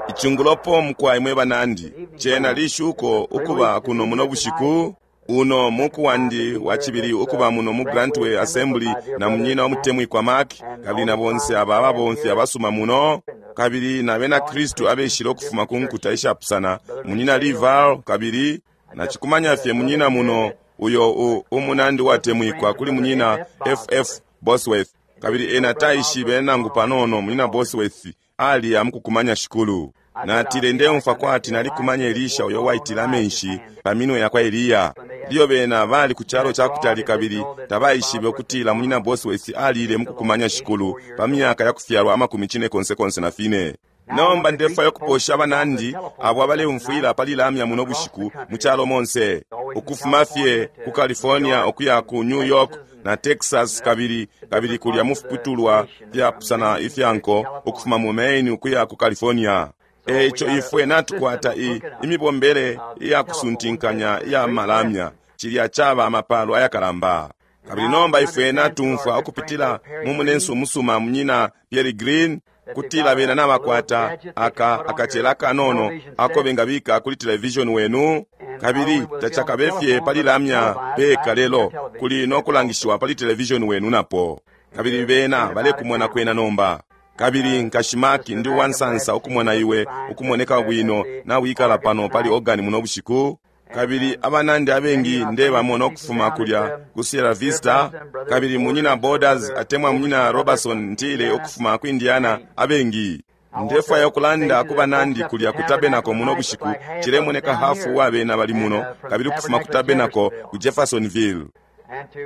Icungulopo mukwai mwe banandi, cena lishuko ukuba kuno muno bushiku uno muku wandi wacibili ukuba muno mu Grantway Assembly na munyina wamutemwikwa Mark, kabili na bonse aba ababomfi abasuma muno, kabili na bena Kristu abeshile ukufuma ku nkuta ishapusana, munyina Lival, kabili nacikumanya fye munyina muno uyo umunandi watemwikwa kuli munyina FF Bosworth, kabili ena taishibe nangu panono munyina Bosworth ali amukukumanya Shikulu. Natile ndeumfwa kwati nalikumanya Elisha uyo waitile amenshi pa minwe yakwa Eliya. Ilyo bena bali ku calo ca kutali kabili tabaishibe ukutila munyina Bosworth alile mukukumanya Shikulu pa myaka ya kufyalwa amakumi cine konse konse na fine. Nomba ndefwaya ukuposha abanandi abo abaleumfwila pali lamya muno bushiku mu calo monse, ukufuma fye ku California ukuya ku New York na Texas, kabili kabili kulya mu fiputulwa fyapusana ifya nko, ukufuma mu Maine ukuya ku California. Eico ifwe natukwata imibombele iya kusuntinkanya iya malamya, cilya caba amapalo ayakalamba. Kabili nomba ifwe natumfwa ukupitila mu munensu umusuma munyina Pierre Green kutila bena nabakwata aka akacela kanono ako bengabika kuli television wenu, kabili tacakabe fye pali lamya peka lelo kuli no kulangishiwa pali television wenu napo, kabili bena balekumona kwena nomba. Kabili nkashi Mark, ndi uwansansa ukumona iwe ukumoneka bwino nawikala pano pali organi muno bushiku. Kabili abanandi abengi ndebamona ukufuma kulya ku Sierra Vista, kabili munyina Borders atemwa munyina Robertson ntile ukufuma ku Indiana, abengi. Ndefwaya ukulanda ku banandi kulya ku Tabernacle muno bushiku, cilemoneka hafu wa bena bali muno, kabili ukufuma ku Tabernacle ku Jeffersonville.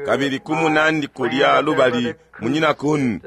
Kabili ku munandi kulya lubali munyina Kun,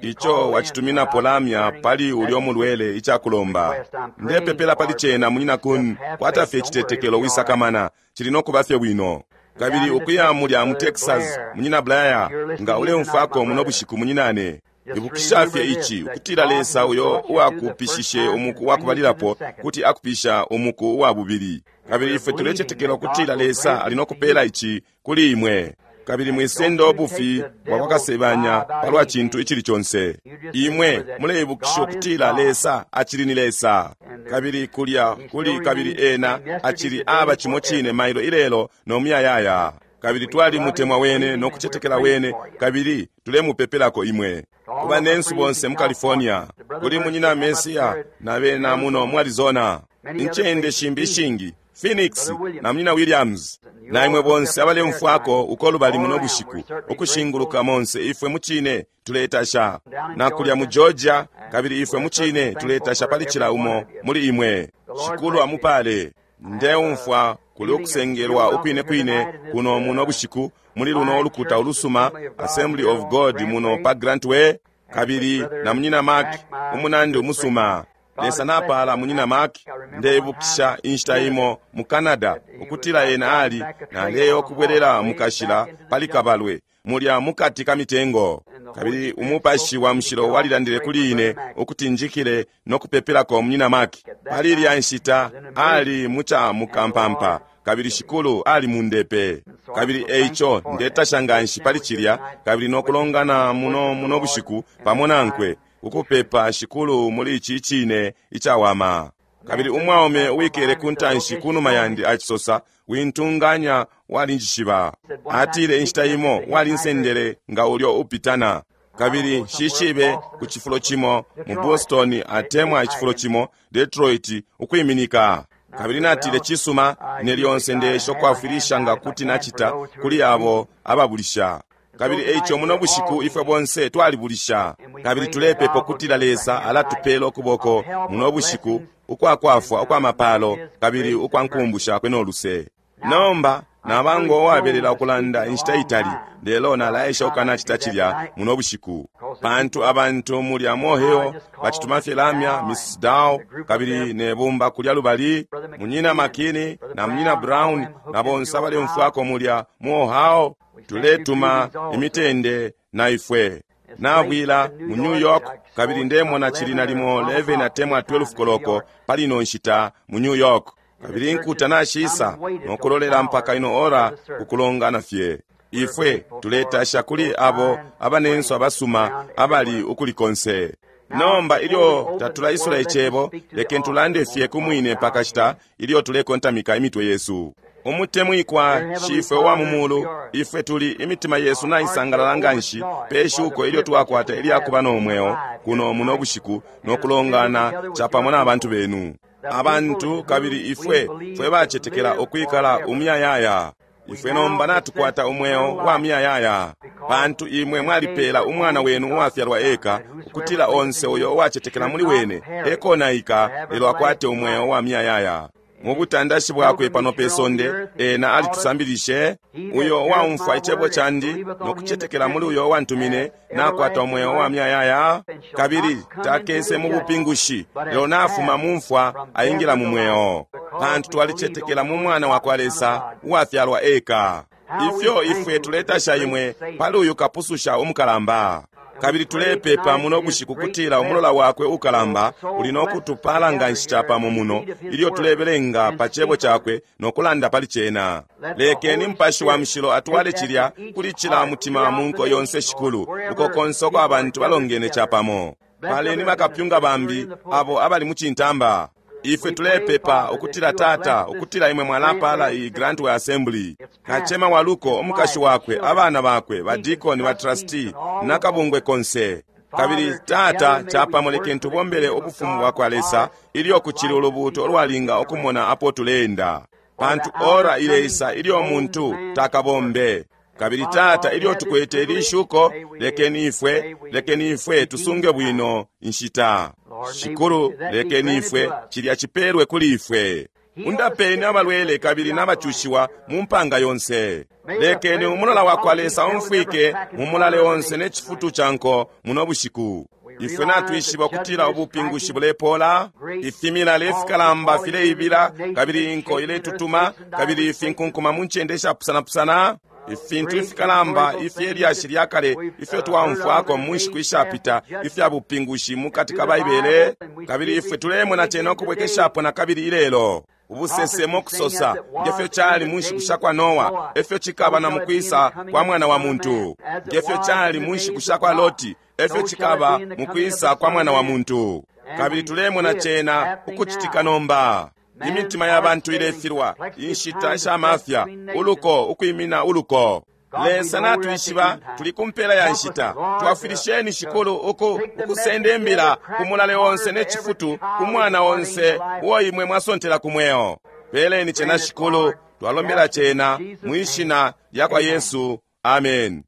ico wacituminapo lamya pali ulyo mulwele icakulomba. Ndepepela pali cena munyina Kun, kwata fye icitetekelo wisakamana, cili no kuba fye bwino. Kabili ukuya mulya mu Texas, munyina Blair, nga uleumfwako muno bushiku munyinane, ibukisha fye ici, ukutila Lesa uyo uwakupishishe umuku wakubalilapo kuti akupisha umuku uwa bubili. Kabili ifwe tulecetekela ukutila Lesa ali no kupela ici kuli imwe. Kabili mwisenda ubufi bwa kwa kasebanya palwa cintu icili conse. Imwe muleibukisha ukutila Lesa acili ni Lesa. Kabili kulya kuli kabili ena acili aba cimo cine mailo ilelo no muyayaya. Kabili twalimutemwa wene no kucetekela wene, kabili tulemupepelako imwe. Ku banensu bonse mu California, kuli munyina Mesia na bena muno mu Arizona, incende shimbi ishingi, Phoenix na munyina Williams, na imwe bonse abaleumfwako uko lubali muno bushiku, ukushinguluka monse, ifwe mucine tuletasha. Na kulya mu Georgia, kabili ifwe mucine tuletasha pali cila umo muli imwe. Shikulu amupale. Ndeumfwa kuli ukusengelwa ukwine kwine kuno muno bushiku muli luno ulukuta ulusuma Assembly of God muno pa Grantway, kabili na munyina Mark umunandi umusuma. Lesa napala munyina Mark. Ndeibukisha inshita imo mu Canada ukutila ena ali naleyo kubwelela mukashila pali kabalwe mulya mukati ka mitengo, kabili umupashi wa mushilo walilandile kuli ine ukuti njikile no kupepelako munyina Mark. Pali ilya nshita ali muca mukampampa, kabili Shikulu ali mundepe. Kabili eico ndetasha nganshi pali cilya, kabili no kulongana muno muno bushiku pamo nankwe ukupepa Shikulu muli ici cine icawama. Kabili umwaume uwikele ku ntanshi kunuma yandi acisosa, wintunganya walinjishiba. Atile inshita imo walinsendele nga ulyo upitana. Kabili shishibe ku cifulo cimo mu Boston atemwa icifulo cimo Detroit ukwiminika. Kabili natile cisuma, ine lyonse ndesha ukwafwilisha nga kuti nacita kuli abo ababulisha. Kabili eico muno bushiku ifwe bonse twalibulisha, kabili tulepepa ukutila Lesa alatupela ukuboko muno bushiku ukwakwafwa ukwa mapalo kabili ukwa nkumbu shakwe no luse. Nomba nabango uwabelela ukulanda inshita itali, lelo nalaesha ukanacita cilya muno bushiku, pantu abantu mulya Moheo bacituma fye lamya Mrs. Dow kabili ne bumba kulya lubali munyina Makini na munyina Brown na bonse abaleumfwako mulya mu Ohio. Tuletuma imitende na ifwe nabwila mu New York, kabili ndemona cili nalimo 11 atemwa 12 koloko pali ino nshita mu New York. Kabili nkuta nashisa nokulolela mpaka ino ora kukulongana fye. Ifwe tuletasha kuli abo abanensu abasuma abali ukuli konse. Nomba ilyo tatulaisula Icebo, lekeni tulande fye ku mwine pakashita ilyo tulekontamika imitwe yesu. Umutemwikwa Shifwe wa mu mulu, ifwe tuli imitima yesu naisangalala nganshi pe shuko ilyo twakwata ilyakuba no mweo kuno muno bushiku no kulongana capamo na bantu benu. Abantu kabili ifwe fwe bacetekela ukwikala umuyayaya. Ifwe nomba natukwata umweo wa muyayaya, pantu imwe mwalipeela umwana wenu uwafyalwa eka, ukutila onse uyo uwacetekela muli wene ekonaika, lelo akwate umweo wa muyayaya. Mu butandashi bwakwe pano pe sonde, ena alitusambilishe, uyo uwaumfwa icebo candi no kucetekela muli uyo uwantumine, nakwata umweo wa muyayaya, kabili takese mu bupingushi, lelo nafuma mu mfwa aingila mu mweo. Pantu twalicetekela mu Mwana wa kwa Lesa uwafyalwa eka. Ifyo ifwe tuletasha imwe pali uyu kapususha umukalamba. Kabili tulepepa muno bushiku kutila umulola wakwe ukalamba uli no kutupala nganshi capamo muno ilyo tulebelenga pa cebo cakwe no kulanda pali cena. Lekeni Mupashi wa Mushilo atwale cilya kuli cila mutima mu nko yonse, Shikulu, uko konse uko abantu balongene capamo. Paleni bakapyunga bambi abo abali mu cintamba. Ifwe tulepepa ukutila Tata, ukutila imwe mwalapala iyi Grantway Assembly. Kacema wa luko, umukashi wakwe, abana bakwe, badikoni, batrustee, nakabungwe konse. Kabili Tata, capamo lekeni tubombele ubufumu bwa kwa Lesa ilyo kucili ulubuuto ulwalinga ukumona apo tuleenda. Pantu ora ileisa ilyo muntu takabombe. Kabili Tata, ilyo tukwete ili shuko, lekeni ifwe, lekeni ifwe tusunge bwino inshita. Shikulu, lekeni ifwe cilya cipelwe kuli ifwe. Undapeni abalwele kabili n'abacushiwa mu mpanga yonse. Lekeni umulola wa kwa Lesa umfwike mu mulale onse ne cifutu ca nko muno bushiku. Ifwe natwishiba ukutila ubupingushi bulepola, ifimilale ifikalamba fileibila, kabili inko iletutuma, kabili ifinkunkuma mu ncende ishapusanapusana. Ifintu ifikalamba ifye lyashi lya kale ifyo twaumfwako mu nshiku ishapita ifya bupingushi mu kati ka Baibele, kabili ifwe tulemona cena ukubwekeshapo na kabili ilelo. Ubusesemo kusosa ngefyo cali mu nshiku sha kwa Noa, efyo cikaba na mukwisa kwa Mwana wa Muntu. Ngefyo cali mu nshiku sha kwa Loti, efyo cikaba mukwisa kwa Mwana wa Muntu. Kabili tulemona cena ukucitika nomba. Imitima ya bantu ilefilwa, inshita sha mafya, uluko ukwimina uluko. Lesa natwishiba tuli ku mpela ya nshita. Twafwilisheni Shikulu uku ukusenda imbila ku mulale onse ne cifutu ku mwana onse uo imwe mwasontela ku mweo. Peleni cena Shikulu, twalombela cena mwishina lya kwa Yesu. Amen.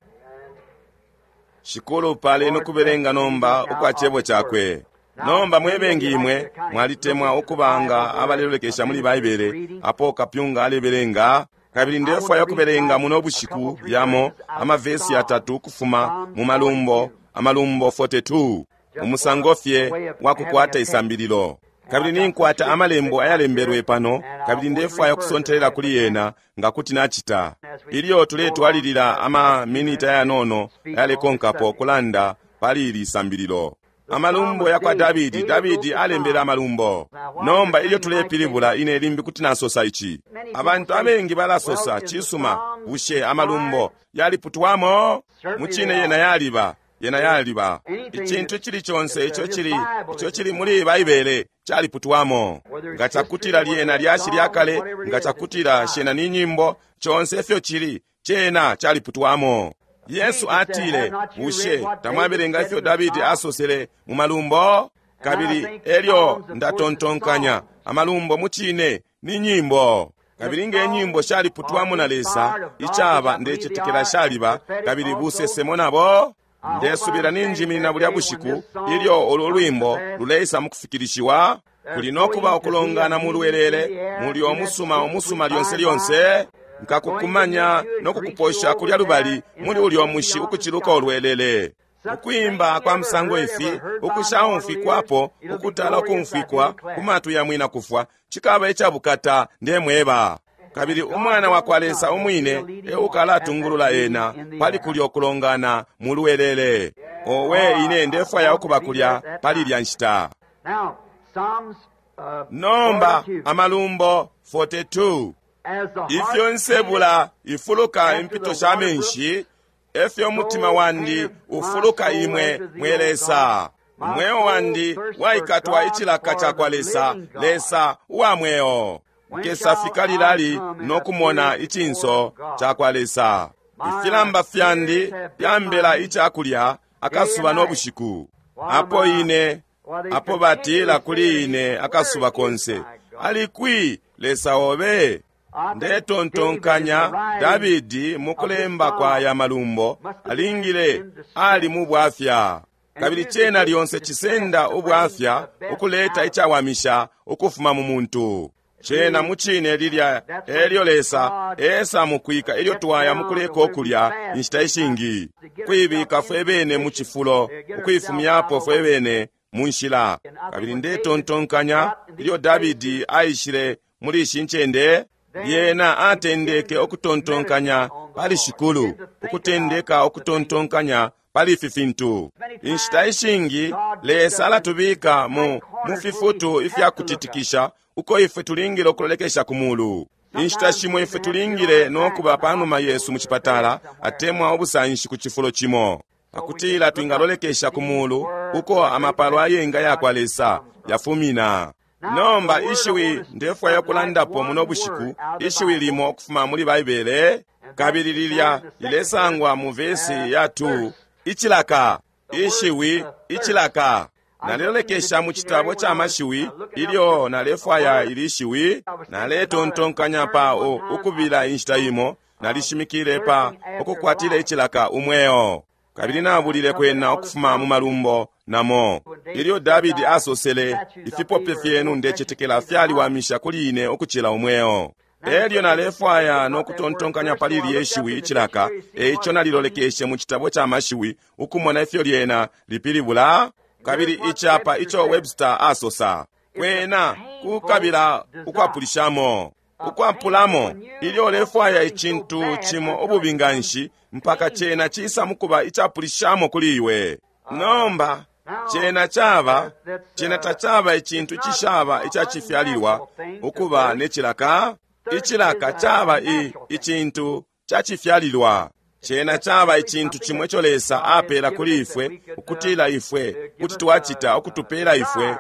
Shikulu paleni ukubelenga nomba ukwa cebo cakwe. Nomba mwebengi imwe mwalitemwa ukubanga abalelolekesha muli Baibele apo kapyunga alebelenga, kabili ndefwaya ukubelenga muno bushiku yamo amavesi yatatu ukufuma mu Malumbo, Amalumbo 42, umusango fye wa kukwata isambililo. Kabili ninkwata amalembo ayalembelwe pano, kabili ndefwaya ukusontelela kuli yena nga kuti nacita. Ilyo tuletwalilila ama minita yanono ayalekonkapo kulanda pali ili sambililo. Amalumbo ya kwa Davidi. Davidi alembele amalumbo. Nomba ilyo tulepilibula, ine limbi kuti nasosa ici. Abantu abengi balasosa, cisuma, bushe amalumbo yaliputwamo? Mucine yena yaliba, yena yaliba. Icintu icili conse ico cili, ico cili muli Baibele caliputwamo. Nga cakutila lyena lyashi lya kale, nga cakutila shena ni nyimbo, conse ifyo cili, cena caliputwamo. Yesu atile, bushe tamwabelenga ifyo Davidi asosele mu malumbo? Kabili elyo ndatontonkanya, amalumbo mucine ni nyimbo. Kabili nge nyimbo shaliputwamo na Lesa, icaba ndecetekela shaliba, kabili busesemo nabo. Ndesubila ninjiminina bulya bushiku ilyo ulu lwimbo luleisa mukufikilishiwa. Kuli nokuba ukulongana mu lwelele, muli omusuma omusuma lyonse lyonse. Nkakukumanya no kukuposha kulya lubali muli ulyo mushi ukuciluka ulwelele. Ukwimba kwa musango ifi ukushaumfwikwapo, ukutala ukumfwikwa ku matwi ya mwina kufwa, cikaba icabukata ndemweba. Kabili umwana wa kwa Lesa umwine eukalatungulula ena pali kulyo kulongana mu lwelele. Owe, ine ndefwaya ukuba kulya pali ilya nshita. Nomba Amalumbo 42. Ifyo nsebula ifuluka impito sha menshi, efyo umutima wandi ufuluka imwe mwe Lesa. Umweo wandi waikatwa icilaka cakwa Lesa, Lesa uwa mweo. Nkesafika lilali no kumona icinso cakwa Lesa? Ifilamba fyandi fyambela icakulya akasuba no bushiku. Apo ine, apo batila kuli ine akasuba konse, ali kwi Lesa obe? Ndetontonkanya Davidi mukulemba kwa ya malumbo alingile ali mu bwafya. Kabili cena lyonse cisenda ubwafya ukuleta icawamisha ukufuma mu muntu. Cena mucine lilya elyo Lesa esa mukwika ilyo twaya mukuleka ukulya inshita ishingi, kuibika fwe bene mu cifulo, ukuifumyapo fwe bene mu nshila. Kabili ndetontonkanya ilyo Davidi aishile muli ishi ncende, lyena atendeke ukutontonkanya pali Shikulu, ukutendeka ukutontonkanya pali ifi fintu. Inshita ishingi Lesa alatubika mu fifutu ifya kutitikisha uko ifwe tulingile ukulolekesha ku mulu. Inshita shimo ifwe tulingile no kuba panuma yesu mu cipatala atemwa ubusanshi ku cifulo cimo, pakutila twingalolekesha ku mulu uko amapalo ayenga yakwa Lesa yafumina. Nomba ishiwi ndefwaya ukulandapo muno bushiku, ishiwi limo ukufuma muli Baibele, kabili lilya lilesangwa mu vesi ya 2, icilaka. Ishiwi icilaka. Nalelolekesha mu citabo ca mashiwi ilyo nalefwaya ili shiwi. Naletontonkanya pa ukubila inshita imo, nalishimikile pa ukukwatila icilaka umweo. Kabili nabulile kwena ukufuma mu malumbo namo. Ilyo Davidi asosele, ifipope fyenu ndecetekela fyaliwamisha kuli ine ukucila umweo. Elyo nalefwaya no kutontonkanya pali ilye shiwi icilaka, eico nalilolekeshe mu citabo ca mashiwi ukumona ifyo lyena lipilibula. Kabili icapa ico Webster asosa, kwena kukabila ukwapulishamo. Ukwapulamo, ilyo ulefwaya icintu cimo ububi nganshi mpaka cena cisa mukuba icapulishamo kuli iwe. Nomba cena caba, cena tacaba icintu cishaba icacifyalilwa ukuba ne cilaka. Icilaka caba icintu cacifyalilwa. Cena caba icintu cimo ico Lesa apela kuli ifwe, ukutila ifwe kuti twacita ukutupela ifwe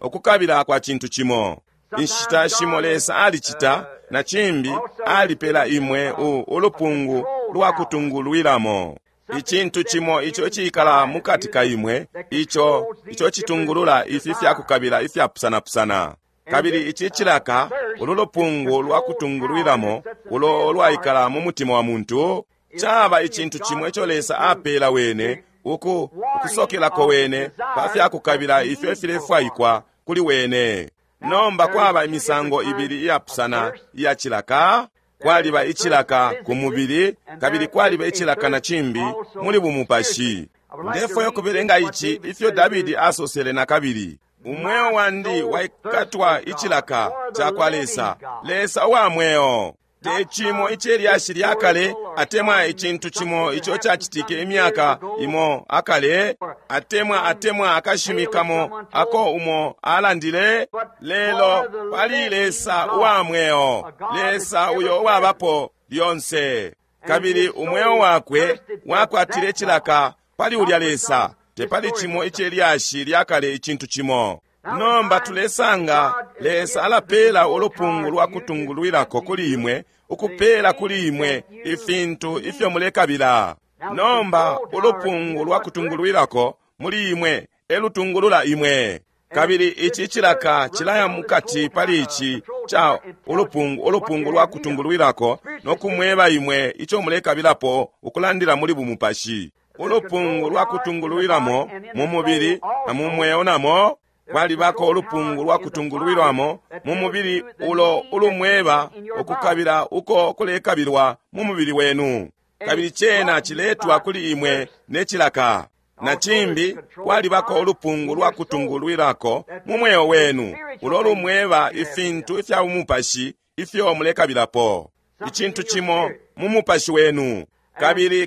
ukukabila kwa cintu cimo. Inshita shimo Lesa alicita, na cimbi alipela imwe ulupungu lwa kutungulwilamo. Icintu cimo ico icikala mukati ka imwe, ico citungulula ifi fyakukabila ifyapusanapusana. Kabili ici cilaka, ulu lupungu lwa kutungulwilamo ulo lwaikala mu mutima wa muntu, caba icintu cimo ico Lesa apela wene, ukusokelako wene pa fyakukabila ifyo ifilefwaikwa kuli wene. Nomba kwaba imisango ibili iyapusana iya cilaka. Kwaliba icilaka ku mubili, kabili kwaliba icilaka na cimbi muli bumupashi. Ndefwaya ukubelenga ici ifyo Davidi asosele na kabili. Umweo wandi waikatwa icilaka cakwa Lesa, Lesa uwa mweo. Te cimo icelyashi lya kale, atemwa icintu cimo ico cacitike imyaka imo akale, atemwa akashimi kamo ako umo alandile, lelo pali Lesa uwa mweo, Lesa uyo uwabapo lyonse. Kabili umweo wakwe wakwatile icilaka pali ulya Lesa, te pali cimo icelyashi lya kale icintu cimo. Nomba tulesanga Lesa alapela ulupungu lwa kutungulwilako kuli imwe, ukupela kuli imwe ifintu ifyo mulekabila. Nomba ulupungu lwa kutungulwilako muli imwe elutungulula imwe. Kabili ici cilaka cilaya mukati pali ici ca ulupungu lwa kutungulwilako no kumweba imwe ico mulekabilapo ukulandila muli bumupashi. Ulupungu lwa kutungulwilamo mu mubili na mu mweo namo. Kwalibako ulupungu lwa kutungulwilwamo mu mubili ulo ulumweba ukukabila uko kulekabilwa mu mubili wenu. Kabili cena ciletwa kuli imwe ne cilaka. Na cimbi kwalibako ulupungu lwa kutungulwilako mu mweo wenu ulo lumweba ifintu ifya umupashi ifyo mulekabilapo. Icintu cimo mu mupashi wenu.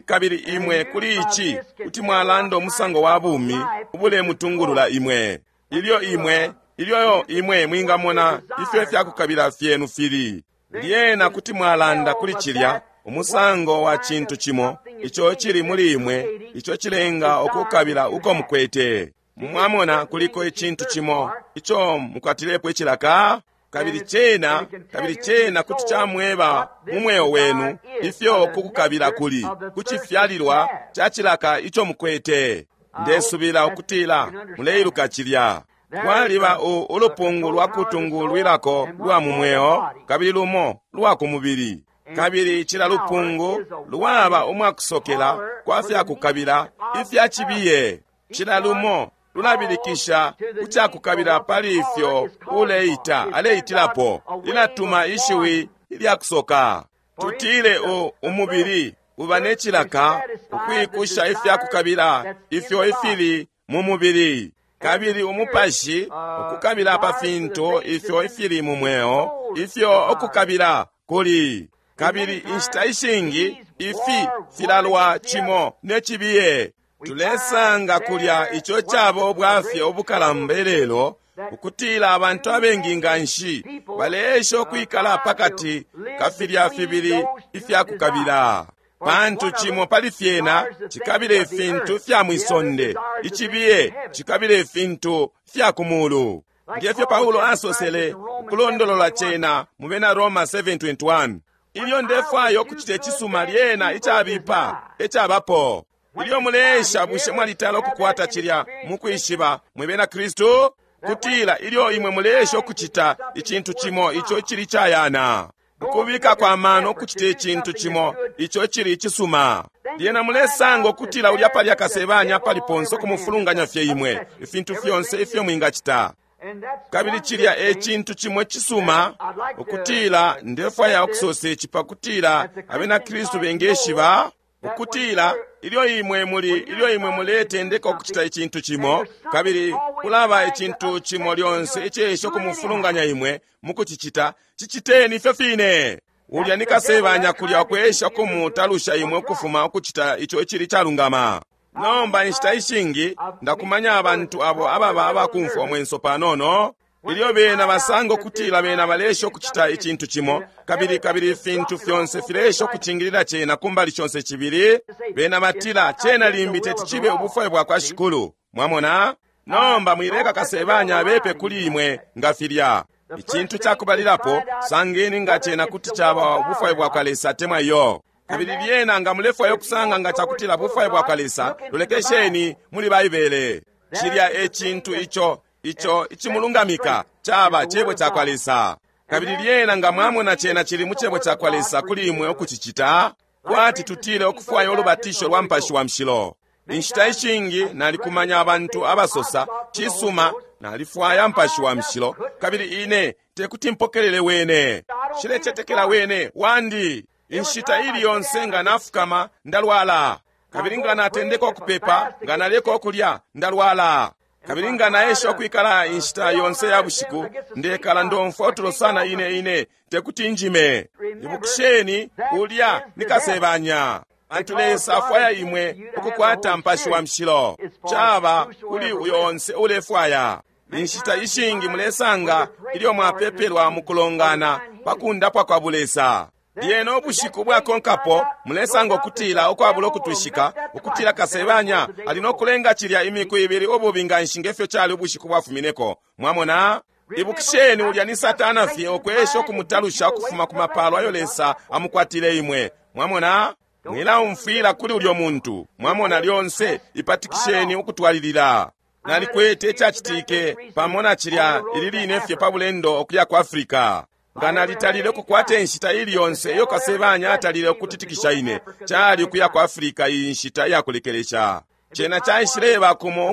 Kabili imwe kuli ici kuti mwalanda umusango wa bumi ubulemutungulula imwe. Ilyo imwe mwingamona ifyo ifyakukabila fyenu fili, lyena kuti mwalanda kuli cilya umusango wa cintu cimo ico cili muli imwe, ico cilenga ukukabila uko mukwete. Mwamona, kuliko icintu cimo ico mukwatilepo icilaka. Kabili cena, kabili cena kuti camweba mu mweo wenu ifyo kukukabila kuli kucifyalilwa ca cilaka ico mukwete. Ndesubila ukutila muleiluka cilya. Kwaliba ulupungu lwa kutungulwilako lwa mu mweo, kabili lumo lwa ku mubili. Kabili cila lupungu lwaba umwakusokela kwa fyakukabila ifya cibiye. Cila lumo lulabilikisha ku cakukabila pali ifyo uleita aleitilapo, lilatuma ishiwi ilyakusoka. Tutile umubili uba ne cilaka ukwikusha ifyakukabila ifyo ifili mu mubili, kabili umupashi ukukabila pa fintu ifyo ifili mu mweo, ifyo ukukabila kuli. Kabili inshita ishingi ifi filalwa cimo ne cibiye. Tulesanga kulya ico caba ubwafya ubukalamba ilelo, ukutila abantu abengi nganshi baleesha ukwikala pakati ka filya fibili ifyakukabila, pantu cimo pali fyena cikabila ifintu fya mwisonde, icibiye cikabila ifintu fya ku mulu. Ngefyo Paulo asosele ukulondolola cena mu bena Roma 7:21, ilyo ndefwaya ukucita icisuma, lyena icabipa ecabapo. Ilyo muleesha, bushe mwalitala ukukwata cilya mukwishiba mwe bena Kristu, kutila ilyo imwe muleesha ukucita icintu cimo ico icili cayana, ukubika kwa mano ukucita icintu cimo ico icili icisuma, lyena mulesanga ukutila ulya palya kasebanya pali ponse ukumufulunganya fye imwe ifintu fyonse ifyo mwingacita. Kabili cilya e cintu cimo cisuma, ukutila ndefwaya ukusosa ici pakutila abena Kristu bengeshiba ukutila ilyo imwe muli, ilyo imwe muletendeka ukucita icintu cimo, kabili kulaba icintu cimo lyonse icesha ukumufulunganya imwe mukucicita, ciciteni ifyo fine. Ulya ni kasebanya kulya ukwesha ukumutalusha imwe ukufuma ukucita ico icili calungama. Nomba inshita ishingi ndakumanya abantu abo ababa abakumfwa umwenso panono, ilyo bena basanga ukutila bena balesha ukucita icintu cimo, kabili kabili ifintu fyonse filesha ukucingilila cena kumbali shonse cibili, bena batila cena limbi teti cibe ubufwayo bwa kwa Shikulu. Mwamona? Nomba mwileka kasebanya abepe kuli imwe nga filya. Icintu cakubalilapo, sangeni nga cena kuti caba ubufwayo bwa kwa Lesa temwa iyo. Kabili lyena nga mulefwaya ukusanga nga cakutila bufwayo bwa kwa Lesa, lolekesheni muli Baibele. Cilya e cintu ico ico icimulungamika caba cebo cakwa Lesa. Kabili lyena nga mwamona cena cili mu cebo cakwa Lesa kuli imwe ukucicita, kwati tutile ukufwaya ulubatisho lwa Mupashi wa Mushilo. Inshita ishingi nalikumanya abantu abasosa, cisuma, nalifwaya Mupashi wa Mushilo, kabili ine tekuti mpokelele wene, nshilecetekela wene wandi. Inshita ili yonse nga nafukama ndalwala, kabili nga natendeka ukupepa, nga naleka ukulya ndalwala, kabili nga naesha ukwikala inshita yonse ya bushiku ndekala ndomfwa utulo sana ine ine tekuti njime. Ibukisheni, ulya ni kasebanya. Pantu Lesa afwaya imwe ukukwata Mupashi wa Mushilo, caba kuli uyo onse ulefwaya. Inshita ishingi mulesanga ilyo mwapepelwa mukulongana pakundapwa kwa bulesa, lyena ubushiku bwakonkapo mulesanga ukutila ukwabula ukutwishika ukutila kasebanya ali nokulenga cilya imiku ibili ububi nganshi ngefyo cali ubushiku bwafumineko. Mwamona? Ibukisheni, ulya ni Satana fye ukwesha ukumutalusha ukufuma ku mapalo ayo Lesa amukwatile imwe. Mwamona? Mwilaumfwila kuli ulyo muntu. Mwamona, lyonse ipatikisheni ukutwalilila. Nalikwete icacitike pamo na cilya ili line fye pa bulendo ukuya ku Afrika. Nga nalitalile ukukwata inshita ili yonse iyo kasebanya atalile ukutitikisha ine, cali ukuya ku Afrika iyi nshita iyakulekelesha. Cena caishileba kumo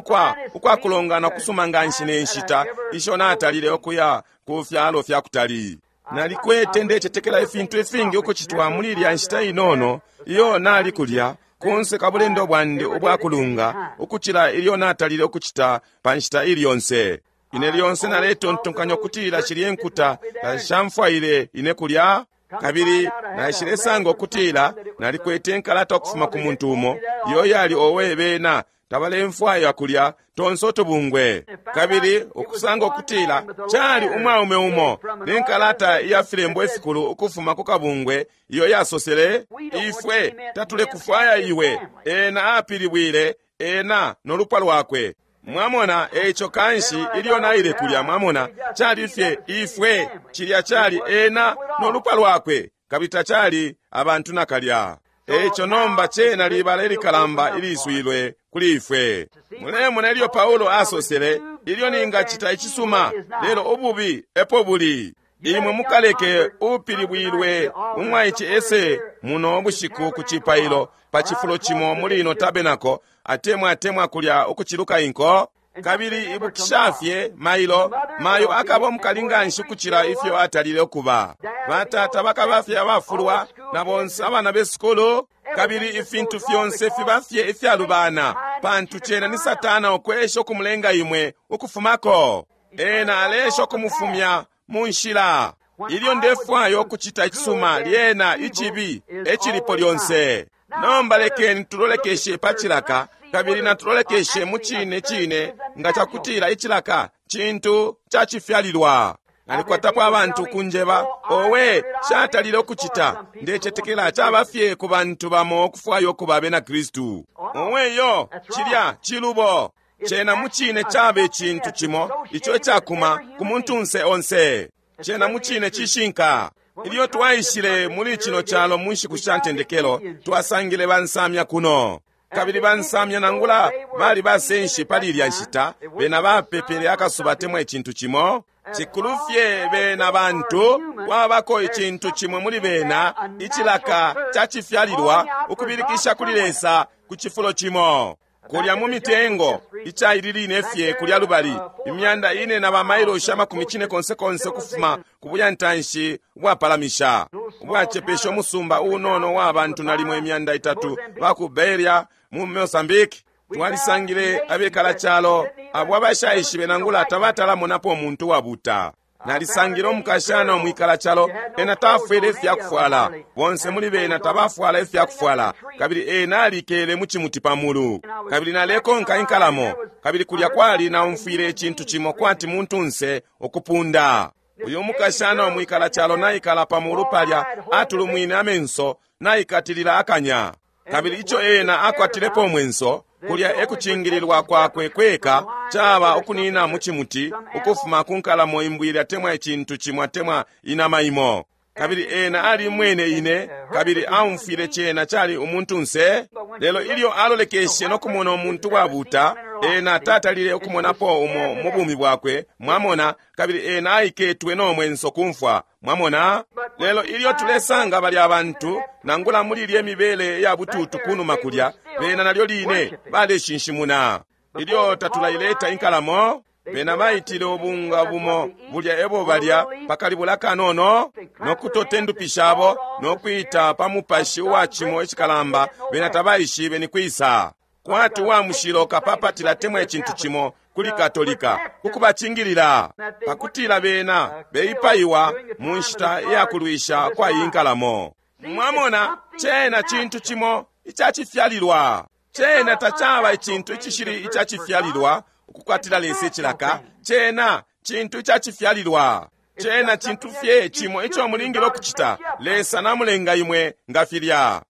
ukwa kulongana kusuma nganshi ne nshita isho natalile ukuya ku fyalo fya kutali. Nalikwete ndecetekela ifintu ifingi ukucitwa muli ilya nshita inono iyo nali kulya kunse ka bulendo bwandi ubwakulunga ukucila ilyo natalile ukucita pa nshita ili yonse. Ine lyonse naletontonkanya ukutila shilye nkuta tashamfwaile ine kulya, kabili naishilesanga ukutila nalikwete nkalata ukufuma ku muntu umo iyo yali owe bena tabalemfwaya kulya tonse utubungwe, kabili ukusanga ukutila cali umwaume umo ne nkalata iya filembo ifikulu ukufuma ku kabungwe iyo yasosele, ifwe tatulekufwaya iwe. Ena apilibwile ena no lupwa lwakwe. Mwamona? Eico kanshi ilyo naile kulya, mwamona, cali fye ifwe, cilya cali ena no lupwa lwakwe, kabili tacali abantu nakalya. Eico nomba cena libala ilikalamba iliswilwe kuli ifwe. Mulemona ilyo Paulo asosele, ilyo ningacita icisuma, lelo ububi epo buli. Imwe mukaleke upilibwilwe umwaice ese muno bushiku ku cipailo pa cifulo cimo muli ino tabernacle, atemwa atemwa kulya ukuciluka inko. Kabili ibukisha fye mailo, mayo akaba umukali nganshi ukucila ifyo atalile ukuba. Batata bakaba fye abafulwa na bonse abana besukulu, kabili ifintu fyonse fiba fye ifyalubana, pantu cena ni Satana ukwesha ukumulenga imwe ukufumako. Ena alesha ukumufumya mu nshila. Ilyo ndefwaya ukucita icisuma, lyena icibi ecilipo lyonse. Nomba lekeni tulolekeshe pa cilaka, kabili natulolekeshe mu cine cine nga cakutila icilaka cintu cacifyalilwa. Nalikwatapo abantu kunjeba, owe, shatalile ukucita. Ndecetekela caba fye ku bantu bamo ukufwaya ukuba abena Kristu. Owe yo, cilya cilubo. Cena mu cine caba icintu cimo ico icakuma ku muntunse onse. Cena mu cine cishinka. Ilyo twaishile muli cino calo mu nshiku sha ntendekelo, twasangile bansamya kuno. Kabili bansamya nangula bali basenshi pali ilya nshita, bena bapepele akasuba temwa icintu cimo. Cikulu fye bena bantu, kwabako icintu cimo muli bena, icilaka cacifyalilwa ukubilikisha kuli Lesa ku cifulo cimo. Kulya mu mitengo, icaili line fye kulya lubali, imyanda ine na ba mailoshi amakumi cine konse konse ukufuma ku buyantanshi ubwapalamisha, ubwacepesha umusumba unono wa bantu nalimo imyanda itatu ba ku Beria mu Mozambique. Twalisangile abekala calo abo abashaishibe nangula tabatalamonapo umuntu wabuta. Nalisangile umukashana umwikala calo, ena tafwele ifyakufwala, bonse muli bena tabafwala ifyakufwala, kabili ena alikele mu cimuti pa mulu. Kabili nalekonka inkalamo, kabili kulya kwali naumfwile icintu cimo kwati muntunse ukupunda. Uyu umukashana umwikala calo naikala pa mulu palya, atulumwine amenso, naikatilila akanya. Kabili ico ena akwatilepo umwenso, kulya ekucingililwa kwakwe kweka, caba ukunina mu cimuti ukufuma ku nkalamo imbwili atemwa icintu cimo atemwa inama imo. Kabili ena alimwene ine, kabili aumfwile cena cali umuntunse. Lelo ilyo alolekeshe no kumona umuntu wabuta, ena tatalile ukumonapo umo mu bumi bwakwe, mwamona, kabili ena aiketwe no mwenso kumfwa, mwamona. Lelo ilyo tulesanga balya abantu, nangula muli ilye mibele ya bututu kunuma kulya, bena nalyo line baleshinshimuna. Ilyo tatulaileta inkalamo, bena baitile ubunga bumo bulya ebo balya pakalibula kanono, nokutote ndupi shabo, nokwita pa mupashi uwa cimo icikalamba, bena tabaishibe ni kwisa. Kwati wa mushilo kapapatila temwa icintu cimo kuli Katolika ukubacingilila, pakutila bena beipaiwa mu nshita ya kulwisha kwa iyi nkalamo. Mwamona, cena cintu cimo icacifyalilwa. Cena tacaba icintu icishili icacifyalilwa ukukwatila Lesa icilaka. Cena cintu icacifyalilwa. Cena cintu fye cimo ico mulingile ukucita. Lesa namulenga imwe nga filya.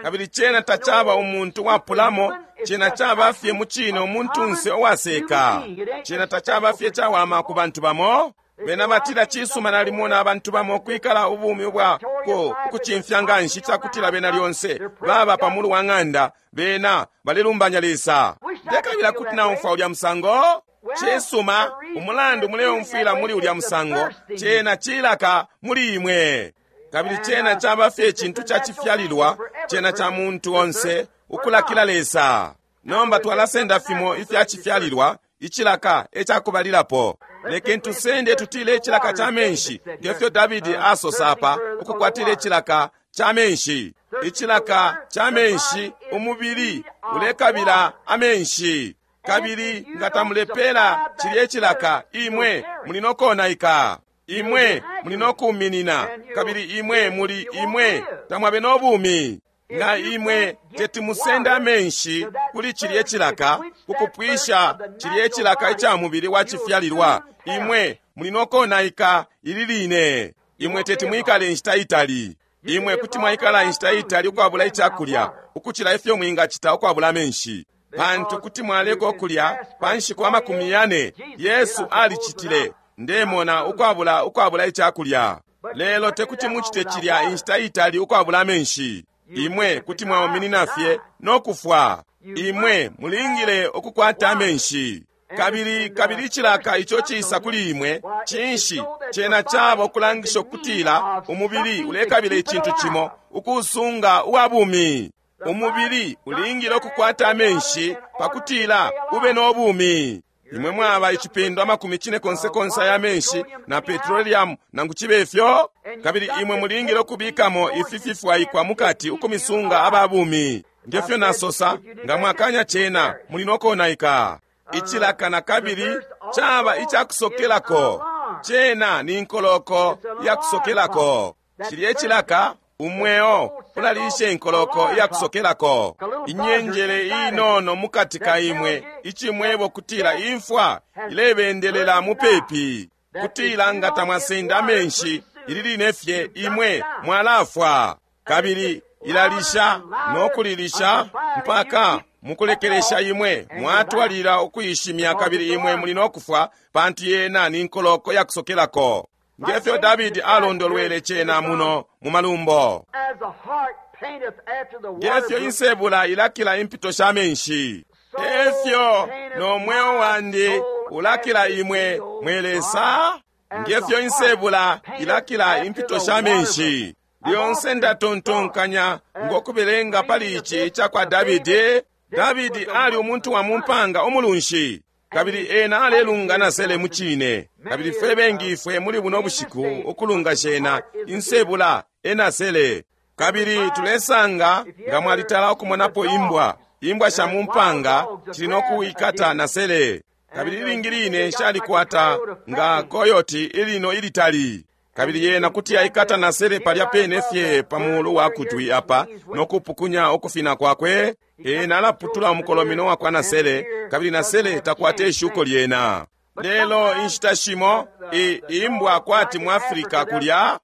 Kabili cena tacaba umuntu wapulamo, cena caba fye mu cine umuntunse uwaseka. Cena tacaba fye cawama ku bantu bamo. Bena batila cisuma nalimona abantu bamo kwikala ubumi ubwa ukucimfya nganshi cakutila bena lyonse baba pa mulu wa ng'anda, bena balelumbanya Lesa. Ndekabila kuti naumfwa ulya musango. Cisuma, umulandu muleumfwila muli ulya musango, cena cilaka muli imwe. Kabili cena caba fye icintu cacifyalilwa, cena ca muntu onse ukulakila Lesa. Nomba twalasenda fimo ifyacifyalilwa, icilaka ecakubalilapo. Lekeni tusende tutile icilaka ca menshi, ngefyo Davidi asosa apa, ukukwatila icilaka ca menshi. Icilaka ca menshi, umubili ulekabila amenshi. Kabili nga tamulepela cilya icilaka, imwe muli nokonaika. Imwe muli nokuminina, kabili imwe muli imwe tamwabe no bumi. Nga imwe teti musende amenshi kuli cilya icilaka, kukupwisha cilya icilaka ica mubili wa cifyalilwa, imwe muli nokonaika ili line. Imwe teti mwikale inshita itali. Imwe kuti mwaikala inshita itali ukwabula icakulya, ukucila ifyo mwingacita ukwabula amenshi. Pantu kuti mwaleka ukulya pa nshiku 40. Yesu alicitile, ndemona, ukwabula icakulya. Lelo tekuti mucite cilya inshita itali ukwabula amenshi. Imwe kuti mwauminina fye no kufwa. Imwe mulingile ukukwata amenshi. Kabili icilaka ico cisa kuli imwe, cinshi cena caba ukulangisha ukutila umubili ulekabila icintu cimo ukusunga uwa bumi. Umubili ulingile ukukwata amenshi pakutila ube no bumi. Imwe mwaba icipendo 90 ya menshi na petroleum nangu cibe fyo, kabili imwe mulingile ukubikamo ifi fifwaikwa mukati ukumisunga aba bumi. Ngefyo nasosa, nga mwakanya cena muli nokonaika. Icilaka na kabili caba icakusokelako. Cena ni nkoloko yakusokelako. Cilye cilaka umweo ulalisha inkoloko yakusokelako. Inyenjele inono mukati ka imwe icimwebo kutila imfwa ilebendelela mupepi, kutila nga tamwasenda amenshi ili line fye imwe mwalafwa. Kabili ilalisha no kulilisha mpaka mukulekelesha imwe mwatwalila ukuishimya, kabili imwe muli no kufwa, pantu yena ni nkoloko yakusokelako. Ngefyo Davidi alondolwele cena muno mu malumbo. Ngefyo insebula ilakila impito sha menshi, efyo no mweo wandi ulakila imwe mwe Lesa. Ngefyo insebula ilakila impito sha menshi. Lyonse ndatontonkanya ngokubelenga pali ici icakwa Davidi. Davidi ali umuntu wa mumpanga umulunshi, kabili ena alelunga na sele mucine. Kabili fwe bengi ifwe muli buno bushiku ukulunga shena insebula ena sele. Kabili tulesanga nga mwalitala ukumonapo imbwa sha mumpanga cili no kuikata na sele. Kabili ilingi line shalikwata nga koyoti ilino ilitali. Kabili yena kuti aikata na sele palya pene fye pa mulu wa kutwi apa no kupukunya ukufina kwakwe. Ena alaputula umukolomino wakwa na sele, kabili na sele takwate ishuko lyena. Lelo inshita shimo imbwa kwati mu Afrika kulya,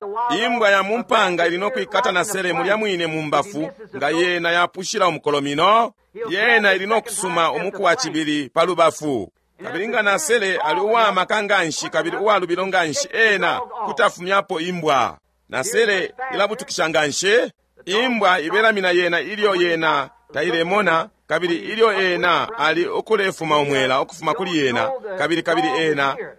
imbwa ya mumpanga ili no kuikata na sele mulya mwine mumbafu, nga yena yapushila umukolomino, yena ili no kusuma umuku wa cibili pa lubafu. Kabili nga na sele ali uwamaka nganshi kabili uwalubilo nganshi, ena kutafumyapo imbwa. Na sele ilabutukisha nganshi, imbwa ibelamina yena ilyo yena tailemona, kabili ilyo ena ali ukulefuma umwela ukufuma kuli yena, kabili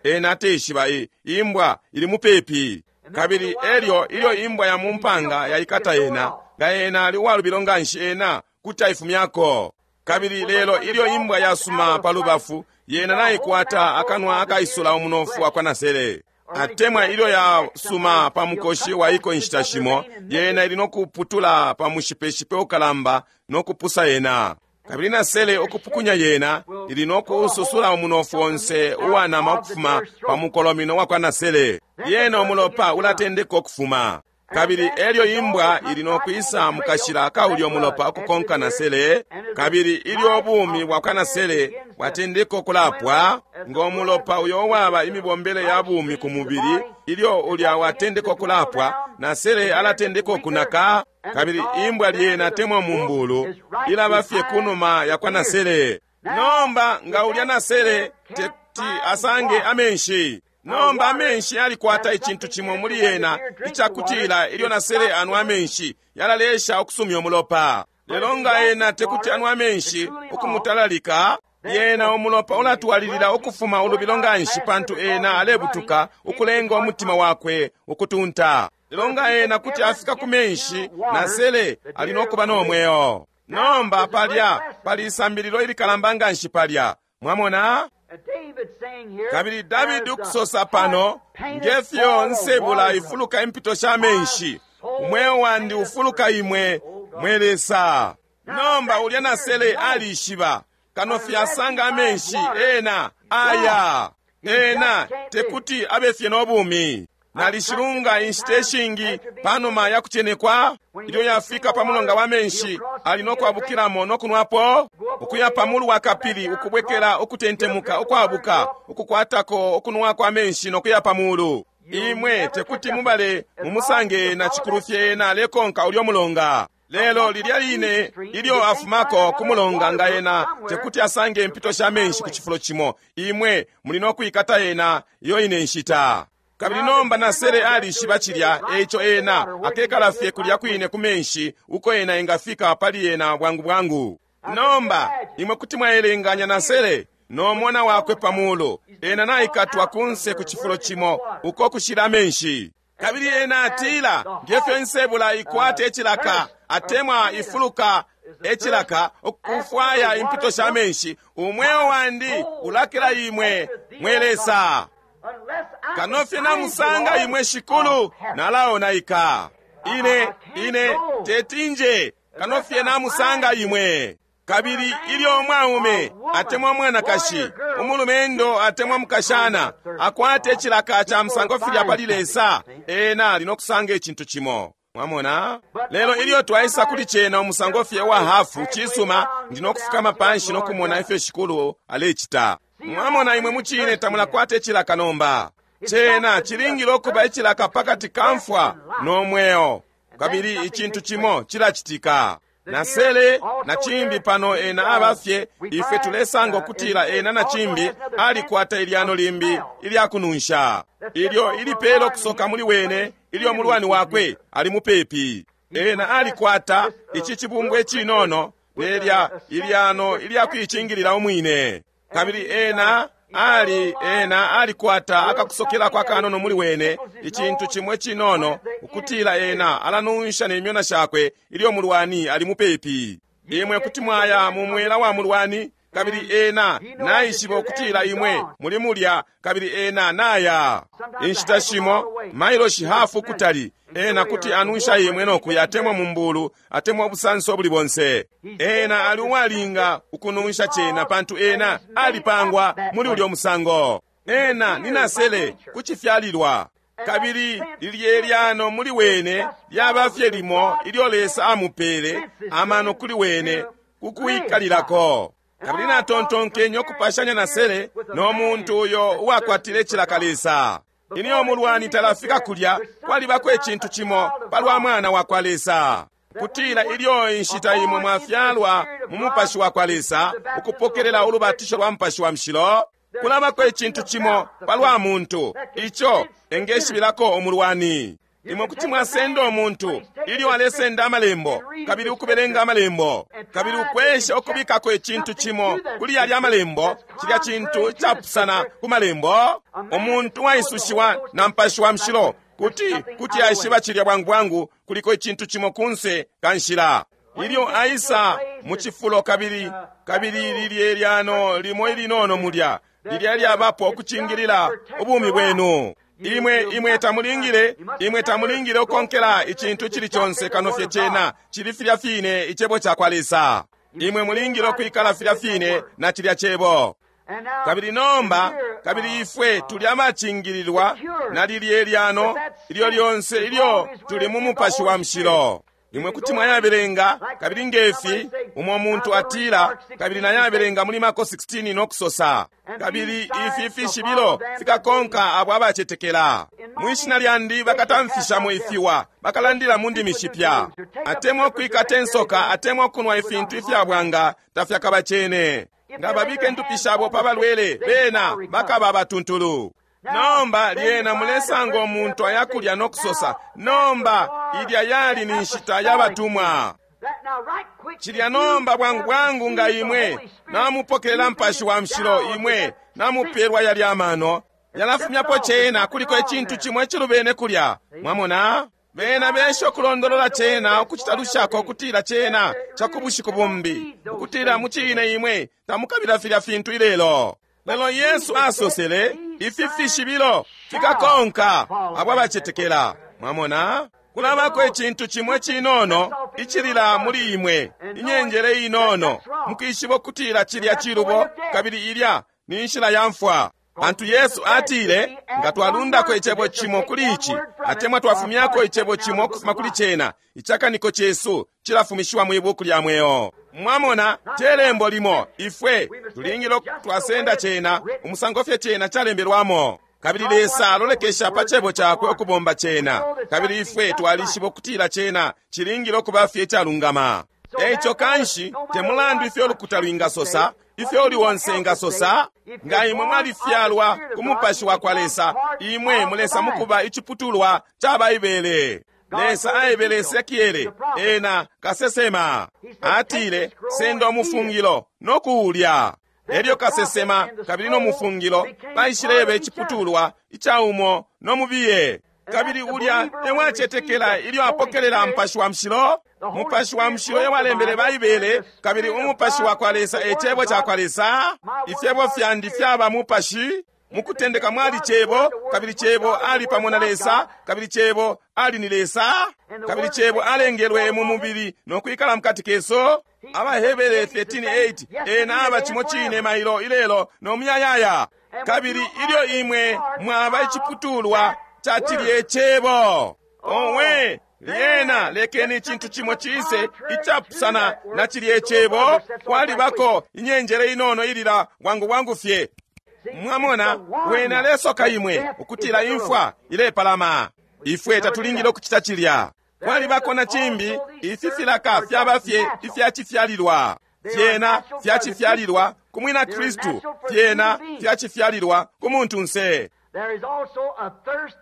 ena ateshiba imbwa ili mupepi. Kabili elyo ilyo imbwa ya mumpanga yaikata yena, nga ena ali uwalubilo nganshi, ena kuti aifumyako. Kabili lelo ilyo imbwa yasuma pa lubafu, yena naikwata akanwa akaisula umunofu wakwa nasele. Atemwa ilyo yasuma pa mukoshi wa iko inshita shimo, yena ili no kuputula pa mushipeshipe ukalamba no kupusa yena. Kabili nasele ukupukunya yena ili no kususula umunofu onse uwanama ukufuma pa mukolomino wakwa nasele. Yena umulopa ulatendeka ukufuma. Kabili elyo imbwa ili no kwisa mukashila kaulyo mulopa ukukonka nasele. Kabili ilyo ubumi bwakwa nasele bwatendeka ukulapwa, ngo mulopa uyo waba imibombele ya bumi ku mubili, ilyo ulya watendeka ukulapwa, nasele alatendeka ukunaka. Kabili imbwa lyena temwa mumbulu ilaba fye kunuma yakwa nasele. Nomba nga ulya nasele teti asange amenshi. Nomba amenshi yalikwata icintu cimo muli yena icakutila ilyo nasele anwa amenshi yalalesha ukusumya umulopa. Lelo nga ena tekuti anwa amenshi ukumutalalika, yena umulopa ulatwalilila ukufuma ulubilo nganshi, pantu ena alebutuka ukulenga umutima wakwe ukutunta. Lelo nga ena kuti afika ku menshi, nasele ali nokuba no mweo. Nomba palya pali isambililo ilikalamba nganshi palya. Mwamona? Kabili Davidi ukusosa pano, ngefyo nsebula ifuluka impito sha menshi, umweo wandi ufuluka imwe mwe Lesa. Nomba ulya nasele alishiba kano fyasanga amenshi, ena aya ena tekuti abe fye no bumi. Nalishilunga inshita ishingi panuma ya kucenekwa, ilyo yafika pa mulonga wa menshi ali no kwabukilamo no kunwapo, ukuya pa mulu wa kapili, ukubwekela ukutentemuka, ukwabuka, ukukwatako ukunwa kwa menshi no kuya pa mulu. Imwe tekuti mubale mumusange na cikulu fye ena alekonka ulyo mulonga. Lelo lilya line ilyo afumako ku mulonga, nga ena tekuti asange impito sha menshi ku cifulo cimo, imwe muli no kwikata ena iyo ine nshita. Kabili nomba nasele alishiba cilya, eico ena akekala fye kulya kwine ku menshi uko ena engafika pali ena bwangu bwangu. Nomba imwe kuti mwaelenganya nasele no mwana wakwe pamulu, ena naikatwa kunse ku cifulo cimo uko kushila amenshi. Kabili ena atila, ngefyo insebula ikwate icilaka atemwa ifuluka ecilaka ukufwaya impito sha menshi, umweo wandi ulakila imwe, mwe Lesa. Kano fye namusanga imwe Shikulu, nalaonaika. Ine tetinje kano fye namusanga imwe. Kabili ilyo umwaume atemwa mwanakashi, umulumendo atemwa mukashana akwate icilaka ca musango filya pali Lesa, ena ali no kusanga icintu cimo. Mwamona? Lelo ilyo twaisa kuli cena umusango fye wa hafu, cisuma, ndi no kufukama panshi no kumona ifyo Shikulu alecita. Mwamona, imwe mucine tamulakwata icilaka nomba. Cena cilingile ukuba icilaka pakati ka mfwa no mweo, kabili icintu cimo cilacitika. Nasele na cimbi pano ena abafye, ifwe tulesanga ukutila ena na cimbi alikwata ilyano limbi ilyakununsha, ilyo ilipela ukusoka muli wene ilyo mulwani wakwe ali mupepi. Ena alikwata ici cibumbwa icinono nelya ilyano ilyakuicingilila umwine, kabili ena ena alikwata akakusokelako akanono muli wene, icintu cimwe cinono, ukutila ena alanunsha ne myona shakwe ilyo mulwani ali mupepi. Imwe kuti mwaya mu mwela wa mulwani, kabili ena naishiba ukutila imwe muli mulya, kabili ena naya. Inshita shimo mailoshi hafu kutali, ena kuti anunsha imwe nokuya atemwa mumbulu atemwa ubusanso buli bonse. Ena ali uwalinga ukununsha cena, pantu ena alipangwa muli ulyo musango. Ena ni nasele kucifyalilwa, kabili lilye lyano muli wene lyaba fye limo ilyo Lesa amupele amano kuli wene kukuikalilako. Kabili natontonkenye ukupashanya nasele no muntu uyo uwakwatile icilaka Lesa. Ilyo mulwani talafika kulya, kwalibako icintu cimo palwa mwana wa kwa Lesa, kutila ilyo inshita imwe mwafyalwa mu mupashi wa kwa Lesa, ukupokelela ulubatisho lwa mupashi wa mushilo, kulabako icintu cimo palwa muntu ico engeshibilako umulwani. Imwe kuti mwasenda umuntu ilyo alesenda amalembo, kabili ukubelenga amalembo, kabili ukwesha ukubikako icintu cimo kuli yalya amalembo, cilya cintu icapusana ku malembo. Umuntu waisushiwa na mupashi wa mushilo kuti aishiba cilya bwangu bwangu kuliko icintu cimo kunse ka nshila. Ilyo aisa mu cifulo, kabili lilye lyano limo ilinono mulya, lilya lyabapo ukucingilila ubumi bwenu. Imwe tamulingile ukonkela icintu cili conse kano fye cena cili filya fine icebo ca kwa Lesa. Imwe mulingile ukwikala filya fine na cilya cebo. Kabili nomba, kabili ifwe tuli abacingililwa na lilye lyano ilyo lyonse ilyo tuli mu mupashi wa mushilo. Imwe kuti mwayabelenga, kabili ngefi umo muntu atila, kabili nayabelenga muli Marko 16 no kusosa, kabili ifi fishibilo fikakonka abo abacetekela. Mwishina lyandi bakatamfishamo ifiwa, bakalandila mu ndimi shipya, atemwa ukwikata insoka, atemwa ukunwa ifintu ifyabwanga tafyakabacene. Nga babike ndupi shabo pa balwele, bena bakaba abatuntulu. Nomba lyena mulesanga umuntu ayakulya no kusosa, nomba ilya yali ni nshita yabatumwa. Cilya nomba bwangu bwangu nga imwe namupokelela mpashi wa mushilo, imwe namupelwa yalya amano, yalafumyapo cena, kuliko icintu cimo icilubene kulya. Mwamona? Bena besha ukulondolola cena, ukucita lushako ukutila cena cakubushiku bumbi, ukutila mucine imwe tamukabila filya fintu ilelo. Lelo Yesu asosele, ifi fishibilo fikakonka abo abacetekela. Mwamona? Kulabako icintu cimwe cinono icilila muli imwe, inyenjele inono, mukishiba ukutila cilya cilubo, kabili ilya ni nshila ya mfwa. Pantu Yesu atile, nga twalundako icebo cimo kuli ici, atemwa twafumyako icebo cimo ukufuma kuli cena, icakaniko cesu cilafumishiwa mwi buku lya mweo. Mwamona, te lembo limo, ifwe tulingile twasenda cena umusango fye cena calembelwamo. Kabili Lesa alolekesha pa Cebo Cakwe ukubomba cena. Kabili ifwe twalishiba ukutila cena cilingile ukuba fye icalungama. Eico kanshi, te mulandu ifyo lukuta lwingasosa, ifyo uli onse engasosa, nga imwe mwalifyalwa ku Mupashi wa kwa Lesa, imwe mulesa mukuba iciputulwa ca Baibele. Lesa aebele Esekiele, ena kasesema, atile, senda umufungilo no kuulya. Elyo kasesema kabili no mufungilo baishileba iciputulwa ica umo no mubiye. Kabili ulya ewacetekela ilyo apokelela Mupashi wa Mushilo. Mupashi wa Mushilo ewalembele Baibele, kabili Umupashi wa kwa Lesa e Cebo ca kwa Lesa. Ifyebo fyandi fyaba Mupashi. Mukutendeka mwali Cebo, kabili Cebo ali pamo na Lesa, kabili Cebo ali ni Lesa, kabili Cebo alengelwe mu mubili no kwikala mukati kesu. AbaHebere 13:8, ena aba cimo cine mailo, ilelo, no muyayaya. Kabili ilyo imwe mwaba iciputulwa ca cilye Cebo, owe, lyena lekeni icintu cimo cise icapusana na cilye Cebo, kwalibako inyenjele inono ilila bwangu bwangu fye. Mwamona, wena alesoka imwe ukutila imfwa ilepalama. Ifwe tatulingile ukucita cilya. Kwalibako na cimbi, ifi filaka fyaba fye ifyacifyalilwa. Fyena fyacifyalilwa ku mwina Kristu, fyena fyacifyalilwa ku muntunse.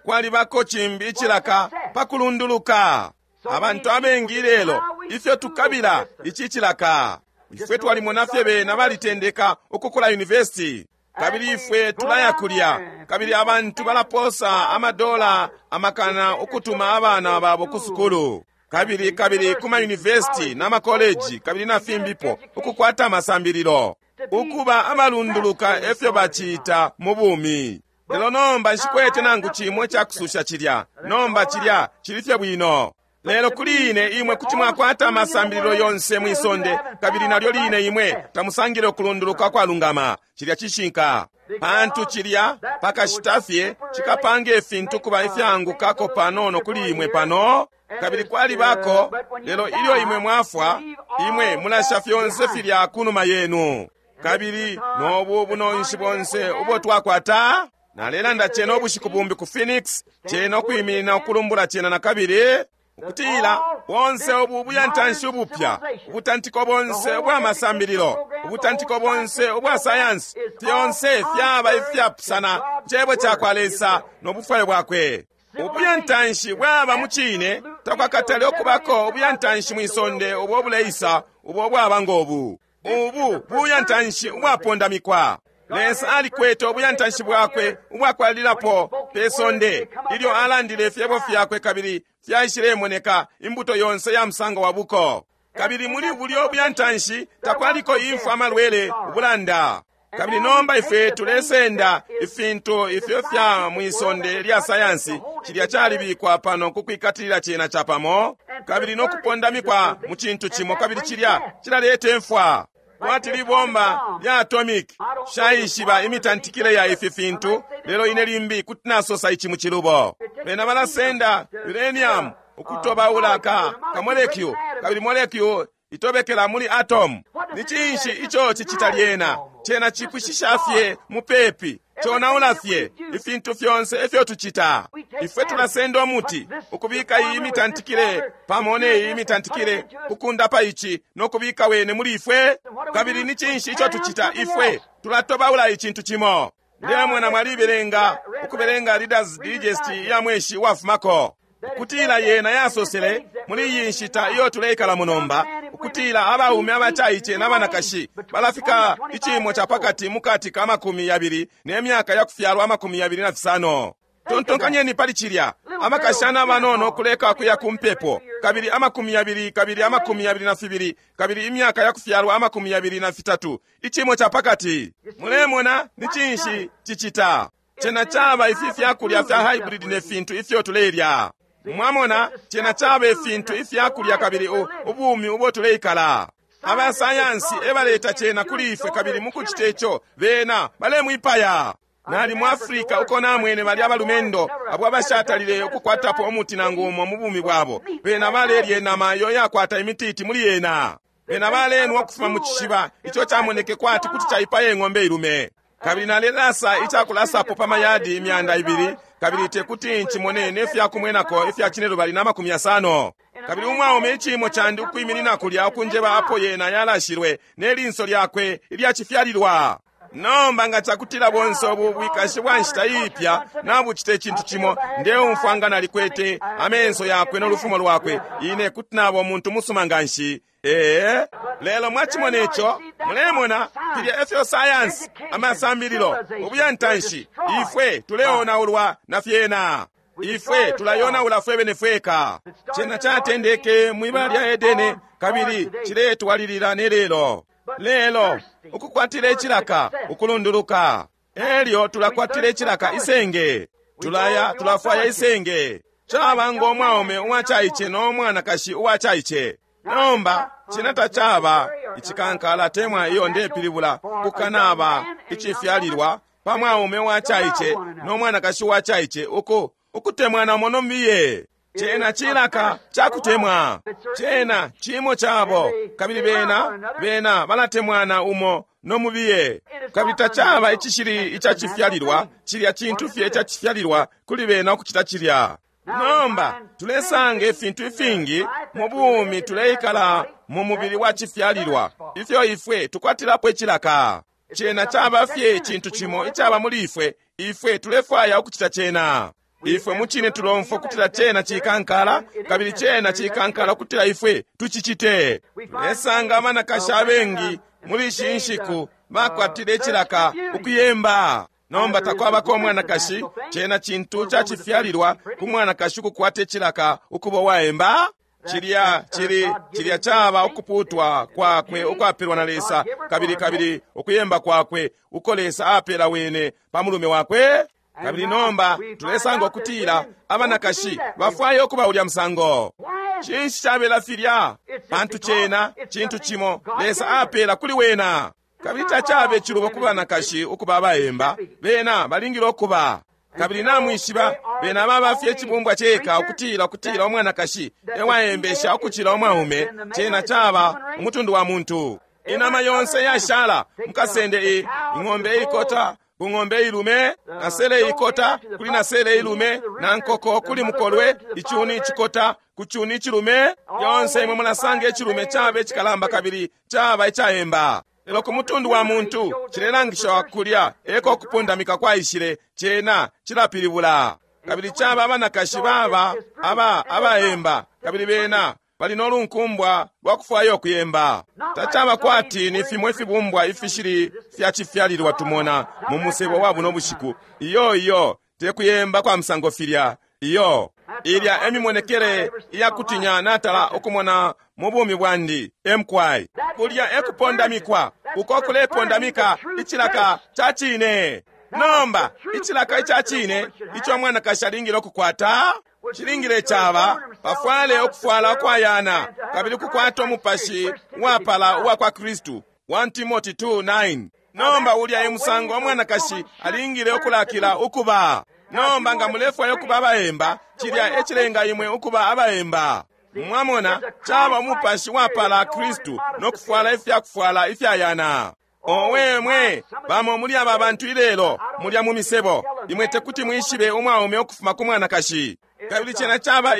Kwalibako cimbi icilaka pa kulunduluka. Abantu abengi ilelo, ifyo tukabila ici cilaka. Ifwe twalimona fye bena balitendeka ukukula university. Kabili ifwe tulaya kulya, kabili abantu balaposa amadola amakana ukutuma abana babo ku sukulu, kabili kabili kuma university na makoleji, kabili na fimbipo, ukukwata amasambililo, ukuba abalunduluka efyo bacita mu bumi. Lelo nomba nshikwete nangu cimo icakususha cilya. Nomba cilya cili fye bwino. Lelo kuli ine imwe kuti mwakwata amasambililo yonse mwi sonde, kabili nalyo line imwe tamusangile ukulunduluka kwalungama. Cilya cishinka. Pantu cilya pakashita fye cikapanga ifintu kuba ifyaangukako panono kuli imwe pano, kabili kwalibako. Lelo ilyo imwe mwafwa, imwe mulasha fyonse filya kunuma yenu. Kabili nobu bunonshi bonse ubo twakwata, nalelanda cena ubushiku bumbi ku Phoenix, cena ukwiminina ukulumbula cena na kabili, ukutila bonse ubu buyantanshi ubupya, ubutantiko bonse ubwa masambililo, ubutantiko bonse ubwa sayansi, fyonse fyaba ifyapusana Cebo ca kwa Lesa no bufwayo bwakwe. Ubuyantanshi bwaba mu cine, takwakatale ukubako ubuyantanshi mwi sonde ubo buleisa ubo bwaba ngobu. Ubu buyantanshi ubwapondamikwa. Lesa alikwete ubuyantanshi bwakwe ubwakwalilapo pe sonde ilyo alandile ifyebo fyakwe, kabili fyaishilemoneka imbuto yonse ya musango wa buko. Kabili muli bulyo buyantanshi takwaliko imfwa, amalwele, ubulanda. Kabili nomba ifwe tulesenda ifintu ifyo fya mwisonde lya sayansi, cilya calibikwa pano kukwikatilila cena capamo, kabili no kupondamikwa mu cintu cimo, kabili cilya cilaleta imfwa. Kwati libomba lya atomic, shaishiba imitantikile ya ifi fintu, lelo ine limbi kuti nasosa ici mu cilubo. Bena balasenda uranium ukutobaula ka molecule, kabili molecule itobekela muli atom. Ni cinshi ico cicita lyena? Cena cipwishisha fye mupepi, conaula fye ifintu fyonse ifyo tucita. Ifwe tulasenda umuti ukubika iyi mitantikile pamo ne iyi mitantikile, ukundapa ici no kubika wene muli ifwe. Kabili ni cinshi ico tucita? Ifwe tulatobaula icintu cimo. Ndemona mwalibelenga ukubelenga Reader's Digest ya mweshi wafumako, ukutila yena yasosele muli iyi nshita iyo tuleikala munomba, ukutila abaume abacaice na banakashi balafika icimo ca pakati mukati ka 20 ne myaka ya kufyalwa 25. Tontonkanyeni pali cilya, abakashana abanono kuleka kuya ku mpepo, kabili 20 kabili 22 kabili imyaka ya kufyalwa 23, icimo ca pakati. Mulemona ni cinshi cicita? Cena caba ifi fyakulya fya hybrid ne fintu ifyo tulelya. Mwamona, cena caba ifintu ifyakulya kabili ubumi ubo tuleikala. Abasayansi ebaleta cena kuli ifwe, kabili mukucita ico bena balemwipaya. Nali mu Afrika uko namwene bali abalumendo abo abashatalile ukukwatapo umuti nangu umo mu bumi bwabo. Bena balelya inama iyo yakwata imititi muli yena. Bena balenwa ukufuma mu cishiba ico camoneke kwati kuti caipaya ing'ombe ilume. Kabili nalelasa icakulasapo pa mayadi 200, kabili tekuti ncimone ne fyakumwenako ifya 250. Kabili umwaume iciimo candi ukwiminina kulya ukunjeba apo yena yalashilwe ne linso lyakwe ilyacifyalilwa. Nomba nga cakutila bonse ubu bwikashi bwa nshita iipya nabucita icintu cimo, ndeumfwa nga nalikwete amenso yakwe no lufumo lwakwe, ine kuti naba umuntu musuma nganshi. Ee, lelo mwacimona ico, mulemona filya efyo sayansi, amasambililo, ubuyantanshi, ifwe tuleonaulwa na fyena. Ifwe tulayonaula fwebene fweka. Cena catendeke mwibala lya Edene, kabili ciletwalilila ne lelo. Lelo ukukwatila icilaka ukulunduluka, elyo tulakwatila icilaka isenge, tulaya tulafwaya isenge. Caba ngo mwaume uwacaice no mwanakashi uwacaice. Nomba cena tacaba icikankala temwa iyo ndepilibula kukanaba icifyalilwa pa mwaume uwacaice no mwanakashi uwacaice uku ukutemwana umo nomiye. Cena cilaka cakutemwa, cena cimo cabo, kabili bena bena balatemwana umo no mubiye. Kabili tacaba icishili icacifyalilwa, cilya cintu fye icacifyalilwa kuli bena ukucita cilya. Nomba tulesanga ifintu ifingi mu bumi tuleikala mu mubili wa cifyalilwa ifyo ifwe tukwatilapo icilaka. Cena caba fye icintu cimo icaba muli ifwe, ifwe tulefwaya ukucita cena. Ifwe mucine tulomfwa kutila cena cikankala, kabili cena cikankala kutila ifwe tucicite. Tulesanga abanakashi abengi muli ishi nshiku bakwatile icilaka ukuyemba. Nomba takwabako umwanakashi, cena cintu cacifyalilwa ku mwanakashi ukukwata icilaka ukuba uwaemba. Cilya cili cilya caba ukuputwa kwakwe ukwapelwa na Lesa, kabili kabili ukuyemba kwakwe uko Lesa apela wene pa mulume wakwe. Kabili nomba tulesanga ukutila abanakashi bafwaya ukuba ulya musango. Cinshi cabela filya? Pantu cena cintu cimo Lesa apela kuli wena. Kabili tacabe cilubo ku banakashi ukuba abaemba, bena balingile ukuba. Kabili namwishiba bena baba fye icibumbwa ceka ukutila ukutila umwanakashi ewaembesha ukucila umwaume. Cena caba umutundu wa muntu. Inama yonse yashala mukasende ing'ombe ikota ku ng'ombe ilume, nasele ikota kuli nasele ilume, na nkoko kuli mukolwe, icuni icikota ku cuni icilume. Yonse imwe mulasanga icilume caba icikalamba kabili caba icaemba. Lelo ku mutundu wa muntu cilelangisha kulya eko kupondamika kwaishile, cena cilapilibula. Kabili caba abanakashi baba aba abaemba, kabili bena bali no lunkumbwa lwa kufwaya ukuyemba. Tacaba kwati ni fimwe ifibumbwa ifishili fyacifyalilwa tumona mu musebo wa buno bushiku. Iyo iyo tekuyemba kwa musango filya. Iyo ilya emimonekele iyakutinya natala ukumona mu bumi bwandi emkwai. Kulya ekupondamikwa uko kulepondamika icilaka ca cine. Nomba icilaka ica cine ico mwanakashi alingile ukukwata cilingile caba pafwale ukufwala ukwayana, kabili kukwata umupashi uwapala uwa kwa Kristu. 1 Timothy 2:9. Nomba ulya emusango umwanakashi alingile ukulakila ukuba. Nomba nga mulefwaya ukuba abaemba, cilya ecilenga imwe ukuba abaemba. Mwamona, caba umupashi wapala Kristu no kufwala ifyakufwala ifyayana. Owe mwe, bamo muli aba bantu ilelo mulya mu misebo, imwe tekuti mwishibe umwaume ukufuma ku mwanakashi. Kabili cena caba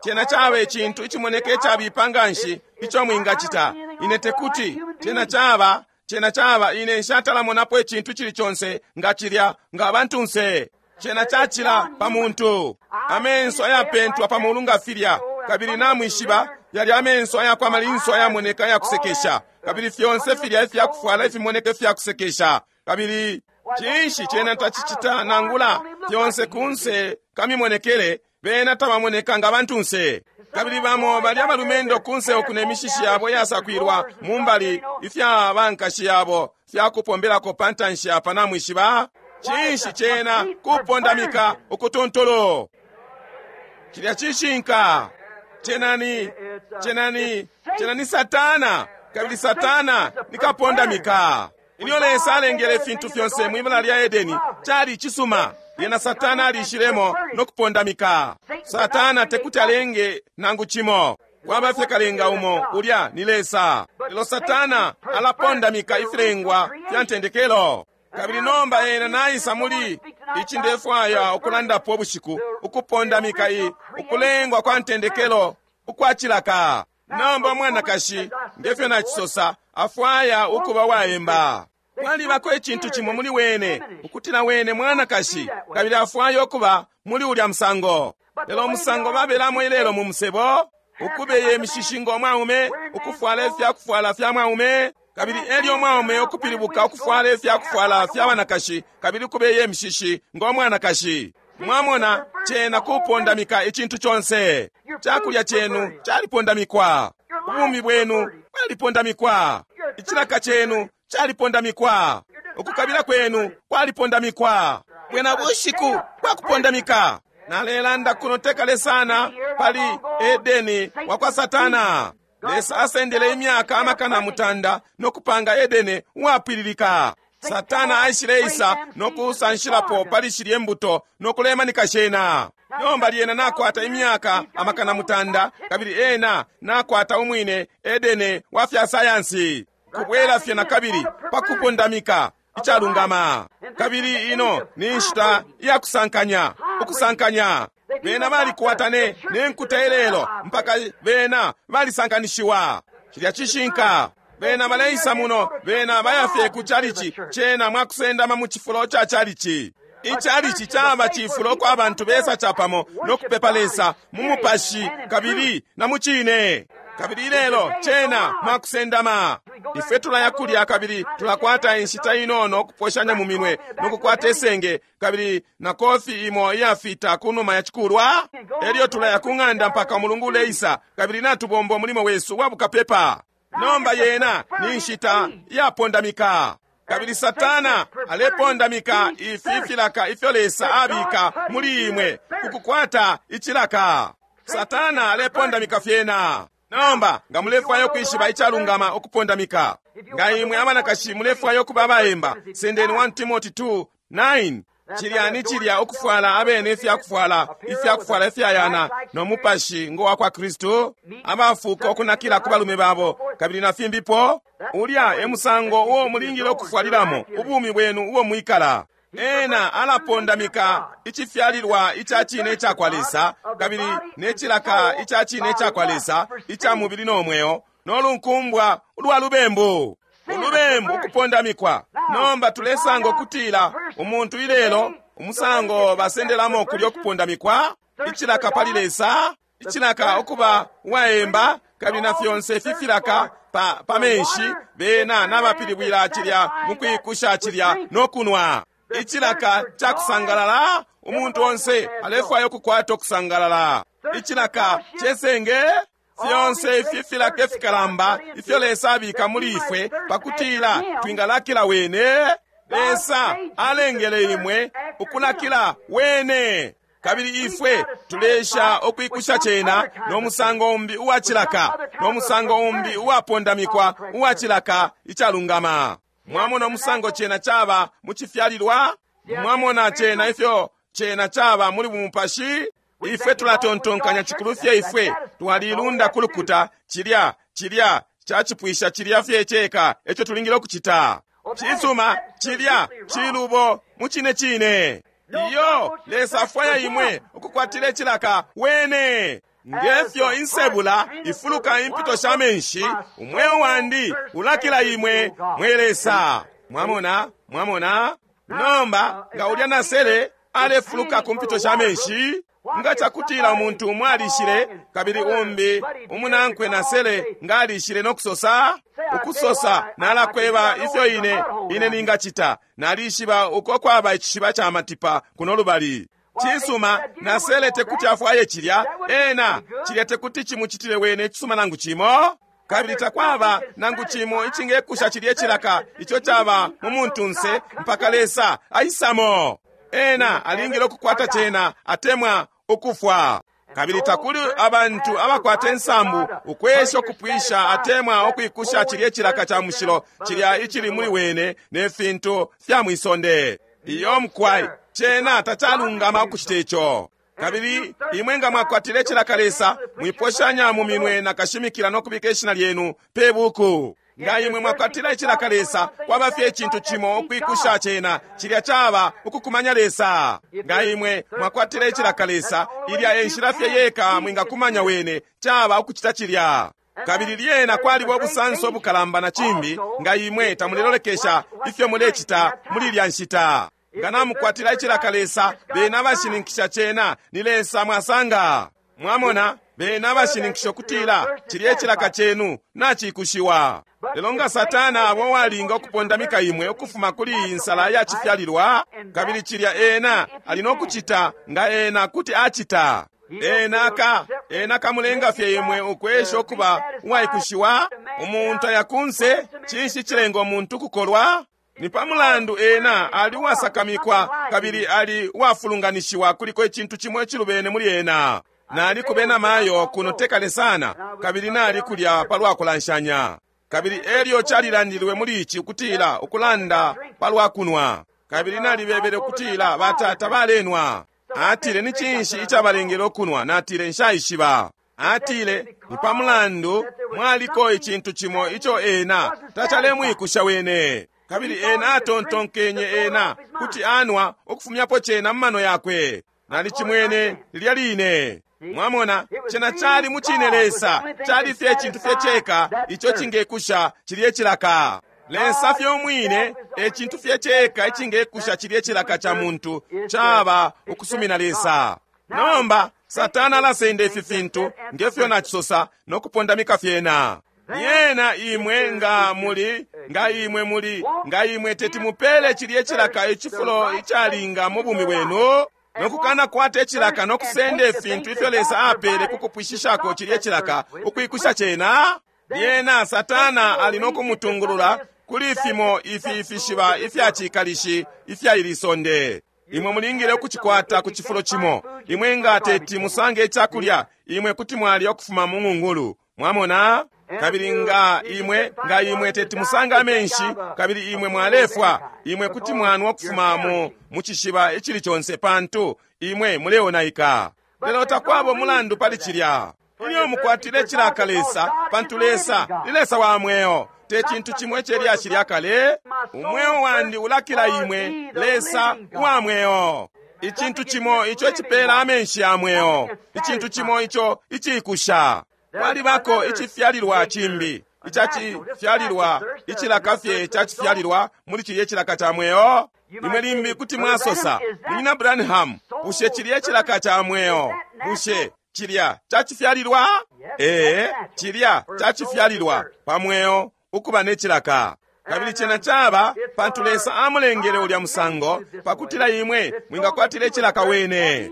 cena caba icintu icimoneka icabipa nganshi ico mwingacita. Ine tekuti, cena caba, cena caba ine nshatalamonapo icintu cili conse nga cilya nga abantunse. Cena cacila pa muntu. Amenso ayapentwa pa mulu nga filya, kabili namwishiba yali amenso ayakwa malinso ayamoneka ayakusekesha, kabili fyonse filya ifyakufwala ifimoneka ifyakusekesha. Kabili cinshi cena tacicita nangula fyonse kunse kamimonekele, bena tabamoneka nga bantunse. Kabili bamo bali abalumendo kunse uku ne mishishi yabo yasakwilwa mu mbali ifya bankashi yabo fyakupombelako pa ntanshi apa namwishiba. Cinshi cena kupondamika ukutontolo. Cilya cishinka. Cena ni Satana, kabili Satana nikapondamika. Ilyo Lesa alengele ifintu fyonse mwibala lya Edeni, cali cisuma. Lyena Satana alishilemo no kupondamika. Satana tekuti alenge nangu cimo. Kwaba fye kalenga umo, ulya ni Lesa. Lelo Satana alapondamika ifilengwa fya ntendekelo. Kabili nomba ena naisa muli ici ndefwaya ukulandapo ubushiku, ukupondamika i ukulengwa kwa ntendekelo ukwa cilaka. Nomba umwanakashi, ngefyo nacisosa, afwaya ukuba waemba. Kwalibako icintu cimo muli wene, ukutila wene mwanakashi, kabili afwaya ukuba muli ulya musango. Lelo umusango babelamo ilelo mu musebo, ukubeye imishishi ngo mwaume, ukufwala ifyakufwala fya mwaume, kabili elyo mwaume ukupilibuka ukufwala ifyakufwala fya banakashi, kabili ukubeye imishishi ngo mwanakashi. Mwamona, cena kupondamika icintu conse. Cakulya cenu calipondamikwa, ubumi bwenu bwalipondamikwa, icilaka cenu calipondamikwa, ukukabila kwenu kwalipondamikwa. Bwena bushiku bwakupondamika. Nalelanda kuno tekale sana pali Edeni wa kwa Satana. Lesa asendele imyaka 500 no kupanga Edeni uwapwililika. Satana aishileisa no kusanshilapo pali shilye mbuto no kulemanika shena. Nomba lyena nakwata imyaka 900, kabili ena nakwata umwine Edeni wa fya sayansi. Kubwela fye na kabili pa kupondamika icalungama. Kabili ino ni nshita ya kusankanya, ukusankanya. Bena balikwata ne nkuta ilelo mpaka bena balisankanishiwa. Cilya cishinka. Bena baleisa muno, bena bayafye ku chalichi, cena mwakusendama mu cifulo ca chalichi. Ichalichi chaba cifulo kwa bantu besa chapamo no kupepa Lesa mu mupashi kabili na mu cine. Kabili ilelo cena mwakusendama. Ifwe tulaya kulya kabili tulakwata inshita inono kuposhanya mu minwe no kukwata esenge kabili na kofi imo iyafita kunuma ya chikulwa. Elyo tulaya ku ng'anda mpaka umulungu uleisa kabili natubomba umulimo wesu wa bukapepa. Nomba yena ni nshita iyapondamika. Kabili Satana alepondamika ifi filaka ifyo Lesa abika muli imwe kukukwata icilaka. Satana alepondamika fyena. Nomba nga mulefwaya ukwishiba icalungama ukupondamika, nga imwe abanakashi mulefwaya ukuba abaemba, sendeni 1 Timothy 2:9. Cilya ni cilya ukufwala abene ifyakufwala, ifyakufwala ifyayana no mupashi ngo wa kwa Kristu, abafuka ukunakila ku balume babo kabili na fimbipo. Ulya e musango uo mulingile ukufwalilamo ubumi bwenu uo mwikala. Ena alapondamika icifyalilwa ica cine ica kwa Lesa kabili ne cilaka ica cine ica kwa Lesa ica mubili no mweo no lunkumbwa ulwa lubembu. Ulubembu ukupondamikwa. Nomba tulesanga ukutila umuntu ilelo umusango basendelamo kulyo kupondamikwa, icilaka pali Lesa, icilaka ukuba uwaemba kabili na fyonse ifi filaka pa menshi, bena nabapilibwila cilya mukwikusha cilya no kunwa. Icilaka ca kusangalala, umuntu onse alefwaya ukukwata ukusangalala. Icilaka cesenge, fyonse ifi filaka ifikalamba ifyo Lesa abika muli ifwe pakutila twingalakila wene. Lesa alengele imwe ukulakila wene, kabili ifwe tulesha ukwikusha cena no musango umbi uwa cilaka, no musango umbi uwapondamikwa uwa cilaka icalungama. Mwamona umusango cena chaba mu cifyalilwa? Mwamona cena ifyo cena chaba muli bumupashi? Ifwe tulatontonkanya cikulu fye ifwe twalilunda kulukuta, cilya cilya cacipwisha cilya fye ceka eco tulingile ukucita. Cisuma, cilya cilubo mu cine cine. Iyo Lesa afwaya imwe ukukwatila icilaka wene. Ngefyo insebula ifuluka impito sha menshi, umweo wandi ulakila imwe mwe Lesa. Mwamona, mwamona. Nomba nga ulya nasele alefuluka ku mpito sha menshi, nga cakutila umuntu umwe alishile kabili umbi umunankwe nasele nga alishile no kusosa, ukusosa nalakweba ifyo ine ningacita, nalishiba uko kwaba icishiba ca matipa kuno lubali. Cisuma, nasele tekuti afwaye cilya, ena cilya tekuti chimuchitile wene cisuma nangu cimo, kabili takwaba nangu cimo icingekusha cilye cilaka ico caba mu muntunse mpaka Lesa aisamo. Ena alingile ukukwata cena atemwa ukufwa. Kabili takuli abantu abakwata insambu ukwesha ukupwisha atemwa ukwikusha cilye cilaka ca mushilo cilya icili muli wene ne fintu fya mwisonde. Iyo mkwai, cena tacalungama ukucita ico. Kabili imwe nga mwakwatile cilaka Lesa, mwiposhanya mu minwe na kashimikila no kubika ishina lyenu pe buku. Nga imwe mwakwatila icilaka Lesa, kwaba fye icintu cimo ukwikusha cena, cilya caba ukukumanya Lesa. Nga imwe mwakwatila icilaka Lesa, ilya e nshila fye yeka mwingakumanya Wene, caba ukucita cilya. Kabili lyena kwaliba ubusanso bukalamba na cimbi, nga imwe tamulelolekesha ifyo mulecita muli ilya nshita. Nga namukwatila icilaka Lesa, bena abashininkisha cena ni Lesa mwasanga. Mwamona, bena abashininkisha ukutila cilya icilaka cenu nacikushiwa. Lelo nga Satana abo walinga ukupondamika imwe ukufuma kuli iyi nsala ya cifyalilwa, kabili cilya ena ali no kucita nga ena kuti acita. Ena kamulenga fye imwe ukwesha ukuba uwaikushiwa. Umuntu aya kunse, cinshi cilenga umuntu kukolwa? Ni pa mulandu ena ali uwasakamikwa kabili ali uwafulunganishiwa, kuliko icintu cimo icilubene muli ena. Nali kubena mayo kuno tekale sana, kabili nali kulya palwa kulanshanya. Kabili elyo calilandilwe muli ici ukutila ukulanda palwa kunwa. Kabili nalibebele ukutila batata balenwa. Atile ni cinshi icabalengele ukunwa? Natile nshaishiba. Atile ni pa mulandu mwaliko icintu cimo ico ena tacalemwikusha wene. Kabili ena atontonkenye ena kuti anwa ukufumyapo cena mu mano yakwe. Nalicimwene lilya line. Mwamona, cena cali mucine Lesa, cali fye icintu fye ceka ico cingekusha cilye cilaka. Lesa fye umwine e cintu fye ceka icingekusha cilye cilaka ca muntu, caba ukusumina Lesa. Nomba Satana alasenda ifi fintu ngefyo nacisosa no kupondamika fyena. Yena imwe nga muli, nga imwe muli, nga imwe teti mupele cilye cilaka icifulo icalinga mu bumi bwenu, nokukana kwata icilaka no kusenda ifintu ifyo Lesa apele kukupwishishako cilye cilaka ukwikusha cena. Lyena Satana ali no kumutungulula kuli fimo ifi ifishiba ifya cikalishi ifya ili sonde. Imwe mulingile ukucikwata ku cifulo cimo. Imwe nga teti musange icakulya, imwe kuti mwalya ukufuma mu ng'ungulu. Mwamona? Kabili nga imwe, nga imwe teti musange amenshi, kabili imwe mwalefwa, imwe kuti mwanwa ukufuma mu cishiba icili conse, pantu imwe muleonaika. Lelo takwaba umulandu pali cilya. Ilyo mukwatile cilaka Lesa, pantu Lesa ni Lesa wa mweo, te cintu cimo ice lyashi lya kale. Umweo wandi ulakila imwe, Lesa wa mweo. Icintu cimo ico icipela amenshi ya mweo, icintu cimo ico icikusha. Kwalibako icifyalilwa cimbi, icacifyalilwa, icilaka fye cacifyalilwa muli cilye cilaka ca mweo. Imwe limbi kuti mwasosa, Munyina Branham, bushe cilye cilaka ca mweo, bushe cilya cacifyalilwa? Ee, cilya cacifyalilwa pa mweo ukuba ne cilaka. Kabili cena caba pantu Lesa amulengele ulya musango pakutila imwe mwingakwatila icilaka wene.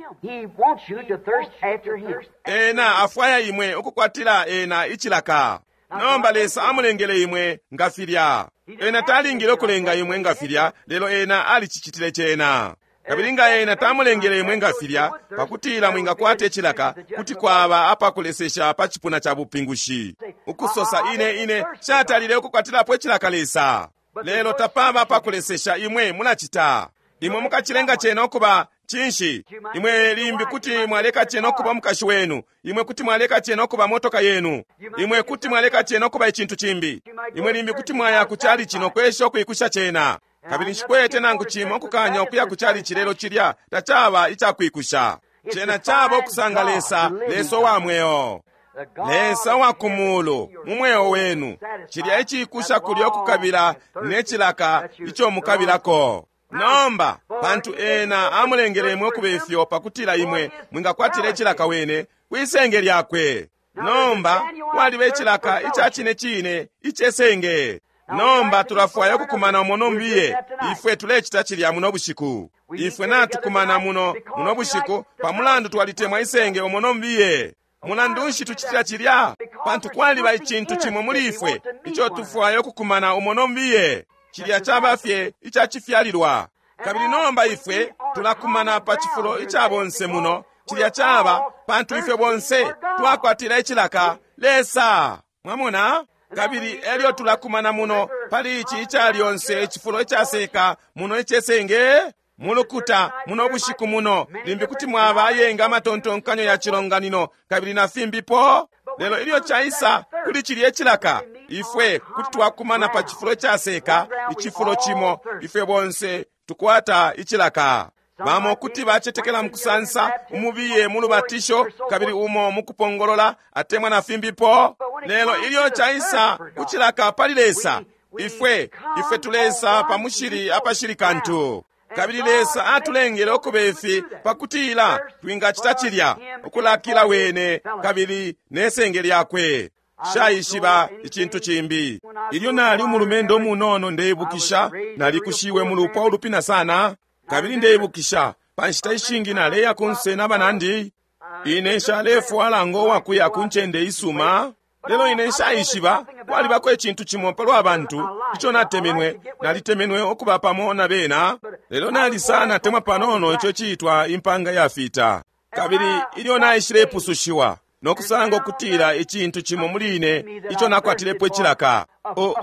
Ena afwaya imwe ukukwatila ena icilaka. Nomba Lesa amulengele imwe nga filya. Ena talingile ukulenga imwe nga filya, lelo ena alicicitile cena. Kabili nga ena tamulengele imwe nga filya pakutila mwingakwata icilaka, kuti kwaba apakulesesha pa cipuna ca bupingushi. Ukusosa ine ine shatalile ukukwatilapo icilaka Lesa. Lelo tapaba apakulesesha, imwe mulacita. Imwe mukacilenga cena ukuba cinshi? Imwe limbi kuti mwaleka cena ukuba mukashi wenu. Imwe kuti mwaleka cena ukuba motoka yenu. Imwe kuti mwaleka cena ukuba icintu cimbi. Imwe limbi kuti mwaya ku chalichi no kwesha ukwikusha cena. Kabili nshikwete nangu cimo ukukanya ukuya ku chalichi, lelo cilya tacaba icakwikusha. Cena caba ukusanga Lesa, Lesa wa mweo, Lesa wa kumulu mu mweo wenu. Cilya icikusha kulya ukukabila ne cilaka ico mukabilako. Nomba pantu ena amulengele imwe ukuba ifyo pakutila imwe mwingakwatila icilaka wene kwisenge lyakwe. Nomba kwaliba icilaka ica cine cine icesenge. Nomba tulafwaya ukukumana umo nombiye. Ifwe tulecita cilya muno bushiku. Ifwe natukumana muno muno bushiku pamulandu twalitemwa isenge umo nombiye. Mulandu nshi tucitila cilya? Pantu kwaliba icintu cimo muli ifwe ico tufwaya ukukumana umo nombiye. Cilya caba fye icacifyalilwa. Kabili nomba ifwe tulakumana pa cifulo ica bonse muno. Cilya caba pantu ifwe bonse twakwatila icilaka Lesa. Mwamona? Kabili elyo tulakumana muno pali ici ica lyonse icifulo icaseka muno icesenge mulukuta muno bushiku muno. Limbi kuti mwaba ayenga amatontonkanyo ya cilonganino kabili na fimbipo. Lelo ilyo caisa kuli cilya icilaka, Ifwe kuti twakumana pa cifulo icaseka, icifulo cimo, ifwe bonse tukwata icilaka. Bamo kuti bacetekela mukusansa, umubiye mu lubatisho, kabili umo mukupongolola, atemwa na fimbipo. Lelo ilyo caisa kucilaka pali Lesa, ifwe, ifwe tulesa pa mushili apashili kantu. Kabili Lesa atulengele ukuba ifi pakutila twingacita cilya, ukulakila wene kabili ne senge lyakwe. Nshaishiba icintu cimbi. Ilyo nali umulumendo umunono, ndeibukisha nalikushiwe mu lupwa ulupina sana. Kabili ndeibukisha pa nshita ishingi naleya kunse na banandi. Ine nshalefwala ngo wakuya ku ncende isuma. Lelo ine nshaishiba kwalibako icintu cimo palwa bantu ico natemenwe. Nalitemenwe ukuba pamo na bena, lelo nali sana temwa panono ico ciitwa impanga yafita. Kabili ilyo naishilepusushiwa no kusanga ukutila icintu cimo muli ine ico nakwatilepo icilaka,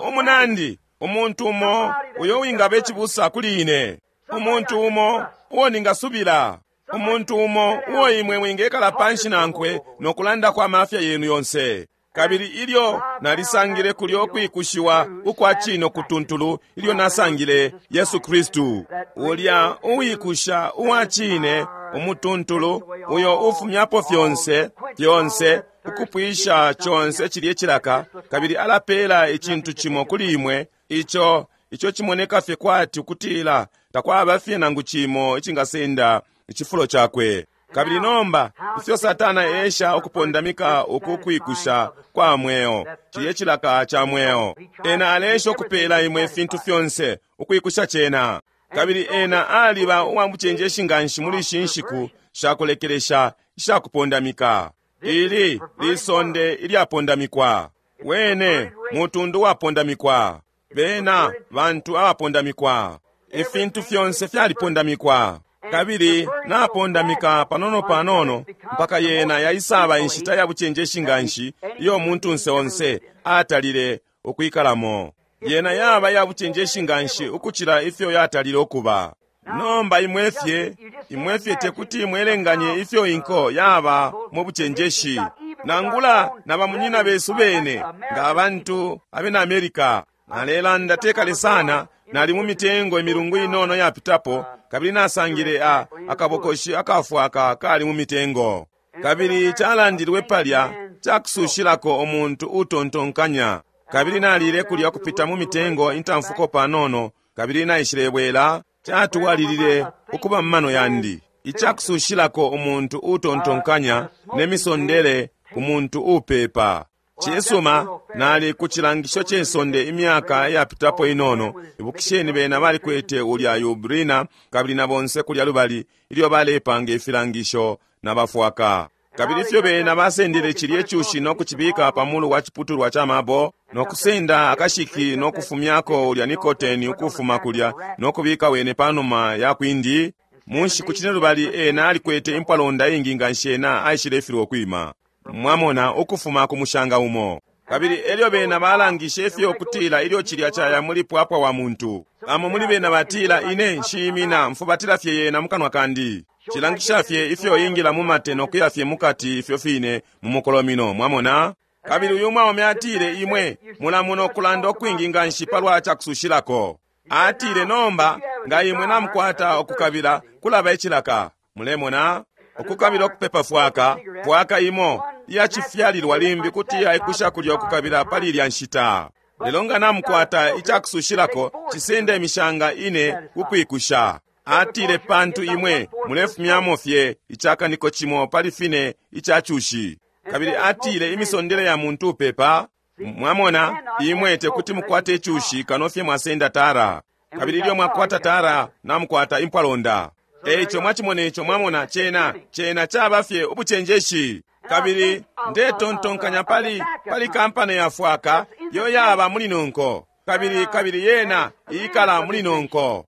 umunandi, umuntu umo uyo wingaba icibusa kuli ine, umuntu umo uo ningasubila, umuntu umo uo imwe mwingekala panshi nankwe no kulanda kwa mafya yenu yonse. Kabili ilyo nalisangile kulyo kwikushiwa ukwa cino kutuntulu, ilyo nasangile Yesu Kristu, ulya uwikusha uwa cine umutuntulu, uyo ufumyapo fyonse fyonse, ukupwisha conse cilye cilaka, kabili alapela icintu cimo kuli imwe ico ico cimoneka fye kwati ukutila takwaba fye nangu cimo icingasenda icifulo cakwe. Kabili nomba ifyo Satana esha ukupondamika uku kwikusha kwa mweo, cilye cilaka ca mweo, ena alesha ukupela imwe ifintu fyonse ukwikusha cena. Kabili ena aliba uwa mucenjeshi nganshi muli ishi nshiku shakulekelesha ishakupondamika. Ili lisonde ilyapondamikwa, wene mutundu wapondamikwa, bena bantu abapondamikwa, ifintu fyonse fyalipondamikwa. Kabili napondamika panono panono mpaka yena yaisaba inshita ya bucenjeshi nganshi iyo muntunse onse atalile ukwikalamo. Yena yaba ya bucenjeshi nganshi ukucila ifyo yatalile ukuba. Nomba imwe fye tekuti mwelenganye ifyo inko yaba mu bucenjeshi, nangula na bamunyina besu bene nga abantu abena Amerika. Nalelanda tekale sana, nali mu mitengo imilungu inono yapitapo, kabili nasangile akabokoshi akafwaka kali mu mitengo. Kabili calandilwe palya cakusushilako umuntu utontonkanya. Kabili nalile kulya kupita mu mitengo intamfuko panono, kabili naishilebwela, catuwalilile ukuba mu mano yandi icakusushilako umuntu utontonkanya ne misondele ku muntu upepa. Cisuma, nali ku cilangisho ce sonde imyaka yapitapo inono. Ibukisheni bena balikwete ulya Yubrina kabili na bonse kulya lubali ilyo balepanga ifilangisho na bafwaka. Kabili ifyo bena basendele cilye cushi no kucibika pa mulu wa ciputulwa ca mabo, no kusenda akashiki no kufumyako ulya nikoteni ukufuma kulya no kubika wene panuma ya kwindi. Mu nshiku cine lubali ena alikwete impwalonda ingi nganshi ena aishilefilwa ukwima, mwamona, ukufuma ku mushanga umo. Kabili elyo bena balangishe ifyo kutila ilyo cilya caya muli pwapwa wa muntu. Bamo muli bena batila, ine nshimina mfubatila fye yena mukanwa kandi. Cilangisha fye ifyo ingila mu mate no kuya fye mukati ifyo fine mu mukolomino, mwamona. Kabili uyu mwaume atile, imwe mulamona ukulanda ukwingi nganshi palwa cakusushilako. Atile, nomba nga imwe namukwata ukukabila kulaba icilaka, mulemona ukukabila ukupepa fwaka fwaka imo iyacifyalilwa limbi kuti yaikusha kulya ukukabila pali ilya nshita. Lelo nga namukwata icakusushilako cisenda imishanga ine kukwikusha. Atile, pantu imwe mulefumyamo fye icakaniko cimo pali fine icacushi. Kabili atile imisondele ya muntu upepa, mwamona, imwe tekuti mukwate icushi kano fye mwasenda tara. Kabili ilyo mwakwata tara namukwata impwalonda. Eico mwachimona ico, mwamona, cena cena caba fye ubucenjeshi. Kabili ndetontonkanya pali pali kampani ya fwaka yo yaba muli nonko, kabili kabili yena ikala muli nonko.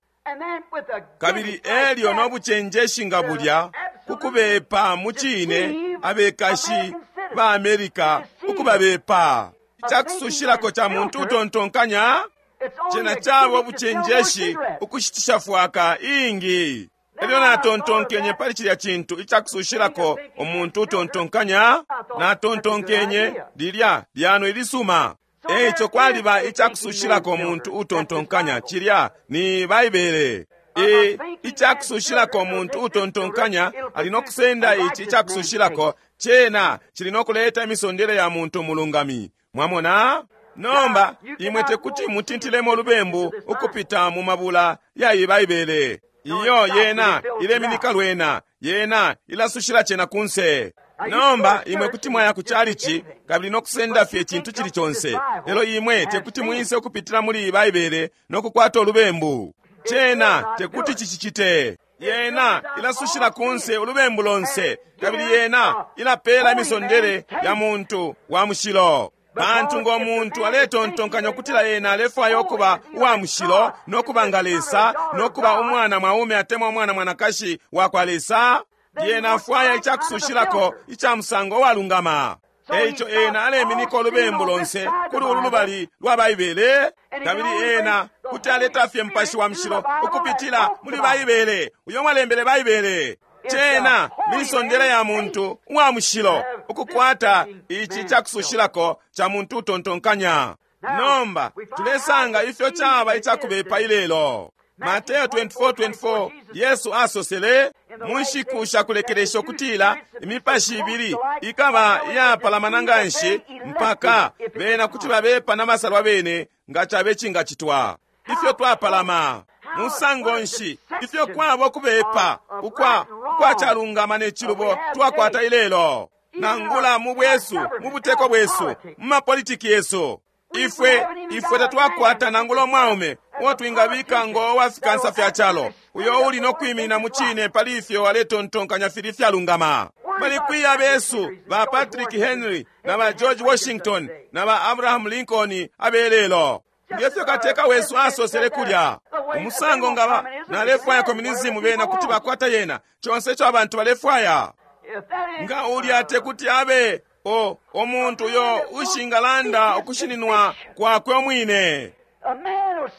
Kabili elyo no bucenjeshi nga bulya kukubepa mu cine abekashi ba Amerika ukubabepa. Icakusushilako ca muntu utontonkanya cena caba ubucenjeshi ukushitisha fwaka ingi. Elyo natontonkenye pali cilya cintu icakusushilako umuntu utontonkanya, natontonkenye lilya lyano ilisuma. Eico kwaliba icakusushilako muntu utontonkanya, cilya ni Baibele. E, icakusushilako muntu utontonkanya ali no kusenda ici icakusushilako, cena cili no kuleta imisondele ya muntu mulungami. Mwamona? Nomba imwe tekuti mutintilemo lubembu ukupita mu mabula ya iyi Baibele. Iyo yena ileminika lwena, yena ilasushila cena kunse. Nomba imwe kuti mwaya ku chalichi kabili nokusenda fye icintu cili conse, lelo imwe tekuti mwise ukupitila muli iyi Baibele nokukwata ulubembu. Cena tekuti cicicite. Yena ilasushila kunse ulubembu lonse, kabili yena ilapela imisondele ya muntu wa mushilo. Pantu ngo muntu aletontonkanya ukutila ena alefwaya ukuba uwa mushilo no kuba nga Lesa no kuba umwana mwaume atemwa umwana mwanakashi wa kwa Lesa, lyena afwaya icakusushilako ica musango uwalungama. Eico ena aleminika ulubembu lonse kuli ulu lubali lwa Baibele, kabili ena kuti aleta fye Mupashi wa Mushilo ukupitila muli Baibele, uyo walembele Baibele. Cena misondele ya muntu uwa mushilo ukukwata ici cakusushilako ca muntu utontonkanya. Nomba tulesanga ifyo caba icakubepa ilelo. Mateo 24:24 Yesu asosele mu nshiku shakulekelesha ukutila imipashi ibili ikaba iyapalamana nganshi mpaka bena kuti babepa na masalwa bene nga cabe cingacitwa. Ifyo twapalama musango nshi, ifyo kwabo kubepa ukwa ukwacalungama ne cilubo twakwata ilelo, nangula mu bwesu, mu buteko bwesu, mu mapolitiki yesu. Ifwe, ifwe tatwakwata nangula umwaume uo twingabika ngo wa fikansa fya calo, uyo uli no kwiminina mu cine pali ifyo aletontonkanya fili fyalungama. Bali kwi abesu ba Patrick Henry na ba George Washington na ba Abraham Lincoln abelelo? Ngefyo kateka wesu asosele kulya, umusango ngaba nalefwaya communism, bena kuti bakwata yena conse ico abantu balefwaya. Nga ulya tekuti abe o omuntu uyo ushingalanda ukushininwa kwakwe umwine.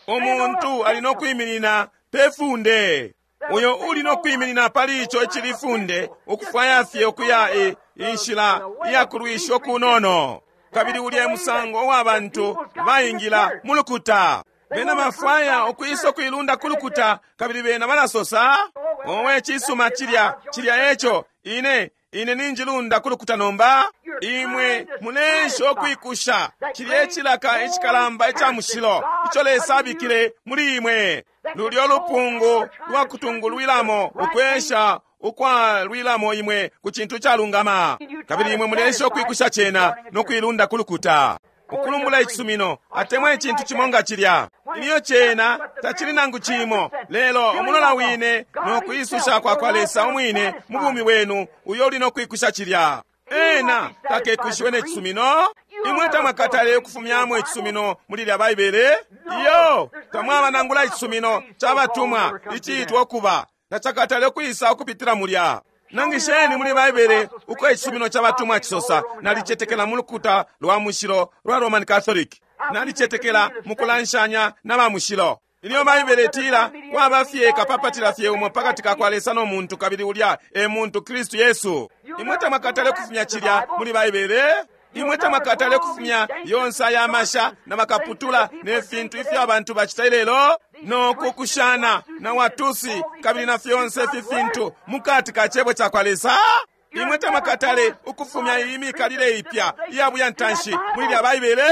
Umuntu ali no kwiminina pe funde, uyo uli no kwiminina pali ico icili funde, ukufwaya fye ukuya e, inshila iyakulwisha okunono. Kabili ulya musango wa bantu baingila mu lukuta. Bena bafwaya ukwisa ukuilunda ku lukuta, kabili bena balasosa, owe cisuma cilya, cilya eco, ine, ine ninjilunda ku lukuta nomba. Imwe muleesha ukwikusha cilya icilaka icikalamba ica mushilo ico Lesa abikile muli imwe, lulyo lupungu lwa kutungulwilamo ukwesha ukwalwilamo imwe ku cintu calungama, kabili imwe muleesha ukwikusha cena no kuilunda ku lukuta, ukulumbula icisumino atemwa icintu cimo nga cilya. Ilyo cena tacili nangu cimo lelo umulola wine no kwisusha kwa kwa Lesa umwine mu bumi bwenu, uyo uli no kwikusha cilya. Ena takekushiwe ne cisumino. Imwe tamwakatale ukufumyamo icisumino muli lya Baibele. Iyo, tamwaba nangula icisumino ca batumwa iciitwa ukuba tacakatale ukwisa ukupitila mulya. Nangisheni muli Baibele uko icisumino ca batumwa cisosa, nalicetekela mu lukuta lwa mushilo lwa Roman Catholic, nalicetekela mu kulanshanya na ba mushilo. Ilyo Baibele itila kwaba fye kapapatila fye umo pakati ka kwa Lesa no muntu, kabili ulya e muntu Kristu Yesu. Imwe tamwakatale ukufumya cilya muli Baibele. Imwe tamwakatale ukufumya yonse aya masha na makaputula ne fintu ifyo abantu bacita ilelo, no kukushana na watusi kabili na fyonse ifi fintu mukati ka cebo ca kwa Lesa. Imwe tamwakatale ukufumya iyi mikalile ipya iya buyantanshi muli lya Baibele.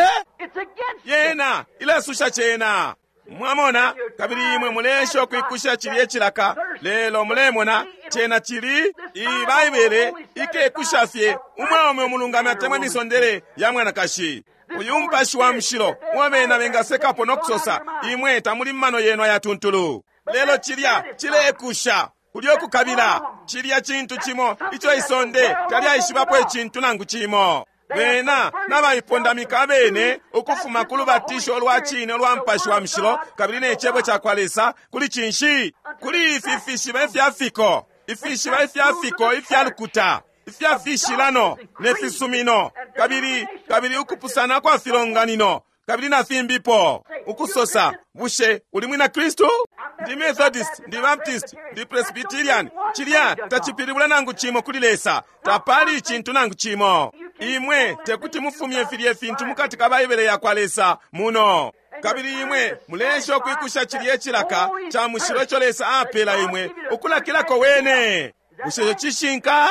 Yena ilasusha cena. Mwamona, kabili imwe muleesha ukwikusha cilye cilaka, lelo mulemona cena cili iyi Baibele ikekusha fye umwaume umulungami atemwa imisondele ya mwanakashi. Uyu Mupashi wa Mushilo uo bena bengasekapo no kusosa, imwe tamuli mumano yenu ayatuntulu. Lelo cilya cilekusha kulyo kukabila, cilya cintu cimo ico isonde talyaishibapo icintu nangu cimo. Bena nabaipondamika abene ukufuma ku lubatisho lwa cine ulwa Mupashi wa Mushilo kabili ne Cebo ca kwa Lesa, kuli cinshi? Kuli ifi fishiba ifya fiko, ifishiba ifya fiko ifya lukuta, ifya fishilano ne fisumino, kabili, kabili ukupusana kwa filonganino, kabili na fimbipo. Ukusosa, bushe uli mwina Kristu? Ndi Methodist, ndi Baptist, ndi Presbyterian. Cilya tacipilibula nangu cimo kuli Lesa. Tapali icintu nangu cimo. Imwe tekuti mufumye filye fintu mukati ka Baibele yakwa Lesa muno. Kabili imwe muleesha ukwikusha cilye cilaka ca mushilo ico Lesa apela imwe ukulakilako Wene. Bushe ico cishinka?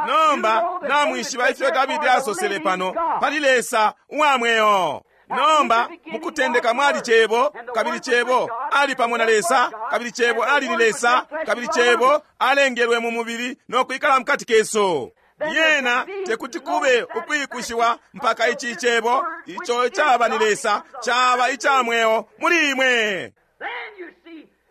Nomba namwishiba ifyo Dabidi asosele pano pali Lesa uwa mweo. Nomba mukutendeka mwali Cebo, kabili Cebo ali pamo na Lesa, kabili Cebo ali ni Lesa, kabili Cebo alengelwe mu mubili no kwikala mukati kesu. Lyena tekuti kube ukwikushiwa mpaka ici Cebo ico caba ni Lesa caba ica mweo muli imwe.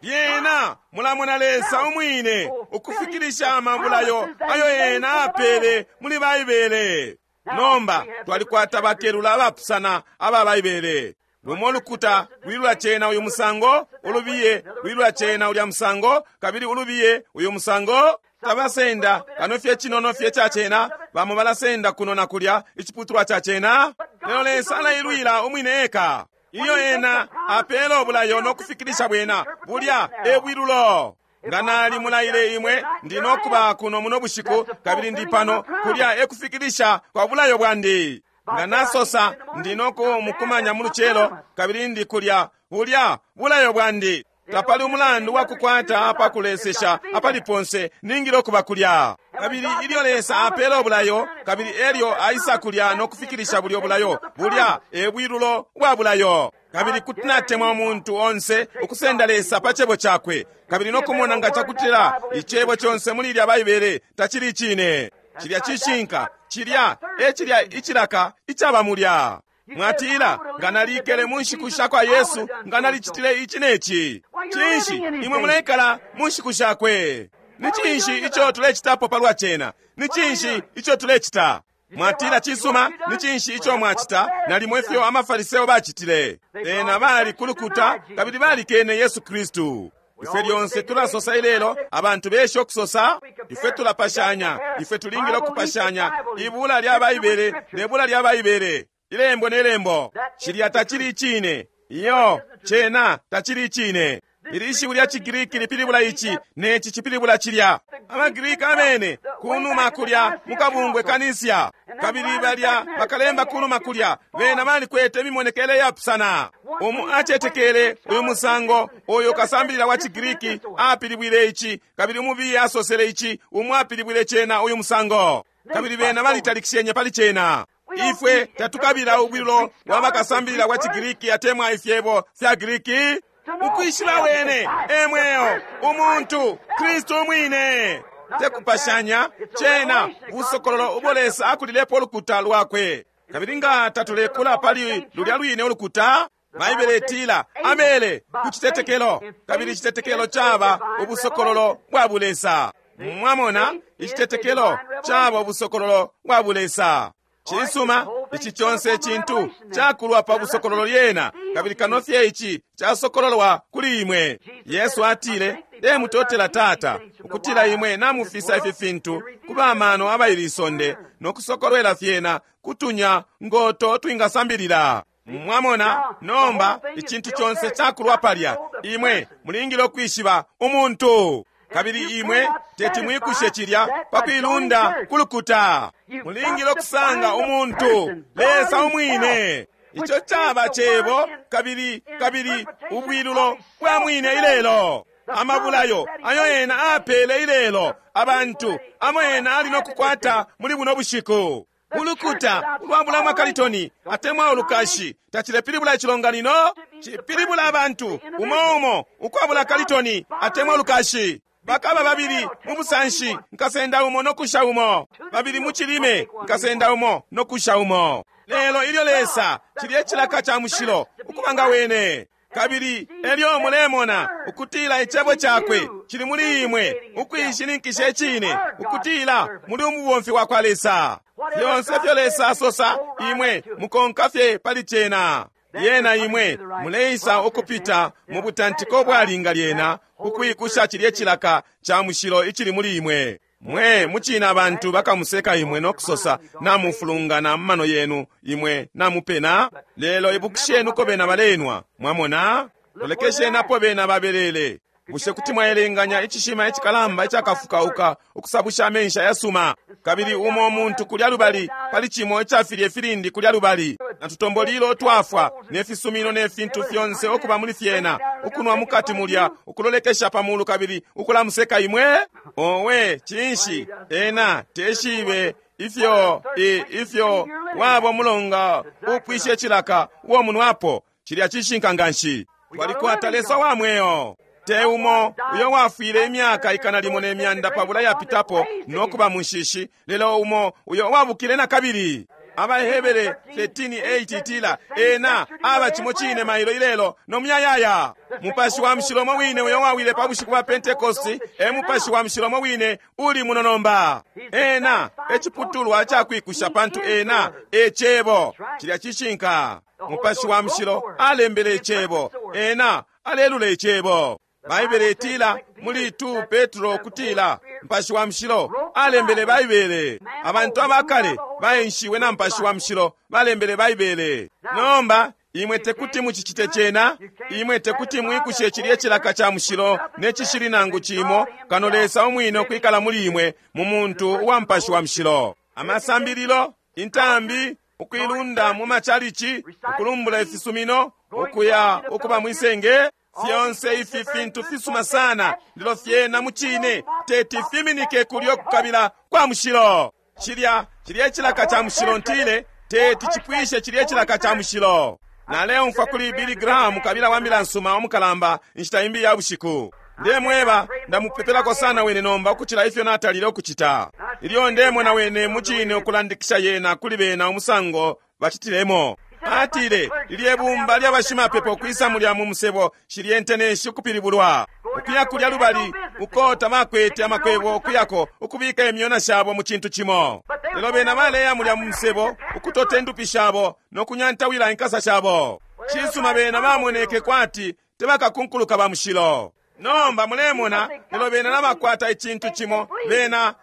Lyena mulamona Lesa umwine ukufikilisha amabulayo ayo ena apele muli Baibele. Nomba twalikwata bakelula abapusana aba Baibele. Lumo lukuta lwilula cena uyu musango, ulubiye lwilula cena ulya musango, kabili ulubiye uyu musango. Tabasenda kano fye cinono fye ca cena, bamo balasenda kuno na kulya iciputulwa ca cena. Lelo Lesa alailwila umwine eka. Ilyo ena apela ubulayo no kufikilisha bwena, bulya e bwilulo. Nga nali mulaile imwe, ndi no kuba kuno muno bushiku, kabili ndi pano, kulya e kufikilisha kwa bulayo bwandi. Nga nasosa, ndi no kumukumanya mu lucelo, kabili ndi kulya, bulya bulayo bwandi. Tapali umulandu wa kukwata apa kulesesha apali ponse, ningile ukuba kulya. Kabili ilyo Lesa apela ubulayo, kabili elyo aisa kulya no kufikilisha bulyo bulayo, bulya e bwilulo bwa bulayo. Kabili kuti natemwa umuntu onse ukusenda Lesa pa cebo cakwe, kabili no kumona nga cakutila icebo conse muli ilya Baibele tacili icine. Cilya cishinka, cilya e cilya icilaka icaba mulya. Mwatila, nga nalikele mu nshiku sha kwa Yesu, nga nalicitile ici ne ci. Cinshi imwe muleikala mu nshiku shakwe? Ni cinshi ico tulecitapo palwa cena? Ni cinshi ico tulecita? Mwatila, cisuma, ni cinshi ico mwacita? Nalimo ifyo amafariseo bacitile. Bena bali kulukuta kabili balikene Yesu Kristu. Ifwe lyonse tulasosa ilelo, abantu besha ukusosa, ifwe tulapashanya, ifwe tulingile ukupashanya ibula lya Baibele ne bula lya Baibele, ilembo ne lembo. Cilya tacili icine. Iyo, cena tacili icine. Ili ishiwi lya ciGriki lipilibula ici, neci cipilibula cilya. AbaGriki abene kunuma kulya mukabungwe kanisia, kabili balya bakalemba kunuma kulya, bena balikwete imimonekele yapusana. Umu acetekele uyu musango, uyu kasambilila wa ciGriki apilibwile ici, kabili umubiye asosele ici, umu apilibwile cena uyu musango. Kabili bena balitalikishenye pali cena. Ifwe tatukabila ubwilo bwa bakasambilila wa ciGriki atemwa ifyebo fya Griki. Ukwishiba wene e mweo, umuntu Kristu umwine. Tekupashanya cena busokololo ubo Lesa akulilepo ulukuta lwakwe. Kabili nga tatulekula pali lulya lwine ulukuta, Baibele itila amele ku citetekelo, kabili icitetekelo caba ubusokololo bwa bulesa. Mwamona, icitetekelo caba ubusokololo bwa bulesa. Cisuma, ici conse icintu cakulwa pa busokololo lyena, kabili kano fye ici casokololwa kuli imwe. Yesu atile, Ndemutotela Tata, ukutila imwe namufisa ifi fintu ku bamano abaili isonde, no kusokolwela fyena kutunya ngoto twingasambilila. Mwamona, nomba icintu conse cakulwa palya, imwe mulingile ukwishiba umuntu. Kabili imwe teti mwikushe cilya pa kuilunda kulukuta. Mulingile ukusanga umuntu, Lesa umwine. Ico caba cebo, kabili kabili ubwilulo bwa mwine ilelo. Amabulayo ayo ena apele ilelo abantu amo ena ali no kukwata muli buno bushiku. Ulukuta ulwabula mwakalitoni atemwa ulukashi tacilepilibula icilonganino, cipilibula abantu umo umo ukwabula kalitoni atemwa ulukashi. Bakaba babili mu busanshi, nkasenda umo no kusha umo. Babili mu cilime, nkasenda umo no kusha umo. Lelo ilyo Lesa cilye cilaka ca mushilo ukuba nga wene, kabili elyo mulemona ukutila icebo cakwe cili muli imwe ukuishininkisha icine, ukutila muli umubomfi wa kwa Lesa. Fyonse fyo Lesa asosa, imwe mukonka fye pali cena. Lyena imwe muleisa ukupita mu butantiko bwalinga lyena ukwikusha cilye cilaka ca mushilo icili muli imwe. Mwe mucina abantu bakamuseka imwe no kusosa namufulungana mu mano yenu, imwe namupena. Lelo ibukisheni uko bena balenwa, mwamona? Lolekesheni apo bena babelele. Bushe kuti mwaelenganya icishima icikalamba icakafukauka ukusabusha amenshi ayasuma, kabili umo muntu kulya lubali pali cimo icafilye filindi kulya lubali, na tutombolilo twafwa ne fisumino ne fintu fyonse ukuba muli fyena, ukunwa mukati mulya, ukulolekesha pa mulu kabili ukulamuseka imwe? Owe, cinshi ena teshibe ifyo ifyo wabo mulonga upwishe cilaka uo munwapo. Cilya cishinka nganshi. Twalikwata Lesa wa mweo, te umo uyo wafwile imyaka 1,200 yapitapo no kuba munshishi, lelo umo uyo wabukile na kabili. Abahebere 13:8 itila ena aba cimo cine mailo ilelo no muyayaya. Mupashi wa mushilo umo wine uyo wawile pa bushiku bwa Pentekosti e mupashi wa mushilo umo wine uli muno nomba. Ena e ciputulwa cakwikusha, pantu ena e cebo. Cilya cishinka. Mupashi wa mushilo alembele icebo, ena alelula icebo. Baibele itila muli 2 Petro kutila Mupashi wa mushilo alembele Baibele. Abantu abakale baenshiwe na Mupashi wa mushilo balembele Baibele. Nomba imwe tekuti mucicite cena, imwe tekuti mwikushe cilye cilaka ca mushilo ne cishili nangu cimo, kano Lesa umwine ukwikala muli imwe mu muntu uwa Mupashi wa mushilo. Amasambililo, intambi, ukuilunda mu machalichi, ukulumbula ifisumino, ukuya ukuba mwisenge, fyonse ifi fintu fisuma sana, lelo fyena mucine teti fiminike kulyo kukabila kwa mushilo. Cilya cilye cilaka ca mushilo ntile teti cipwishe cilye cilaka ca mushilo. Naleumfwa kuli Billy Graham, kabila wa mbila nsuma umukalamba, inshita imbi ya bushiku. Ndemweba, ndamupepelako sana wene nomba ukucila ifyo natalile ukucita. Ilyo ndemona wene mucine ukulandikisha yena kuli bena umusango bacitilemo. Atile, lilye bumba lyabashimapepo kwisa mulya mu musebo shilye nteneshi ukupilibulwa ukuya kulya lubali uko tabakwete amakwebo ukuyako ukubika imyona shabo mu cintu cimo. Lelo bena baleya mulya mu musebo ukutota indupi shabo no kunyantawila inkasa shabo. Cisuma, bena bamoneke kwati tebakakunkuluka ba mushilo. Nomba mulemona, lelo bena nabakwata icintu cimo,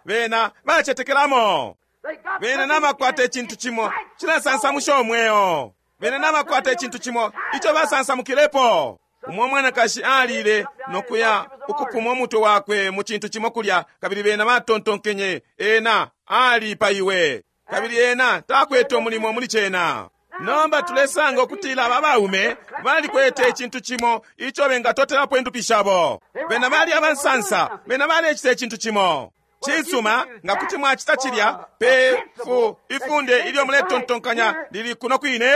bena bacetekelamo. Bena nabakwata icintu cimo cilasansamusha umweo. Bena nabakwata icintu cimo ico basansamukilepo. Umwe mwanakashi alile nokuya ukupuma umutwe wakwe mu cintu cimo kulya, kabili bena batontonkenye ena alipaiwe, kabili ena takwete umulimo muli cena. Nomba tulesanga ukutila aba baume balikwete icintu cimo ico bengatotelapo indupi shabo. Bena bali abansansa, bena balecita icintu cimo. Cisuma, nga kuti mwacita cilya pe ifunde ilyo muletontonkanya lili kuno kwine,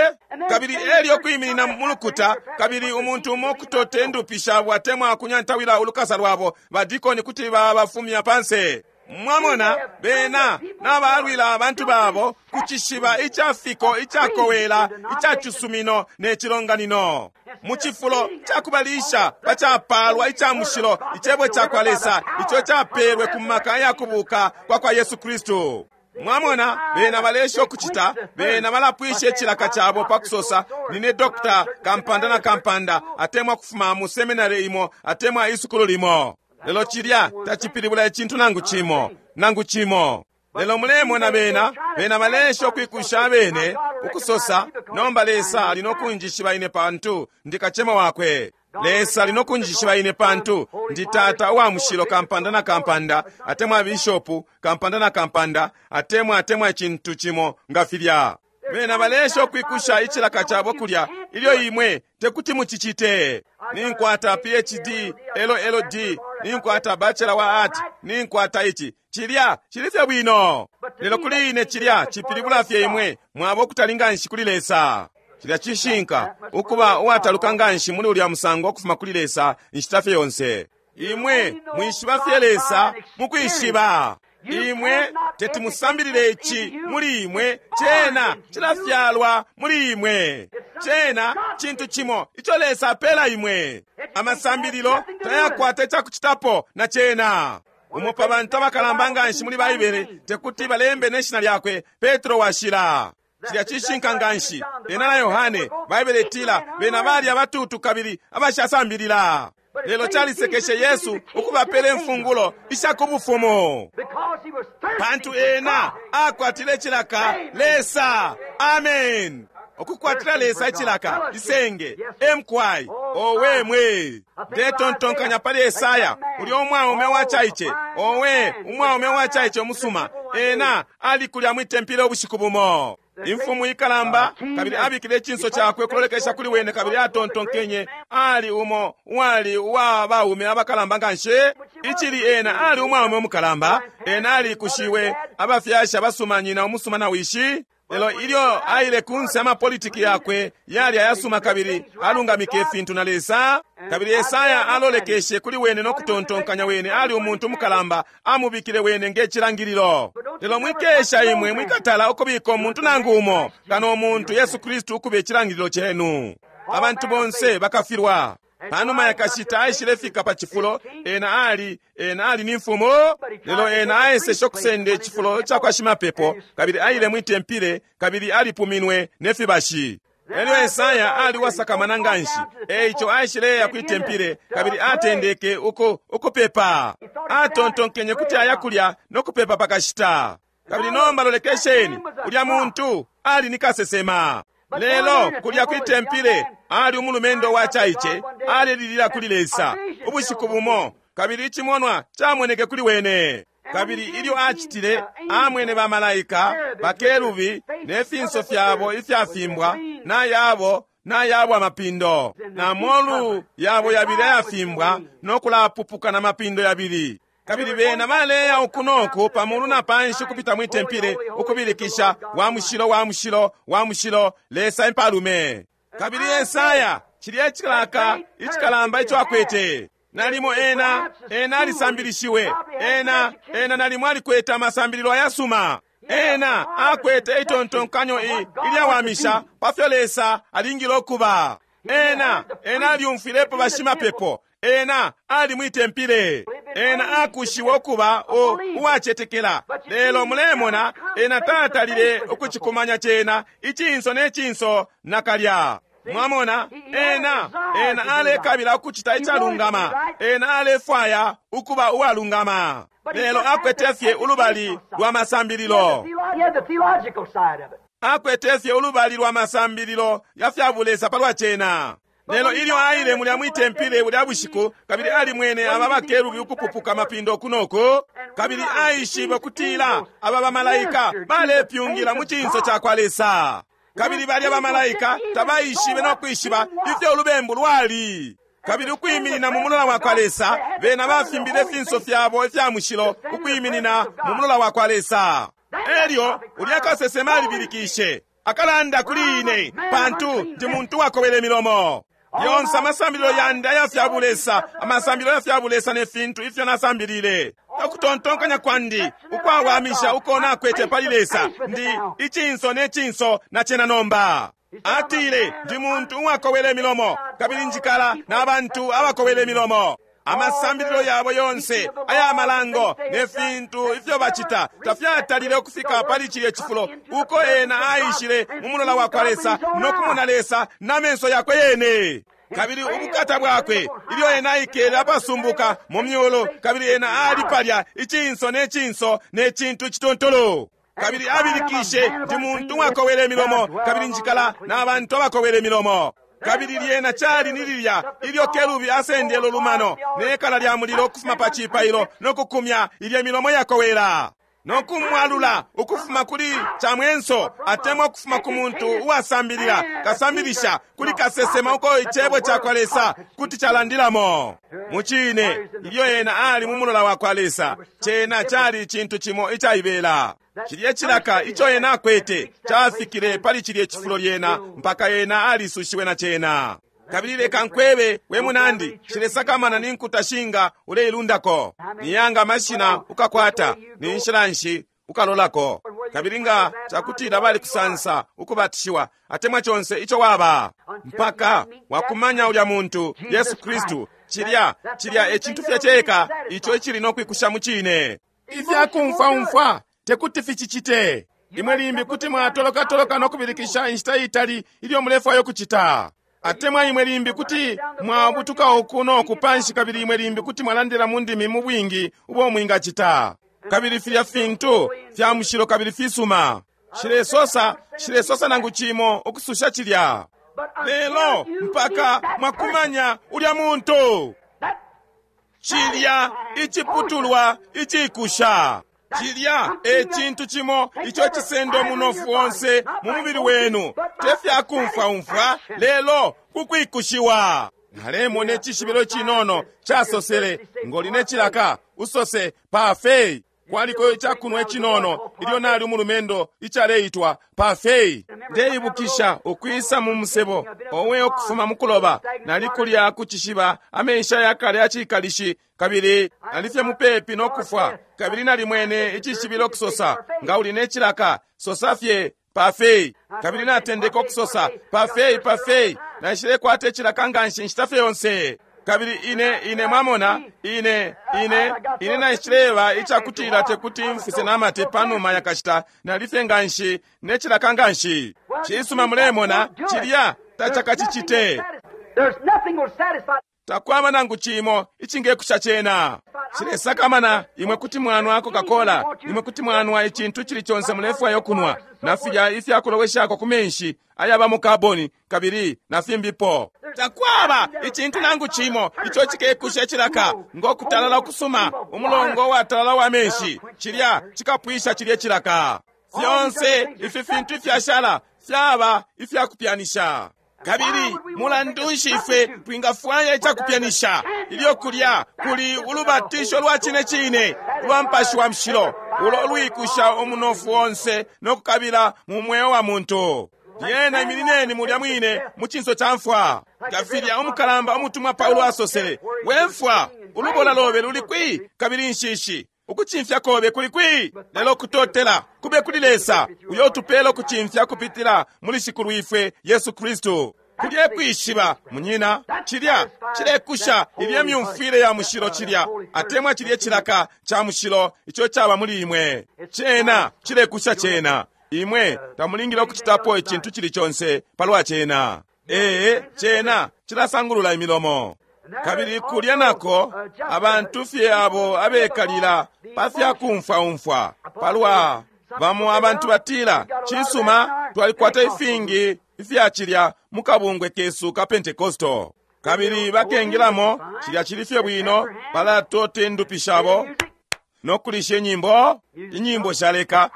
kabili elyo kwiminina mulukuta, kabili umuntu umo kutote indupi shabo atemwa kunyantawila ulukasa lwabo, badikoni kuti babafumya panse. Mwamona, bena nabalwila abantu babo kucishiba icafiko icakowela icacisumino ne cilonganino, mu cifulo cakubalisha pacapalwa ica mushilo icebo cakwa Lesa ico capelwe ku maka yakubuka kwa kwa Yesu Kristu. Mwamona, bena balesha ukucita, bena balapwisha icilaka cabo pakusosa nine dokta kampanda na kampanda, atemwa kufuma mu seminary imo atemwa isukulu limo. Lelo cilya tacipilibula icintu nangu cimo, nangu cimo. Lelo mulemona bena balesha ukwikusha abene ukusosa, nomba Lesa ali nokunjishiba ine pantu ndi kacema wakwe. Lesa ali nokunjishiba ine pantu ndi tata uwa mushilo kampanda na kampanda, atemwa bishopu kampanda na kampanda, atemwa icintu cimo nga filya. Bena balesha ukwikusha icilaka cabo kulya ilyo imwe tekuti mucicite. Ninkwata PhD, LLD, ninkwata Bachelor wa Art, ninkwata ici. Cilya cili fye bwino. Lelo kuli ine cilya cipilibula fye imwe mwaba ukutali nganshi kuli Lesa. Cilya cishinka ukuba uwataluka nganshi muli ulya musango ukufuma kuli Lesa inshita fye yonse. Imwe mwishiba fye Lesa mukwishiba. Imwe teti musambilile ici muli imwe, cena cilafyalwa muli imwe. Cena cintu cimo ico Lesa apela imwe. Amasambililo tayakwata icakucitapo na cena. Umo pa bantu abakalamba nganshi muli Baibele tekuti balembe ne shina lyakwe, Petro washila. Cilya cishinka nganshi. Ena na Yohane, Baibele itila bena bali abatutu kabili abashasambilila. Lelo calisekeshe Yesu ukubapela imfungulo isha ku bufumu, pantu ena akwatile cilaka Lesa. Amen. Ukukwatila Lesa icilaka, isenge, emkwai, owe mwe. Ndetontonkanya pali Esaya, ulya umwaume wacaice, owe, umwaume wacaice umusuma, ena ali kulya mwitempile ubushiku bumo. Imfumu ikalamba, kabili abikile icinso cakwe ukulolekesha kuli wene, kabili atontonkenye ali umo uwali uwa baume abakalamba nganshi. Icili ena ali umwaume umukalamba, ena alikushiwe abafyashi abasuma, nyina umusuma na wishi. Lelo ilyo aile kunse, amapolitiki yakwe yali ayasuma kabili alungamike ifintu na Lesa. Kabili Esaya alolekeshe kuli wene no kutontonkanya wene ali umuntu umukalamba, amubikile wene nge cilangililo. Lelo mwikesha imwe mwikatala ukubika umuntu nangu umo kano umuntu Yesu Kristu ukuba icilangililo cenu. Abantu bonse bakafilwa. Panuma yakashita aishile fika pa cifulo, ena ali, ena ali ni mfumu, lelo ena aeseshe ukusenda icifulo ca kwa shimapepo, kabili aile mwitempile kabili alipuminwe ne fibashi. Elyo Esaya ali wasakamana nganshi, eico aishileya kwitempile kabili atendeke uku ukupepa. Atontonkenye kuti aya kulya no kupepa pakashita. Kabili nomba lolekesheni, ulya muntu ali ni kasesema. Lelo kulya kwitempile ali umulumendo wa caice, alelilila kuli Lesa ubushiku bumo, kabili icimonwa camoneke kuli wene. Kabili ilyo acitile, amwene bamalaika bakerubi ne finso fyabo ifyafimbwa, na yabo na yabo amapindo na molu yabo yabili ayafimbwa, no kulapupuka na mapindo yabili. Kabili bena baleya uku noku pamulu na panshi kupita mwitempile, ukubilikisha, wa mushilo, wa mushilo, wa mushilo, Lesa impalume. Kabili Esaya cilya icilaka icikalamba ico akwete, nalimo ena ena alisambilishiwe, ena ena nalimo alikwete amasambililo ayasuma, ena akwete itontonkanyo ilyawamisha pa fyo Lesa alingile ukuba. Ena ena alyumfwilepo bashimapepo, ena ali mwitempile, ena akushiwe ukuba uwacetekela. Lelo mulemona, ena tatalile ukucikumanya cena icinso ne cinso nakalya. Mwamona, ena ena alekabila ukucita icalungama, ena alefwaya ukuba uwalungama, lelo akwete fye ulubali lwa masambililo. He had the theological side of it. Akwete fye ulubali lwa masambililo ya fya bulesa palwa cena. Lelo ilyo aile mulya mwitempile bulya bushiku, kabili alimwene aba bakerubi ukupupuka mapindo kunoku, kabili aishibe kutila aba bamalaika balepyungila mu cinso ca kwa Lesa. Kabili balya bamalaika tabaishibe no kwishiba ifyo ulubembu lwali. Kabili ukwiminina mu mulola wa kwa Lesa, bena bafimbile ifinso fyabo ifya mushilo ukwiminina mu mulola wa kwa Lesa. Elyo ulya kasesema alibilikishe, akalanda kuli ine, pantu ndi muntu wakobele milomo. Yonse amasambililo yandi aya fya bulesa, amasambililo ya fya bulesa ne fintu ifyo nasambilile, ukutontonkanya kwandi ukwawamisha uko nakwete pali Lesa, ndi icinso ne cinso na cena nomba. Atile, ndi muntu uwakowele milomo, kabili njikala na bantu abakowele milomo. Amasambililo yabo yonse aya malango ne fintu ifyo bacita tafyatalile ukufika pali cilye cifulo uko ena aishile mu mulola wa kwa Lesa no kumona Lesa na menso yakwe yene. Kabili ubukata bwakwe, ilyo ena aikele apasumbuka mu myulu, kabili ena ali palya icinso ne cinso ne cintu cituntulu. Kabili abilikishe, ndi muntu uwakowele imilomo, kabili njikala na bantu abakowele imilomo. Kabili lyena cali ni lilya ilyo kerubi asendele ulumano ne kala lya mulilo ukufuma pa cipailo no kukumya ilya milomo yakowela no kumwalula ukufuma kuli camwenso, atemwa ukufuma ku muntu uwasambilila kasambilisha kuli kasesema uko icebo ca kwa Lesa kuti calandilamo. Mucine, ilyo ena ali mu mulola wa kwa Lesa, cena cali icintu cimo icaibela. Cilye cilaka ico ena akwete cafikile pali cilye cifulo lyena mpaka ena alisushiwe na cena. Kabili leka nkwebe, we munandi, cilesakamana ni nkuta shinga uleilundako, ni yanga amashina ukakwata, ni nshila nshi ukalolako. Kabili nga cakutila balikusansa ukubatishiwa atemwa conse ico waba, mpaka wakumanya ulya muntu Yesu Kristu, cilya cilya e cintu fye ceka ico icili no kwikusha mu cine. Ifyakumfwaumfwa tekuti ficicite. Imwe limbi kuti mwatolokatoloka no kubilikisha inshita itali ilyo mulefwaya ukucita, atemwa imwe limbi kuti mwabutuka uku no ku panshi, kabili imwe limbi kuti mwalandila mu ndimi mu bwingi ubo mwingacita. Kabili filya fintu fya mushilo kabili fisuma. Nshilesosa, nshilesosa nangu cimo ukususha cilya. Lelo mpaka mwakumanya ulya muntu, cilya iciputulwa icikusha, cilya e cintu cimo ico cisenda umunofu onse mu mubili wenu, te fya kumfwaumfwa, lelo kukwikushiwa. Nalemona icishibilo cinono casosele, ngoli ne cilaka, usose parfait. Kwaliko icakunwa icinono ilyo nali umulumendo icaleitwa parfait. Ndeibukisha ukwisa mu musebo owe ukufuma mu kuloba, nali kulya ku cishiba amenshi ayakale acikalishi, kabili nali fye mupepi no kufwa, kabili nalimwene icishibilo kusosa, nga uli ne cilaka sosa fye parfait. Kabili natendeka ukusosa parfait, parfait. Naishilekwata icilaka nganshi nshita fye yonse. Kabili ine, ine mwamona, ine, ine, ine naishileba icakutila tekuti mfise namate panuma yakashita, nalifye nganshi ne cilaka nganshi. Cisuma, mulemona, cilya tacakacicite. There's nothing will satisfy. Takwaba nangu cimo icingekusha cena. Cilesakamana, imwe kuti mwanwa Coca-Cola, imwe kuti mwanwa icintu cili conse mulefwaya ukunwa, na filya ifyakuloweshako ku menshi ayaba mu kaboni, kabili na fimbipo. Takwaba icintu nangu cimo ico cikekusha icilaka ngo kutalala ukusuma, umulongo watalala wa menshi, cilya cikapwisha cilye cilaka. Fyonse ifi fintu ifyashala fyaba ifyakupyanisha. Kabili mulandu nshi ifwe twingafwaya icakupyanisha ilyo kulya kuli ulubatisho lwa cine cine ulwa Mupashi wa Mushilo, ulo lwikusha umunofu onse no kukabila mu mweo wa muntu? Lyena iminineni mulya mwine mu cinso ca mfwa, nga filya umukalamba umutumwa Paulo asosele, we mfwa, ulubola lobe luli kwi? Kabili inshishi, ukucimfya kobe kuli kwi? Lelo kutotela kube kuli Lesa, uyo utupela ukucimfya kupitila muli Shikulwifwe Yesu Kristu. Kulye kwishiba, munyina, cilya cilekusha ilye myumfwile ya mushilo, cilya atemwa cilye cilaka ca mushilo ico caba muli imwe. Cena cilekusha cena. Imwe tamulingile ukucitapo icintu cili conse palwa cena. Ee, cena cilasangulula imilomo. Kabili kulya nako abantu fye abo abekalila pa fya kumfwaumfwa palwa bamo abantu batila, cisuma, twalikwata ifingi ifya cilya mu kabungwe kesu ka Pentecostal. Kabili bakengilamo, cilya cili fye bwino, balatota indupi shabo no kulisha inyimbo, inyimbo shaleka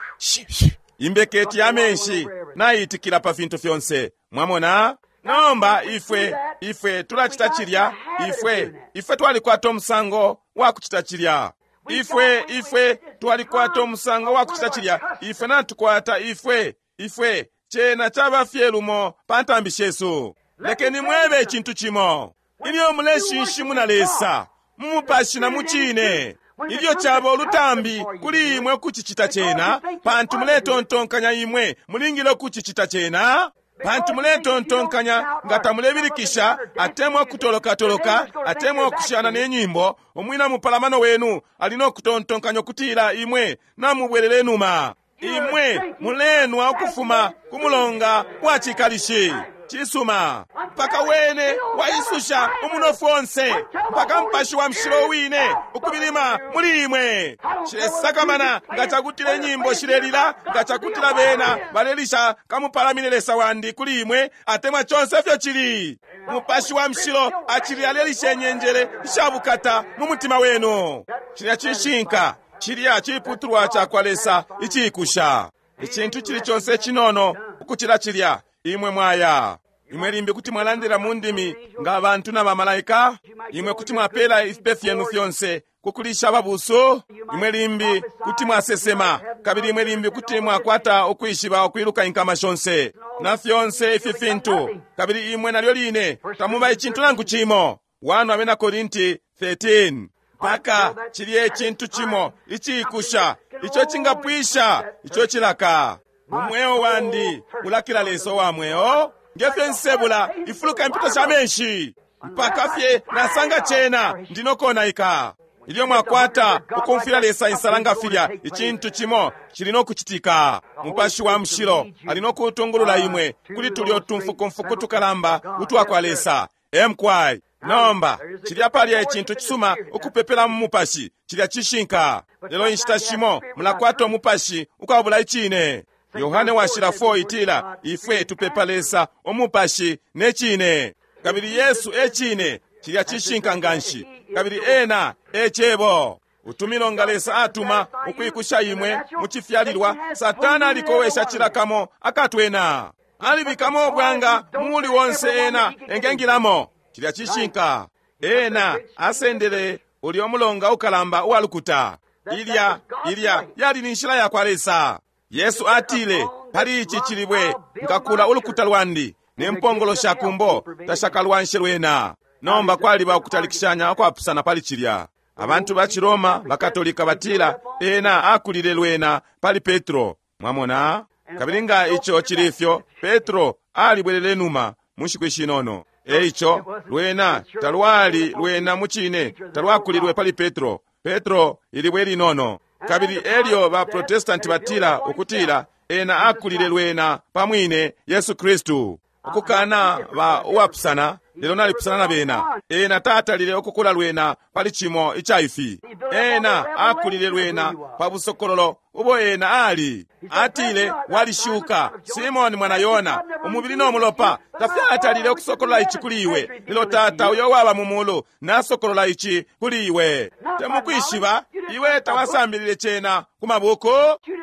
imbeketi ya menshi naitikila pa fintu fyonse. Mwamona? Nomba ifwe, ifwe tulacita cilya, ifwe, ifwe twalikwata umusango wa kucita cilya. Ifwe, ifwe twalikwata umusango wa kucita cilya. Ifwe natukwata, ifwe, ifwe cena caba fye lumo pa ntambi shesu. Lekeni mwebe icintu cimo. Ilyo muleshinshimuna Lesa mu mupashi na mu cine, ilyo caba ulutambi kuli imwe ukucicita cena, pantu muletontonkanya imwe mulingile ukucicita cena, pantu muletontonkanya nga tamulebilikisha atemwa kutolokatoloka atemwa ukushana ne nyimbo, umwina mupalamano wenu ali no kutontonkanya ukutila imwe namubwelele numa. Imwe mulenwa ukufuma ku mulonga wa cikalishi. Cisuma, mpaka wene waisusha umunofu onse, mpaka Mupashi wa Mushilo wine ukubilima muli imwe. Cilesakamana nga cakutila inyimbo shilelila, nga cakutila bena balelisha kamupalamine Lesa wandi kuli imwe, atemwa conse ifyo cili. Mupashi wa Mushilo acili alelisha inyenjele ishabukata mu mutima wenu. Cilya cishinka, cilya ciputulwa cakwa Lesa icikusha. Icintu cili conse cinono ukucila cilya, imwe mwaya. Imwe limbi kuti mwalandila mu ndimi nga abantu na bamalaika. Imwe kuti mwapela ifipe fyenu fyonse kukulisha ababusu. Imwe limbi kuti mwasesema, kabili imwe limbi kuti mwakwata ukwishiba ukwiluka inkama shonse na fyonse ifi fintu, kabili imwe nalyo line tamuba icintu nangu cimo. 1 Abena Korinti 13. Mpaka cilye icintu cimo icikusha ico cingapwisha ico cilaka. Umweo wandi ulakila Lesa wa mweo, ngefyo nsebula ifuluka impito sha menshi, mpaka fye nasanga cena ndinokonaika. Ilyo mwakwata ukumfwila Lesa insala nga filya, icintu cimo cili no kucitika. Mupashi wa Mushilo ali no kutungulula imwe kuli tulyo tumfukumfuku tukalamba utwa kwa Lesa. Emkwai. Nomba cilya palya icintu cisuma ukupepela mu mupashi, cilya cishinka. Lelo inshita shimo mulakwata umupashi ukwabula icine. Yohane Washila 4 itila, ifwe tupepa Lesa umupashi ne cine. Kabili Yesu e cine, cilya cishinka nganshi. Kabili ena e cebo. Utumilonga Lesa atuma ukwikusha imwe mu cifyalilwa, Satana alikowesha cilakamo akatwena. Alibikamo ubwanga muli wonse ena engengilamo. Cilya cishinka. Ena asendele ulyo mulonga ukalamba uwalukuta. Ilya ilya yali ni nshila yakwa Lesa. Yesu atile, pali ici cilibwe nkakula ulukuta lwandi, ne mpongolo sha kumbo tashakalwanshe lwena. Nomba kwaliba ukutalikishanya ukwapusana pali cilya. Abantu ba Ciroma bakatolika batila ena akulile lwena pali Petro. Mwamona? Kabili nga ico cili ifyo, Petro alibwelele numa mu nshiku ishinono. Eico lwena talwali lwena mucine talwakulilwe pali Petro. Petro ilibwe linono. Kabili elyo ba Protestanti batila ukutila ena akulile lwena pa mwine Yesu Kristu. Ukukana ba uwapusana, lelo nalipusana na bena. Ena tatalile ukukula lwena pali cimo ica ifi. Ena akulile lwena pa busokololo ubo ena ali. Atile, walishuka Simoni mwana Yona, umubili no mulopa tafyatalile ukusokolola ici kuli iwe, lelo Tata uyo waba mu mulu nasokolola ici kuli iwe. Temukwishiba, iwe tawasambilile cena ku mabuku,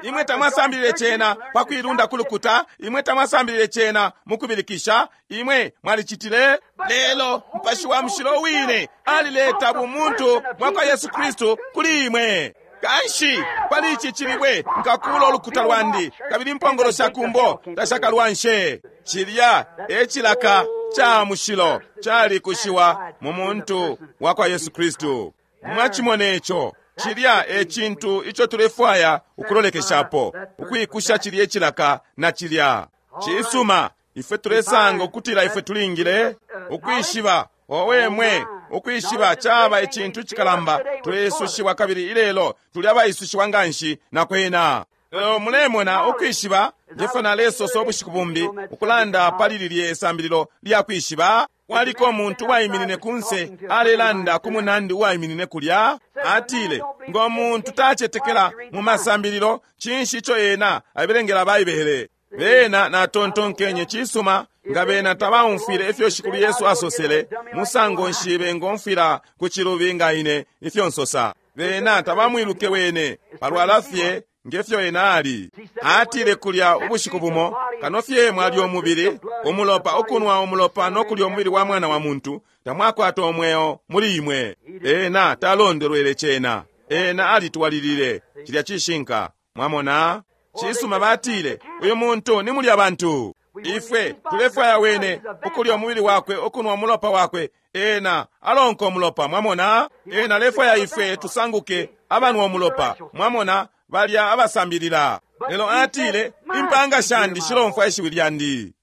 imwe tamwasambilile cena pa kuilunda ku lukuta, imwe tamwasambilile cena mu kubilikisha, imwe mwalicitile. Lelo Mupashi wa Mushilo wine alileta bumuntu bwa kwa Yesu Kristu kuli imwe. Kanshi pali ici cilibwe nkakula ulukuta lwandi, kabili impongolo sha kumbo tashakalwanshe. Cilya e cilaka ca mushilo calikushiwa mu muntu wa kwa Yesu Kristu. Mwacimone ico. Cilya e cintu ico tulefwaya ukulolekeshapo, ukwikusha cilya icilaka na cilya cisuma. Ifwe tulesanga ukutila ifwe tulingile ukwishiba. Owe mwe, ukwishiba caba icintu cikalamba. Tulesushiwa kabili ilelo tuli abaisushiwa nganshi na kwena. Lelo mulemona ukwishiba, ngefyo nalesosa ubushiku bumbi ukulanda pali lilye sambililo lya kwishiba. Kwaliko umuntu uwaiminine kunse alelanda ku munandi uwaiminine kulya. Atile, ngo muntu tacetekela mu masambililo, cinshi ico ena abelengela Baibele? Bena natontonkenye, cisuma, nga bena tabaumfwile ifyo Shikulu Yesu asosele, musango nshi bengomfwila ku cilubi nga ine ifyo nsosa? Bena tabamwiluke wene palwala fye ngefyo ena ali. Atile kulya ubushiku bumo, kano fye mwalya umubili, umulopa, ukunwa umulopa no kulya umubili wa mwana wa muntu, tamwakwata umweo muli imwe. Ena talondolwele cena. Ena alitwalilile. Cilya cishinka. Mwamona? Cisuma, batile, uyu muntu ni mulya bantu. Ifwe tulefwaya wene ukulya umubili wakwe, ukunwa umulopa wakwe. Ena alonka umulopa. Mwamona? Ena alefwaya ifwe tusanguke abanwa umulopa. Mwamona? Balya abasambilila. Lelo atile, impanga shandi shilomfwa ishiwi lyandi.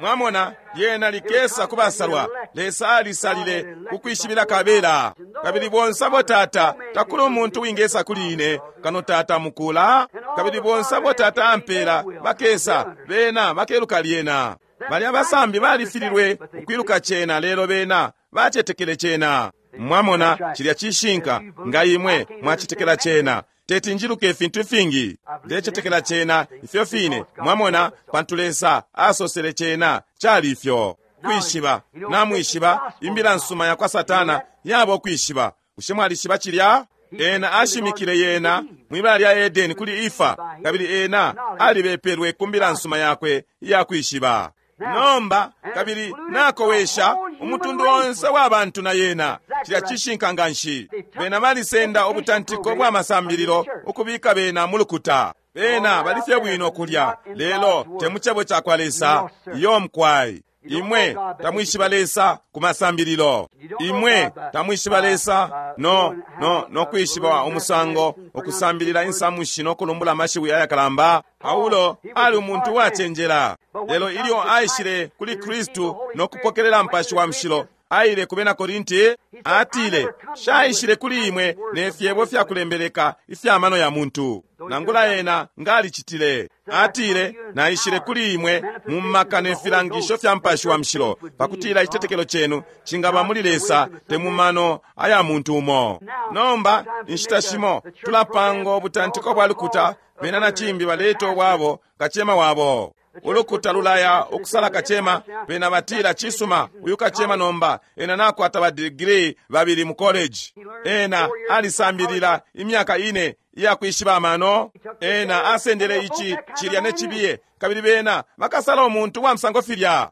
Mwamona, yena likesa kubasalwa. Lesa alisalile kukwishibila kabela. Kabili bonse abo Tata, takuli umuntu wingesa kuli ine kano Tata mukula. Kabili bonse abo Tata ampela bakesa, bena bakeluka lyena. Balya abasambi balifililwe ukwiluka cena, lelo bena bacetekele cena. Mwamona, cilya cishinka. Nga imwe mwacetekela cena, teti njiluke ifintu ifingi. Ndecetekela cena ifyo fine. Mwamona, pantu Lesa asosele cena cali ifyo. Kwishiba, namwishiba, imbila nsuma ya kwa Satana yaba ukwishiba. Bushe mwalishiba cilya? Ena ashimikile yena mwibala lya Edeni kuli Ifa, kabili ena alibepelwe ku mbila nsuma yakwe iya kwishiba. Nomba kabili nakowesha umutundu onse wa bantu na yena. Cilya cishinka nganshi. Bena balisenda ubutantiko bwa masambililo ukubika bena mu lukuta. Bena balifye bwino kulya, lelo te mu cebo ca kwa Lesa. Iyo mkwai. Imwe tamwishiba Lesa ku masambililo. Imwe tamwishiba Lesa no no no kwishiba umusango ukusambilila insamushi no kulumbula amashiwi ayakalamba. Paulo ali umuntu uwacenjela, lelo ilyo aishile kuli Kristu no kupokelela Mupashi wa Mushilo, aile ku bena Korinti, atile, shaishile kuli imwe ne fyebo fya kulembeleka ifya mano ya muntu. Nangula ena ngalicitile. Atile, naishile kuli imwe mu maka ne filangisho fya Mupashi wa Mushilo, pakutila icitetekelo cenu cingaba muli Lesa, te mu mano aya muntu umo. Nomba inshita shimo tulapanga ubutantiko bwa lukuta, Bena na cimbi baleta ubwabo kacema wabo. Ulukuta lulaya ukusala kacema, bena batila, cisuma, uyu kacema nomba ena nakwata ba degree babili mu college. Ena alisambilila imyaka ine iyakwishiba amano. Ena asendele ici, cilya ne cibiye, kabili bena bakasala umuntu wa musango filya.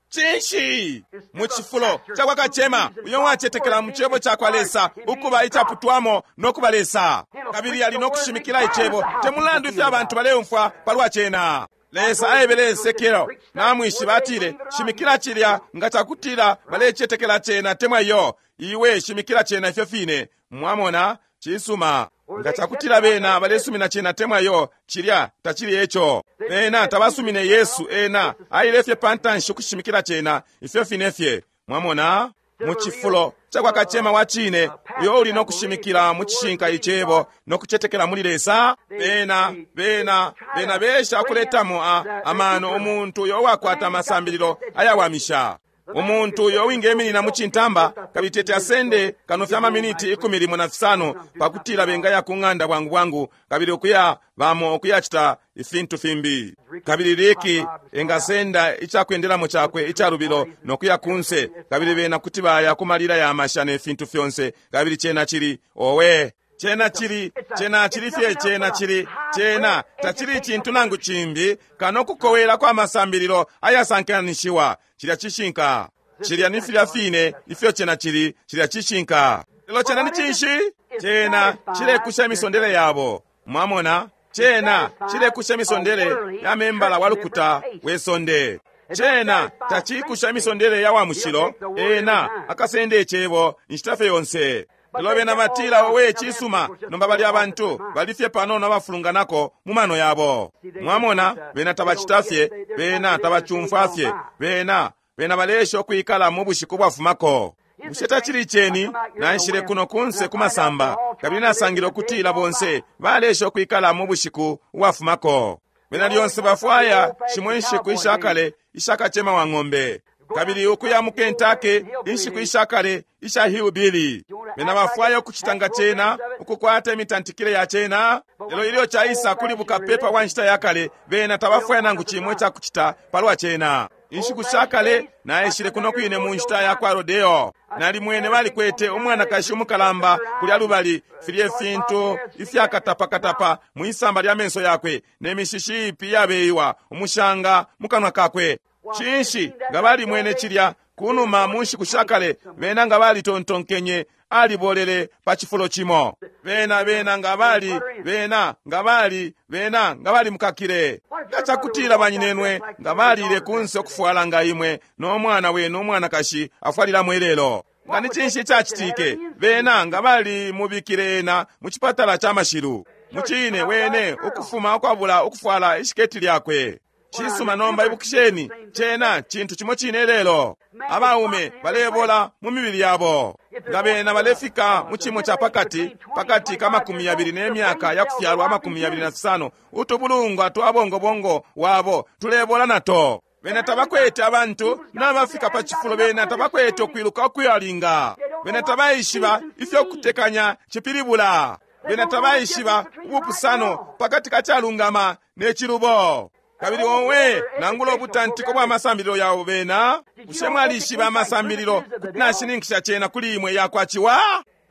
Cinshi? Mu cifulo cakwa kacema uyo wacetekela mu cebo cakwa Lesa ukuba icaputwamo no kuba Lesa, kabili ali no kushimikila icebo te mulandu ifyo abantu baleumfwa palwa cena. Lesa aebele Esekiel, namwishiba, atile, shimikila cilya nga cakutila balecetekela cena temwa iyo, iwe shimikila cena ifyo fine. Mwamona? Cisuma. Nga cakutila bena balesumina cena temwa iyo, cilya tacili eco. Bena tabasumine Yesu, ena aile fye pantanshi ukushimikila cena ifyo fine fye. Mwamona? Mu cifulo cakwa kacema wa cine uyo uli no kushimikila mu cishinka icebo no kucetekela muli Lesa, bena bena bena besha ukuletamo amano umuntu uyo wakwata amasambililo ayawamisha. Umuntu uyo wingeminina mu cintamba kabili tete asende kano fya maminiti 15 pakutila bengaya ku ng'anda bwangu bwangu kabili ukuya bamo ukuyacita ifintu fimbi. Kabili Liki engasenda icakwendelamo cakwe icalubilo no kuya kunse, kabili bena kuti baya ku malila ya masha ne fintu fyonse, kabili cena cili owe. Cena cili, cena cili fye, cena cili, cena tacili cintu nangu cimbi kano kukowela kwa masambililo ayasankanishiwa. Cilya cishinka. Cilya ni filya fine ifyo cena cili, cilya cishinka. Lelo cena ni cinshi? Cena cilekusha imisondele yabo. Mwamona? Cena cilekusha imisondele ya membala wa lukuta we sonde. Cena tacikusha imisondele ya wa mushilo, ena akasenda icebo inshita fye yonse. Lelo bena batila, owe, cisuma, nomba bali abantu bali fye panono abafulunganako mu mano yabo. Mwamona, bena tabacita fye, bena tabacumfwa fye, bena bena balesha ukwikala mu bushiku bwafumako. Bushe tacili ceni? Naishile kuno kunse ku masamba, kabili nasangile ukutila bonse balesha ukwikala mu bushiku bwafumako. Bena lyonse bafwaya shimo inshiku ishakale ishakacema wa ng'ombe, kabili ukuya mu Kentucky inshiku ishakale isha hillbilly. Bena bafwaya ukucita nga cena, ukukwata imitantikile ya cena. Lelo ilyo caisa kuli bukapepa bwa nshita ya kale, bena tabafwaya nangu cimwe cakucita palwa cena. Inshiku shakale naishile kuno kwine mu nshita ya kwa Rodeo. Nalimwene balikwete umwanakashi umukalamba kulya lubali, filye fintu ifyakatapakatapa mwisamba lya menso yakwe, ne mishishi ipi yabeiwa umushanga mu kanwa kakwe. Cinshi nga balimwene cilya kunuma mu nshiku shakale, bena nga balitontonkenye alibolele pa cifulo cimo. Bena bena nga bali, bena nga bali, bena nga bali mukakile. Nga cakutila banyinenwe nga balile kunse ukufwala nga imwe no mwana wenu umwanakashi afwalilamo ilelo. Nga ni cinshi icacitike? Bena nga bali mubikile ena mu cipatala ca mashilu. Mucine wene ukufuma ukwabula ukufwala ishiketi lyakwe. Cisuma, nomba ibukisheni, cena cintu cimo cine lelo. Abaume balebola mu mibili yabo. Nga bena balefika mu cimo ca pakati, pakati ka 20 ne myaka ya kufyalwa 25, utubulungwa twa bongobongo wabo tulebola nato. Bena tabakwete abantu nabafika pa cifulo, bena tabakwete ukwiluka ukuyalinga. Bena tabaishiba ifyo kutekanya cipilibula. Bena tabaishiba ubupusano pakati ka calungama ne cilubo. Kabili owe, nangula ubutantiko bwa masambililo yabo bena, bushe mwalishiba amasambililo kuti nashininkisha cena kuli imwe yakwa ciwa?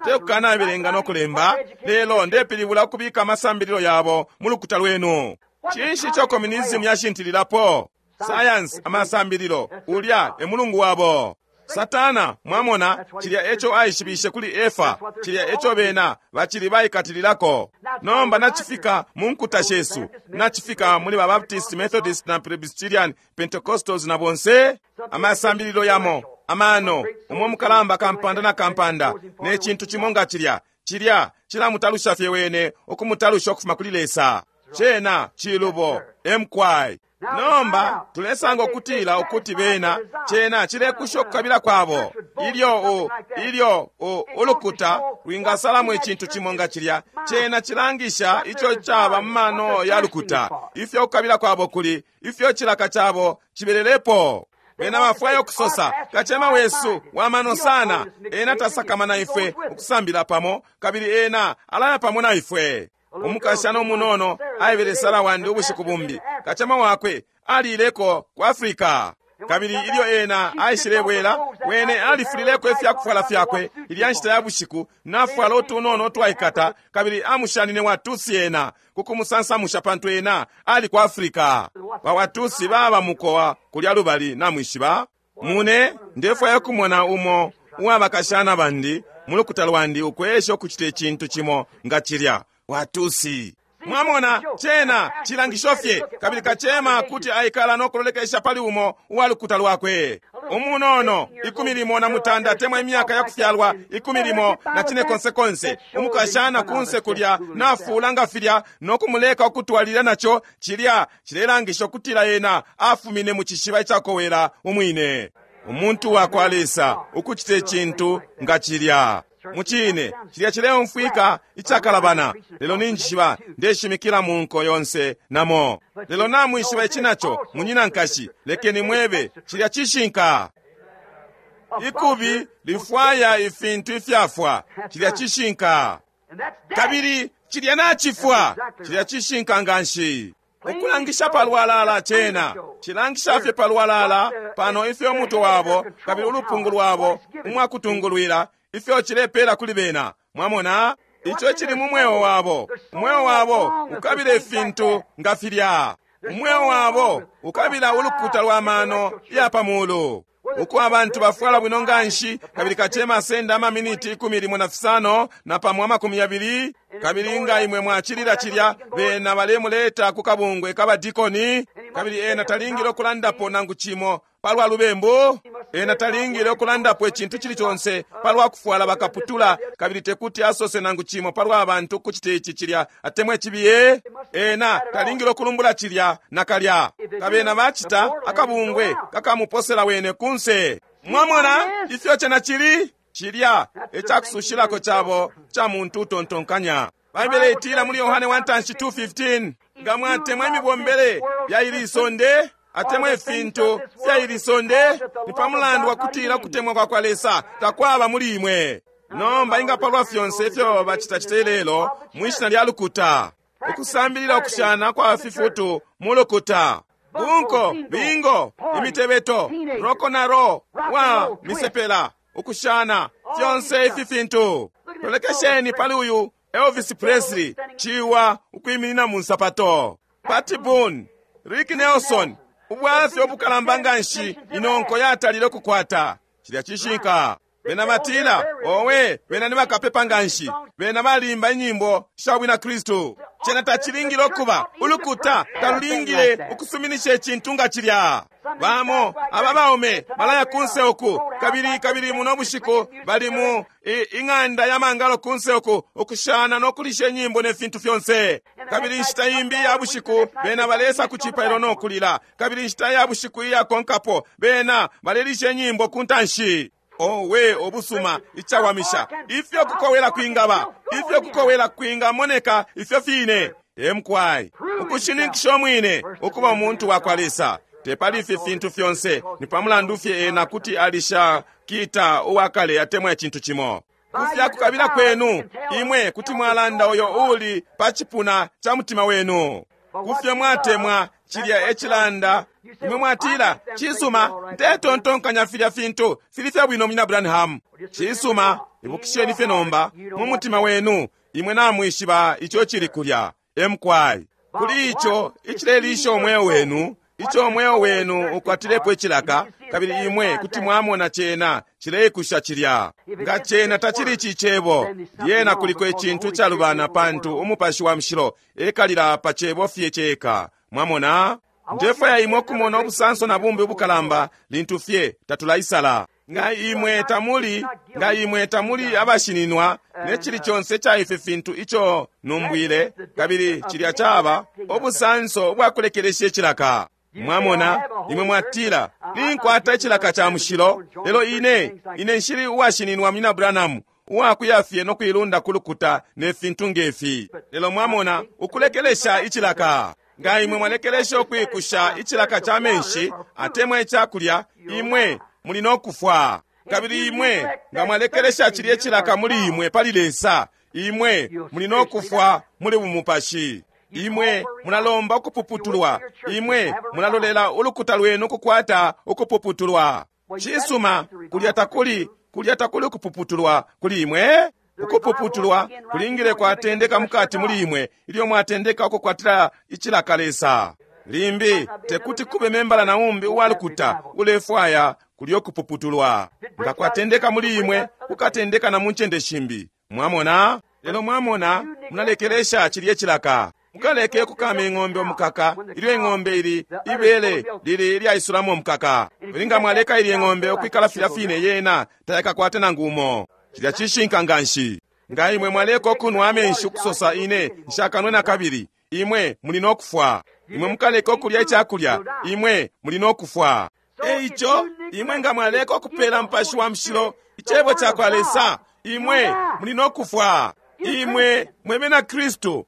Tekukanabelenga no kulemba, lelo ndepilibula ukubika amasambililo yabo mu lukuta lwenu. Cinshi ico communism yashintililapo? Science, amasambililo, ulya e mulungu wabo. Satana, mwamona, cilya eco aishibishe kuli Efa, cilya eco bena bacili baikatililako. Nomba nacifika mu nkuta shesu, nacifika muli ba Baptist, Methodist na Presbyterian, Pentecostals na bonse. Amasambililo yamo, amano, umwe mukalamba kampanda na kampanda, ne cintu cimo nga cilya, cilya cilamutalusha fye wene, ukumutalusha ukufuma kuli Lesa. Cena cilubo, emkwai. Nomba tulesanga ukutila ukuti bena cena cilekusha ukukabila kwabo. Ilyo ilyo ulukuta lwingasalamo icintu cimo nga cilya, cena cilangisha ico caba mu mano ya lukuta, ifyo ukukabila kwabo kuli, ifyo cilaka cabo cibelelepo. Bena bafwaya ukusosa, kacema wesu wa mano sana, ena tasakamana ifwe ukusambila pamo, kabili ena alaya pamo na ifwe. Umukashana umunono aebele Sara wandi ubushiku bumbi, kacema wakwe alileko ku Africa. Kabili ilyo ena aishilebwela, wene alifulileko ifyakufwala fyakwe ilya nshita ya bushiku, nafwala utunono utwaikata, kabili amushanine Watusi ena kukumusansamusha pantu ena ali ku Africa. Ba Watusi baba mukowa kulya lubali, namwishiba. Mune, ndefwaya kumona umo uwabakashana bandi mulukuta lwandi ukwesha ukucita icintu cimo nga cilya. Watusi. Mwamona, cena chilangisho fye, kabili kacema kuti aikala no kulolekesha pali umo uwa lukuta lwakwe. Umunono, 16 temwa imyaka ya kufyalwa 14, umukashana kunse kulya nafuula nga filya no kumuleka ukutwalilila naco, cilya cilelangisha ukutila ena afumine mu cishiba icakowela umwine. Umuntu wa kwa Lesa ukucita icintu nga cilya. Mucine, cilya cileumfwika icakalabana, lelo ninjishiba ndeshimikila mu nko yonse namo. Lelo namwishiba ici naco, munyina nkashi, lekeni mwebe, cilya cishinka. Ikubi lifwaya ifintu ifyafwa, cilya cishinka. Kabili cilya nacifwa, cilya cishinka nganshi. Ukulangisha palwalala cena cilangisha fye palwalala pano ifyo umutwe wabo kabili ulupungu lwabo umwakutungulwila ifyo cilepela kuli bena. Mwamona ico cili mu mweo wabo. Umweo wabo ukabila ifintu nga filya. Umweo wabo ukabila ulukuta lwa mano ya pamulu, uko abantu bafwala bwino nganshi, kabili kacema asenda amaminiti 15 na pamo 20, kabili nga imwe mwacilila cilya, bena balemuleta ku kabungwe kabadikoni, kabili ena talingile ukulandapo nangu cimo palwa lubembu, ena talingile ukulandapo icintu cili conse palwa kufwala bakaputula, kabili tekuti asose nangu cimo palwa bantu ukucita ici cilya atemwa icibiye. Ena talingile ukulumbula cilya nakalya. Kabena bacita akabungwe kakamuposela wene kunse. Mwamona ifyo cena cili? Cilya ecakusushilako cabo ca muntu utontonkanya. Baibele itila muli Yohane 1:2:15, nga mwatemwa imibombele ya ili isonde atemwa ifintu fya ili sonde, ni pa mulandu wa kutila kutemwa kwa kwa Lesa takwaba muli imwe. Nomba ingapalwa fyonse ifyo bacitacita ilelo mwishina lya lukuta, ukusambilila ukushana kwa fifutu mu lukuta, bunko, bingo, imitebeto, roko na ro wa misepela, ukushana fyonse ifi fintu. Tolekesheni pali uyu Elvis Presley, ciwa ukwiminina mu nsapato, Pat Boone, Rick Nelson, ubwafya ubukalamba nganshi inonko yatalile ukukwata. Cilya cishinka. Bena batila, owe, bena ni bakapepa nganshi, bena balimba inyimbo sha bwina Kristu. Cena tacilingile ukuba ulukuta talulingile ukusuminisha icintu nga cilya. Bamo aba baume balaya kunse uku, kabili kabili muno bushiku bali mu ing'anda ya mangalo kunse uku, ukushana no kulisha inyimbo ne fintu fyonse. Kabili inshita imbi ya bushiku bena balesa ku cipailo no kulila, kabili inshita ya bushiku iyakonkapo bena balelisha inyimbo ku ntanshi. Owe, obusuma icawamisha ifyo kukowela kwingaba, ifyo kukowela kwingamoneka, ifyo fine. Emkwai ukushininkisha omwine ukuba umuntu wa kwa Lesa. Tepali ifi fintu fyonse, ni pamulandu fye ena kuti alisha kita uwakale atemwa icintu cimo. Kufya kukabila kwenu imwe kuti mwalanda uyo uli pa cipuna ca mutima wenu. Kufya mwatemwa cilya ecilanda, imwe mwatila, cisuma, ndetontonkanya filya fintu fili fya bwino munyina Branham. Cisuma, ibukisheni fye nomba mu mutima wenu imwe namwishiba ico cili kulya. Emkwai kuli ico icilelisha umweo wenu, ico umweo wenu ukwatilepo icilaka, kabili imwe kuti mwamona cena cileikusha cilya. Nga cena tacili ici cebo, lyena kuliko icintu icalubana, pantu umupashi wa mushilo ekalila pa cebo fye ceka. Mwamona? Ndefwaya imwe ukumona ubusanso na bumbi ubukalamba lintu fye tatulaisala. Nga imwe tamuli, nga imwe tamuli abashininwa ne cili conse ca ifi fintu ico numbwile, kabili cilya caba ubusanso ubwakulekelesha icilaka. Mwamona, imwe mwatila, ninkwata icilaka ca mushilo, lelo ine nshili uwashininwa munyina Branham, uwakuya fye no kuilunda ku lukuta ne fintu ngefi. Lelo mwamona, ukulekelesha icilaka. Nga imwe mwalekelesha ukwikusha icilaka ca menshi atemwa icakulya, imwe muli no kufwa. Kabili imwe nga mwalekelesha cilya icilaka muli imwe pali Lesa, Imwe muli no kufwa muli bumupashi. Imwe mulalomba ukupuputulwa. Imwe mulalolela ulukuta lwenu kukwata ukupuputulwa. Cisuma, kulya takuli, kulya takuli ukupuputulwa kuli imwe. Ukupuputulwa kulingile kwatendeka mukati muli imwe ilyo mwatendeka ukukwatira icilaka Lesa. Limbi tekuti kube membala na umbi uwalukuta ulefwaya kulyo kupuputulwa. Nga kwatendeka muli imwe, kukatendeka na mu ncende shimbi. Mwamona? Lelo mwamona, munalekelesha cilye cilaka. Mukaleke kukama ing'ombe omukaka ilyo ing'ombe ili ibele lili ilyaisulamo omukaka. Nga mwaleka ilye ng'ombe ukwikala filya fine yena tayakakwate nangu umo. Cilya cishinka nganshi. Nga imwe mwaleka ukunwa amenshi ukusosa ine nshakanwe na kabili, imwe muli no kufwa. Imwe mukaleka ukulya icakulya, imwe muli no kufwa. Eico imwe nga mwaleka ukupela Mupashi wa Mushilo icebo cakwa Lesa, imwe muli no kufwa. Imwe mwe bena Kristu,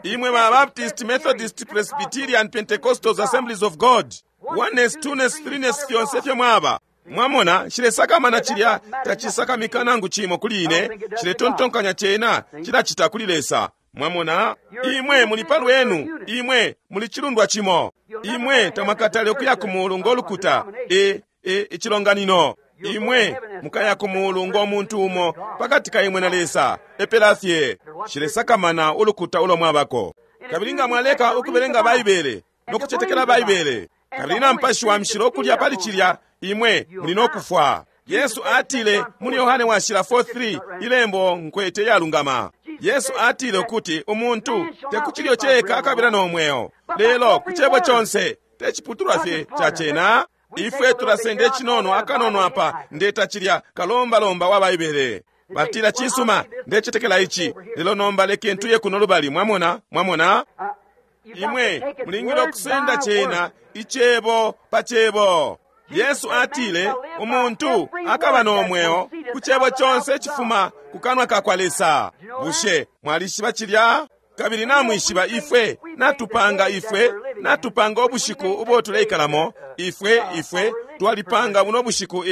imwe ba Baptist, Methodist, Presbyterian, Pentecostals, Assemblies of God, oneness, twoness, threeness, fyonse fyo mwaba. Mwamona, nshilesakamana cilya tacisakamika nangu cimo kuli ine, nshiletontonkanya cena cilacita kuli Lesa. Mwamona, imwe muli palwenu, imwe muli cilundwa cimo. Imwe tamwakatale ukuya ku mulu ngo lukuta, icilonganino. Imwe mukaya ku mulu ngo muntu umo pakati ka imwe na Lesa, epela fye. Nshilesakamana ulukuta ulo mwabako. Kabili nga mwaleka ukubelenga Baibele no kucetekela Baibele, kabili na Mupashi wa Mushilo ukulya pali cilya, imwe muli no kufwa. Yesu atile muli Yohane washila 4:3, ilembo nkwete yalungama. Yesu atile ukuti umuntu te ku cilyo ceka akabila no mweo, lelo ku cebo conse, te ciputulwa fye ca cena. Ifwe tulasenda icinono akanono apa, ndeta cilya kalombalomba wa Baibele. Batila cisuma, ndecetekela ici, lelo nomba lekeni tuye kuno lubali. Mwamona, mwamona? Imwe mulingile ukusenda cena icebo pa cebo. Yesu atile umuntu akaba no mweo ku cebo conse icifuma ku kanwa ka kwa Lesa. Bushe mwalishiba cilya? Kabili namwishiba ifwe natupanga, ifwe natupanga ubushiku ubo tuleikalamo. Ifwe ifwe twalipanga buno bushiku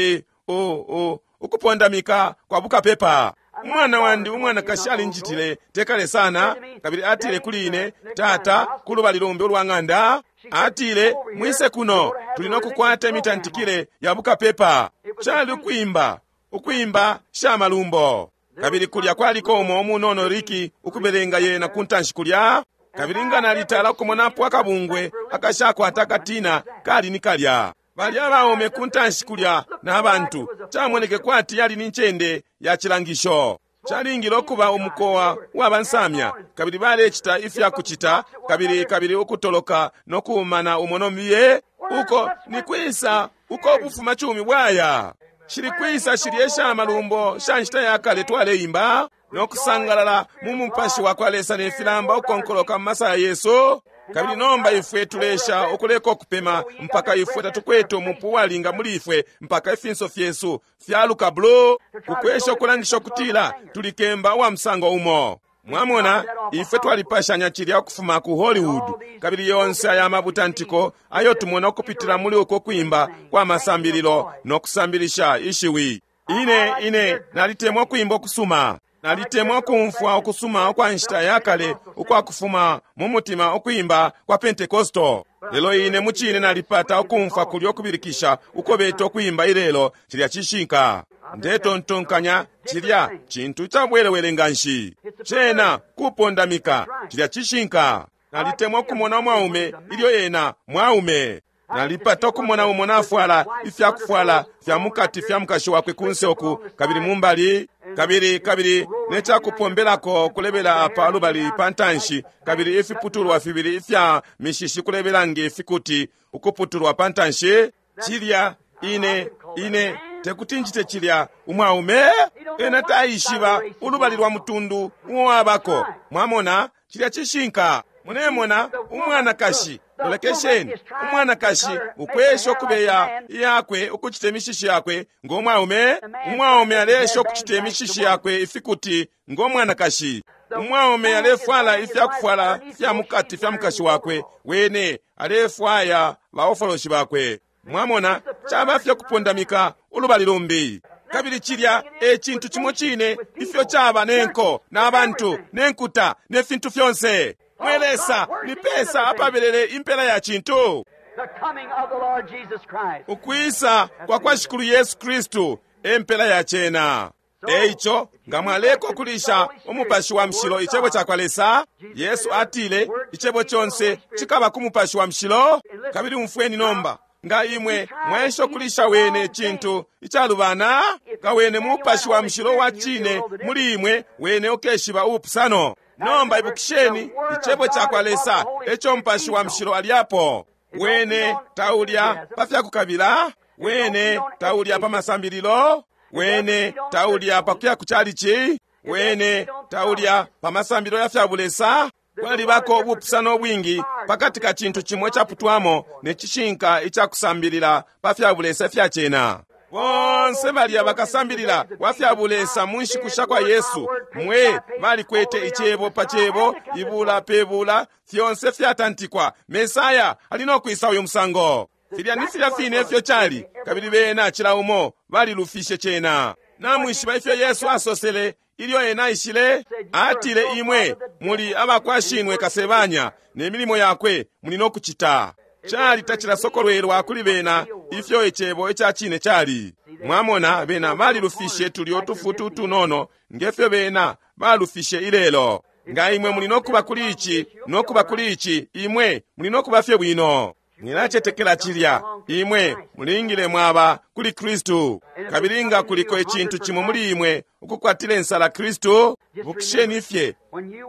ukupondamika kwa bukapepa. Umwana wandi umwanakashi alinjitile tekale sana, kabili atile kuli ine, tata, kulubali lumbi ulwa ng'anda, atile mwise kuno, tuli no kukwata imitantikile ya bukapepa. Cali ukuimba, ukuimba sha malumbo. Kabili kulya kwaliko umo umunono Riki ukubelenga yena ku ntanshi kulya. Kabili nga nalitala ukumonapo akabungwe akashakwata akatina kali ni kalya. Balya abaume ku ntanshi kulya na bantu, camoneke kwati yali ni ncende ya cilangisho. Calingile ukuba umukowa wabansamya, kabili balecita ifya kucita, kabili kabili ukutoloka no kuumana umo no miye. Uko ni kwisa uko ubufuma cumi bwaya? Shili kwisa shilye sha malumbo sha nshita ya kale twaleimba no kusangalala mu mupashi wa kwa Lesa ne filamba ukonkoloka mu masaya yesu? Kabili nomba ifwe tulesha ukuleka ukupema mpaka ifwe tatukwete umupu uwalinga muli ifwe, mpaka ifinso fyesu fyaluka blue, kukwesha ukulangisha ukutila tulikemba uwa musango umo. Mwamona, ifwe twalipashanya cilya ukufuma ku Hollywood, kabili yonse aya mabutantiko ayo tumona ukupitila muli uko kwimba kwa masambililo no kusambilisha ishiwi. Ine ine nalitemwa kwimba ukusuma. Nalitemwa kumfwa ukusuma ukwa nshita ya kale ukwa kufuma mu mutima ukwimba kwa Pentecostal. Lelo ine mucine nalipata ukumfwa kulyo ukubilikisha uko beta ukwimba ilelo, cilya cishinka. Ndetontonkanya cilya cintu cabwelewele nganshi. Cena kupondamika, cilya cishinka. Nalitemwa ukumona umwaume ilyo ena mwaume. Nalipata ukumona umo nafwala ifyakufwala fya mukati fya mukashi wakwe kunse oku, kabili mumbali, kabili kabili necakupombelako kulebela apa lubali pa ntanshi, kabili ifiputulwa fibili ifya mishishi kulebela nge fikuti ukuputulwa pa ntanshi. Cilya ine ine tekuti njite cilya umwaume ena taishiba ulubali lwa mutundu uwabako. Mwamona, cilya cishinka. Munemona umwanakashi, lolekesheni umwanakashi ukwesha ukubeya yakwe ukucita imishishi yakwe ngo mwaume. Umwaume alesha ukucita imishishi yakwe ifikuti ngo mwanakashi. Umwaume alefwala ifyakufwala fya mukati fya mukashi wakwe, wene alefwaya baofoloshi bakwe. Mwamona, caba fye kupondamika ulubali lumbi. Kabili cilya e cintu cimo cine ifyo caba ne nko na bantu ne nkuta ne fintu fyonse. Mwe Lesa, ni pesa apabelele impela ya cintu? The coming of the Lord Jesus Christ. Ukwisa kwa kwa Shikulu Yesu Kristu e mpela ya cena. E ico, nga mwaleka ukulisha Umupashi wa Mushilo, Icebo cakwa Lesa, Yesu atile, Icebo conse cikaba ku Mupashi wa Mushilo. Kabili umfweni nomba, nga imwe mwaesha ukulisha Wene icintu icalubana, nga Wene Mupashi wa Mushilo wa cine muli imwe, Wene ukeshiba ubupusano. Nomba ibukisheni, Icebo cakwa Lesa eco Mupashi wa Mushilo alyapo. Wene taulya pa fyakukabila, Wene taulya pa masambililo, Wene taulya pa kuya ku chalichi, Wene taulya pa masambililo ya fya bulesa. Kwalibako ubupusano ubwingi pakati ka cintu cimo icaputwamo ne cishinka ica kusambilila pa fya bulesa ifya cena. Bonse balya bakasambilila wa fya bulesa mu nshiku sha kwa Yesu, mwe balikwete icebo pa cebo, ibula pe bula, fyonse fyatantikwa. Mesaya ali no kwisa uyu musango. Filya ni filya fine ifyo cali, kabili bena cila umo balilufishe cena. Namwishiba ifyo Yesu asosele ilyo ena aishile? Atile, imwe muli abakwa shinwe kasebanya, ne milimo yakwe muli no kucita. Cali tacilasokolwelwa kuli bena ifyo icebo ica cine cali. Mwamona, bena balilufishe tulyo tufutu tunono nge fyo bena balufishe ilelo. Nga imwe muli no kuba kuli ici no kuba kuli ici, imwe muli no kuba fye bwino. Mwilacetekela cilya, imwe mulingile mwaba kuli Kristu. Kabili nga kuliko icintu cimo muli imwe ukukwatila insala Kristu, bukisheni fye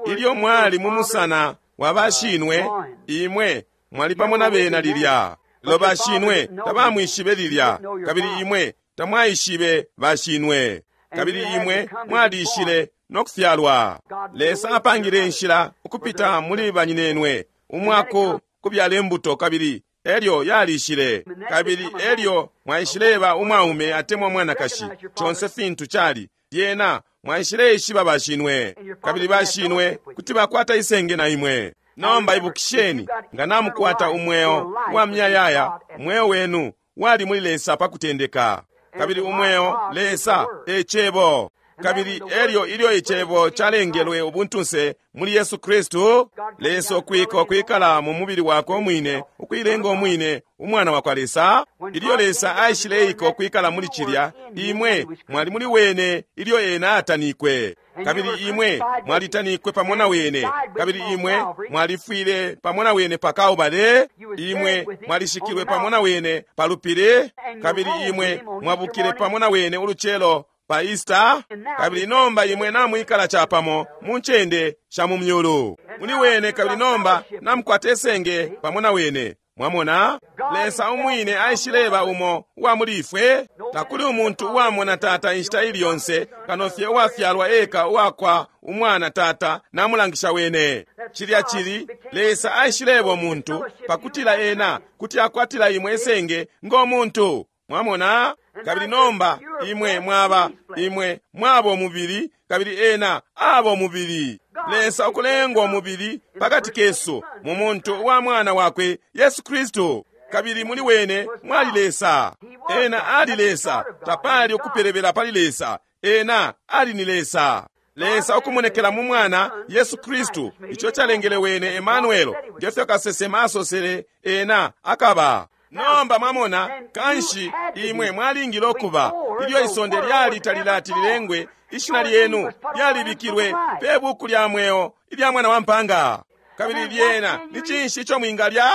ilyo mwali mu musana wa bashinwe, imwe mwali pamo na bena lilya. Lelo bashinwe tabamwishibe lilya, kabili imwe tamwaishibe bashinwe, kabili imwe mwalishile no kufyalwa. Lesa apangile inshila ukupita muli banyinenwe umwako kubyala imbuto, kabili elyo yalishile, kabili elyo mwaishileba umwaume atemwa umwanakashi, conse fintu cali. Lyena mwaishileishiba bashinwe, kabili bashinwe kuti bakwata isenge na imwe. Nomba ibukisheni, nga namukwata umweo wa muyayaya, umweo wenu wali muli Lesa pa kutendeka, kabili umweo Lesa e Cebo. Kabili elyo ilyo icebo calengelwe ubuntunse muli Yesu Kristu, Lesa ukwika ukwikala mu mubili wakwe umwine, ukuilenga umwine umwana wa kwa Lesa. Ilyo Lesa aishileika ukwikala muli cilya, imwe mwali muli wene ilyo ena atanikwe, kabili imwe mwalitanikwe pamo na wene, kabili imwe mwalifwile pamo na wene pa Kalbale, imwe mwalishikilwe pamo na wene pa lupili, kabili imwe mwabukile pamo na wene ulucelo pa Easter, kabili nomba imwe namwikala capamo mu ncende sha mu myulu muli wene, kabili nomba namukwata isenge pamo na wene. Mwamona, Lesa umwine aishileba umo uwa muli ifwe. Takuli umuntu uwamona Tata inshita ili yonse, kano fye uwafyalwa eka uwakwa umwana Tata namulangisha wene. Cilya cili, Lesa aishileba umuntu pakutila ena kuti akwatila imwe isenge ngo muntu. Mwamona? Kabili nomba imwe mwaba, imwe mwaba umubili, kabili ena aba umubili. Lesa ukulengwa umubili pakati kesu mu muntu wa mwana wakwe Yesu Kristu, kabili muli wene mwali Lesa. Ena ali Lesa, tapali ukupelebela pali Lesa. Ena ali ni Lesa. Lesa ukumonekela mu mwana Yesu Kristu, ico calengele wene Emmanuel, ngefyo kasesema asosele ena akaba. Nomba mwamona, kanshi imwe mwalingile ukuba ilyo isonde lyali talilati lilengwe, ishina lyenu lyalibikilwe pe buku lya mweo ilya mwana wa mpanga. Kabili lyena ni cinshi ico mwingalya?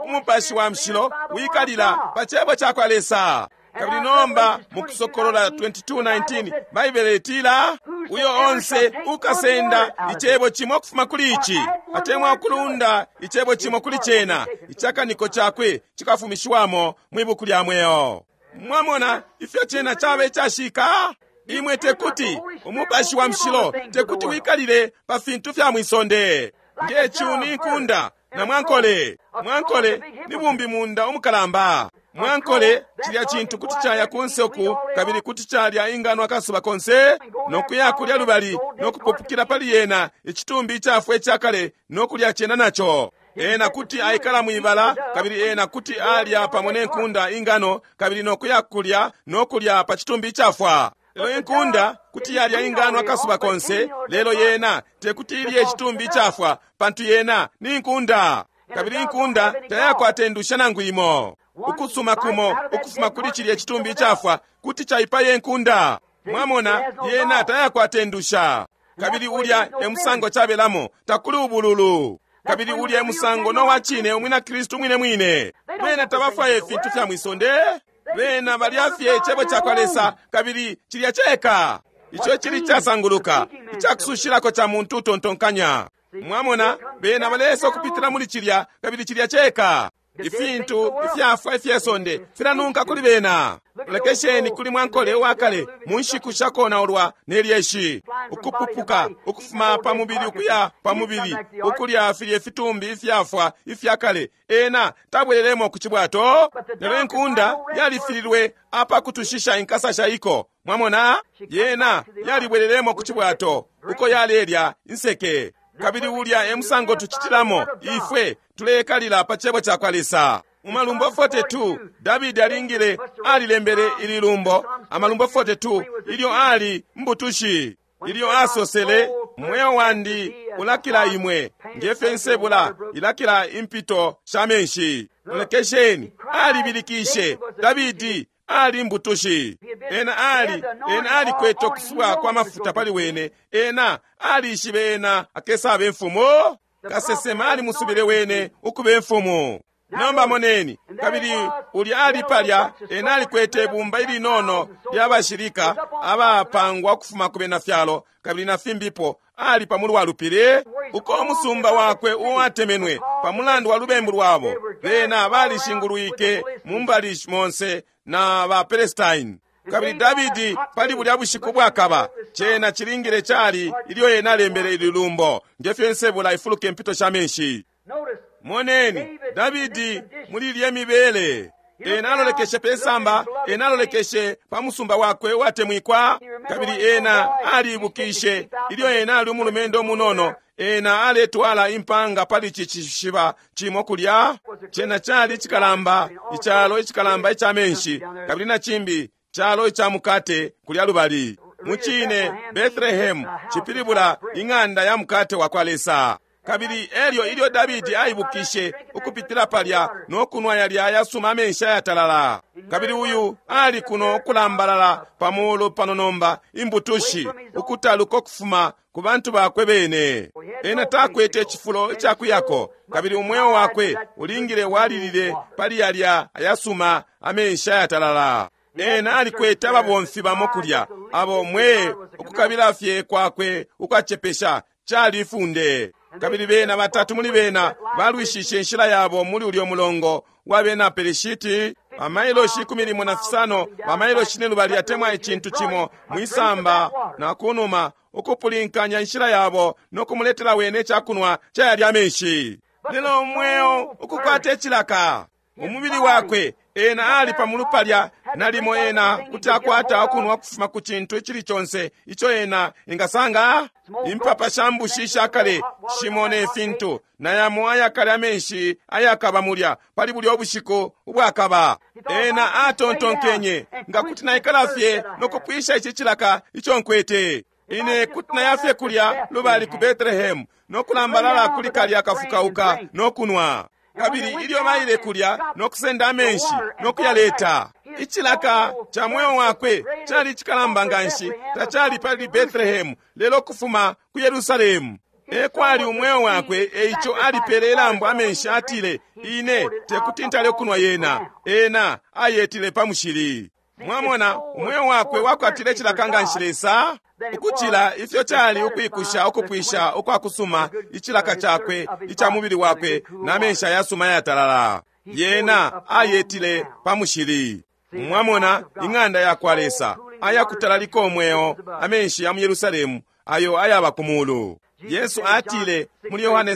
Umupashi wa Mushilo wikalila pa cebo ca kwa Lesa. Kabili nomba mu Kusokolola 22:19 Baibele itila, uyo onse ukasenda icebo cimo ukufuma kuli ici, atemwa ukulunda icebo cimo kuli cena, icakaniko cakwe cikafumishiwamo mwi buku lya mweo. Mwamona ifyo cena caba icashika? Imwe tekuti, Umupashi wa Mushilo tekuti wikalile pa fintu fya mwisonde nge cuni nkunda na mwankole. Mwankole ni bumbi munda umukalamba. Mwankole cilya cintu kuti caya kunse uku, kabili kuti calya ingano akasuba konse, no kuya kulya lubali, no kupupukila pali yena icitumbi icafwa icakale, no kulya cena naco. Ena kuti aikala mwibala, kabili ena kuti alya pamo ne nkunda ingano, kabili nokuya kulya nokulya pa citumbi icafwa. Lelo inkunda kuti yalya ingano akasuba konse, lelo yena tekuti ilye icitumbi icafwa, pantu yena ni nkunda. Kabili inkunda tayakwata indusha nangu imo. Ukusuma kumo ukufuma kuli cilya citumbi icafwa kuti caipaya inkunda. Mwamona, yena tayakwata indusha. Kabili ulya e musango cabelamo, takuli ubululu. Kabili ulya e musango no wa cine umwina Kristu mwine mwine. Bena tabafwaya ifintu fya mwisonde. Bena balya fye icebo ca kwa Lesa, kabili cilya ceka. Ico cili casanguluka, icakusushilako ca muntu utontonkanya. Mwamona, bena balesa ukupitila muli cilya, kabili cilya ceka. Ifintu ifyafwa ifye sonde filanunka kuli bena. Lekesheni kuli mwankole uwakale mu nshiku shakonaulwa ne lyeshi, ukupupuka ukufuma pa mubili ukuya pa mubili, ukulya filye fitumbi ifyafwa ifyakale. Ena tabwelelemo ku cibwato, lelo inkunda yalifililwe apakutushisha inkasa shaiko. Mwamona, yena yalibwelelemo ku cibwato uko yalelya inseke. Kabili ulya e musango tucitilamo ifwe tulekalila pa cebo ca kwa Lesa. Mu Malumbo 42, Davidi alingile alilembele ili lumbo, Amalumbo 42, ilyo ali mbutushi, ilyo asosele, mweo wandi ulakila imwe, ngefyo insebula ilakila impito sha menshi. Lolekesheni, alibilikishe. Davidi ali mbutushi. Ena ali, ena alikwete ukusubwa kwa mafuta pali wene. Ena alishibe ena akesaba imfumu. Kasesema alimusubile wene ukuba imfumu. Nomba moneni, kabili ulya ali palya, ena alikwete ibumba ilinono lya bashilika abapangwa ukufuma ku bena fyalo, kabili na fimbipo, ali pa mulu wa lupili uko umusumba wakwe uwatemenwe pa mulandu wa lubembu lwabo. Bena balishingulwike mu mbali monse na ba Palestine. Kabili Davidi pali bulya bushiku bwakaba, cena cilingile cali ilyo ena alembele ili lumbo, ngefyo insebula ifuluka impito sha menshi. Moneni, Davidi muli ilye mibele, ena alolekeshe pe samba, ena alolekeshe pa musumba wakwe uwatemwikwa, kabili ena alibukishe ilyo ena ali umulumendo umunono. Ena aletwala impanga pali ici cishiba cimo kulya. Cena cali icikalamba, icalo icikalamba ica menshi, kabili na cimbi calo ica mukate kulya lubali. Mucine, Bethlehem cipilibula ing'anda ya mukate wa kwa Lesa. Kabili elyo ilyo Davidi aibukishe ukupitila palya no kunwa yalya ayasuma amenshi ayatalala. Kabili uyu ali kuno ukulambalala pa mulu pano nomba imbutushi, ukutaluka ukufuma ku bantu bakwe bene. Ena takwete icifulo icakuyako, kabili umweo wakwe ulingile walilile pali yalya ayasuma amenshi ayatalala. Ena alikwete ababomfi bamo kulya, abo mwe ukukabila fye kwakwe ukwacepesha cali ifunde. Kabili bena batatu muli bena balwishishe inshila yabo muli ulyo mulongo wa bena Pelishiti, bamailoshi 15, bamailoshi 2 atemwa icintu cimo mwisamba na kunuma, ukupulinkanya inshila yabo no kumuletela wene icakunwa cayalya amenshi. Lelo umweo ukukwata icilaka umubili wakwe, ena ali pamulu palya, nalimo ena kuti akwata ukunwa kufuma ku cintu icili conse ico ena ingasanga. Impapa sha mbushi ishakale shimo ne fintu, na yamo ayakale amenshi ayakaba mulya pali bulya ubushiku ubwakaba. Ena atontonkenye, nga kuti naikala fye no kupwisha ici cilaka ico nkwete, ine kuti nayafye kulya lubali ku Bethlehem no kulambalala kuli kalya kafukauka no kunwa. Kabili ilyo baile kulya no kusenda amenshi no kuyaleta, icilaka ca mweo wakwe cali cikalamba nganshi, tacali pali Bethlehem, lelo kufuma ku Yerusalemu ekwali umweo wakwe. Eico alipele ilambo amenshi, atile, ine tekuti ntale ukunwa yena. Ena ayetile pa mushili. Mwamona, umweo wakwe wakwatile icilaka nganshi Lesa ukucila ifyo cali ukwikusha ukupwisha ukwakusuma icilaka cakwe ica mubili wakwe na menshi ayasuma ayatalala. Yena ayetile pa mushili. Mwamona, ing'anda ya kwa Lesa ayakutalalika umweo, amenshi ya mu Yerusalemu ayo ayaba ku mulu. Yesu atile muli Yohane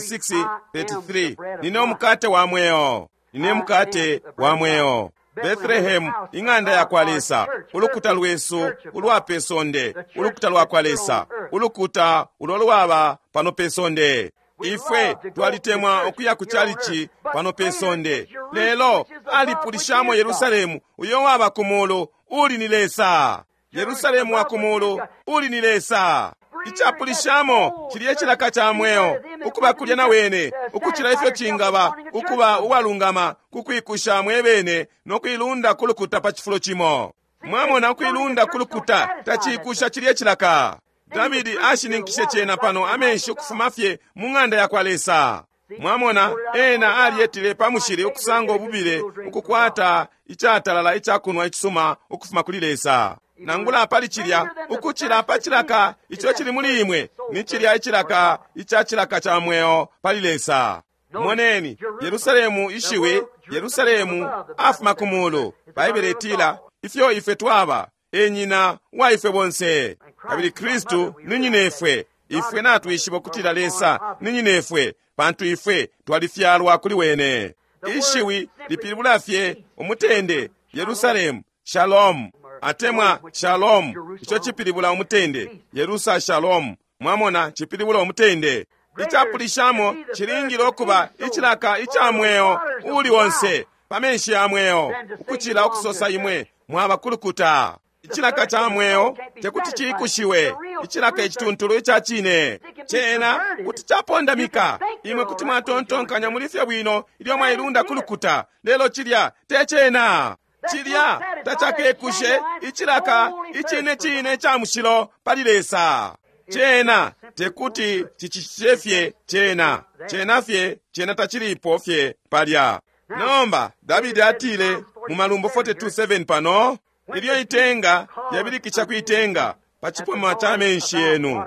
6:33, nine umukate wa mweo, nine mukate wa mweo. Bethlehem, ing'anda ya kwa Lesa, ulukuta lwesu ulwa pe sonde, ulukuta lwa kwa Lesa, ulukuta ulo lwaba pano pe sonde. Ifwe twalitemwa ukuya ku chalichi pano pe sonde, lelo alipulishamo Yerusalemu uyo waba ku mulu uli ni Lesa. Yerusalemu wa ku mulu uli ni Lesa. Icapulishamo cilye cilaka ca mweo ukuba kulya na wene, ukucila ifyo cingaba ukuba uwalungama ku kwikusha mwebene no kuilunda ku lukuta pa cifulo cimo. Mwamona, ukuilunda ku lukuta taciikusha cilye cilaka. Davidi ashininkishe cena pano amenshi ukufuma fye mu ng'anda yakwa Lesa. Mwamona, ena aliyetile pa mushili ukusanga ububile, ukukwata icatalala icakunwa icisuma ukufuma kuli Lesa. Nangula pali cilya, ukucila pa cilaka ico cili muli imwe, ni cilya icilaka ica cilaka ca mweo pali Lesa. Moneni, Yerusalemu ishiwi, Yerusalemu afuma ku mulu. Baibele itila, ifyo ifwe twaba, e nyina wa ifwe bonse. Kabili Kristu ni nyinefwe. Ifwe natwishiba ukutila Lesa ni nyinefwe, pantu ifwe twalifyalwa kuli wene. Ishiwi lipilibula fye umutende, Yerusalemu, Shalom, atemwa Shalom, ico cipilibula umutende, Yerusa Shalom. Mwamona, cipilibula umutende. Icapulishamo cilingile ukuba icilaka ica mweo uli onse pa menshi ya mweo, ukucila ukusosa imwe mwaba kulukuta. Icilaka ca mweo tekuti ciikushiwe, icilaka icituntulu ica cine cena kuti capondamika. Imwe kuti mwatontonkanya muli fye bwino ilyo mwailunda kulukuta, lelo cilya te cena. Cilya tacakekushe icilaka icine cine ca mushilo pali Lesa. Cena tekuti cicicite fye cena, cena fye, cena tacilipo fye palya. Nomba Davidi atile mu Malumbo 42:7 pano, ilyo itenga lyabilikisha kwitenga pa cipoma ca menshi yenu,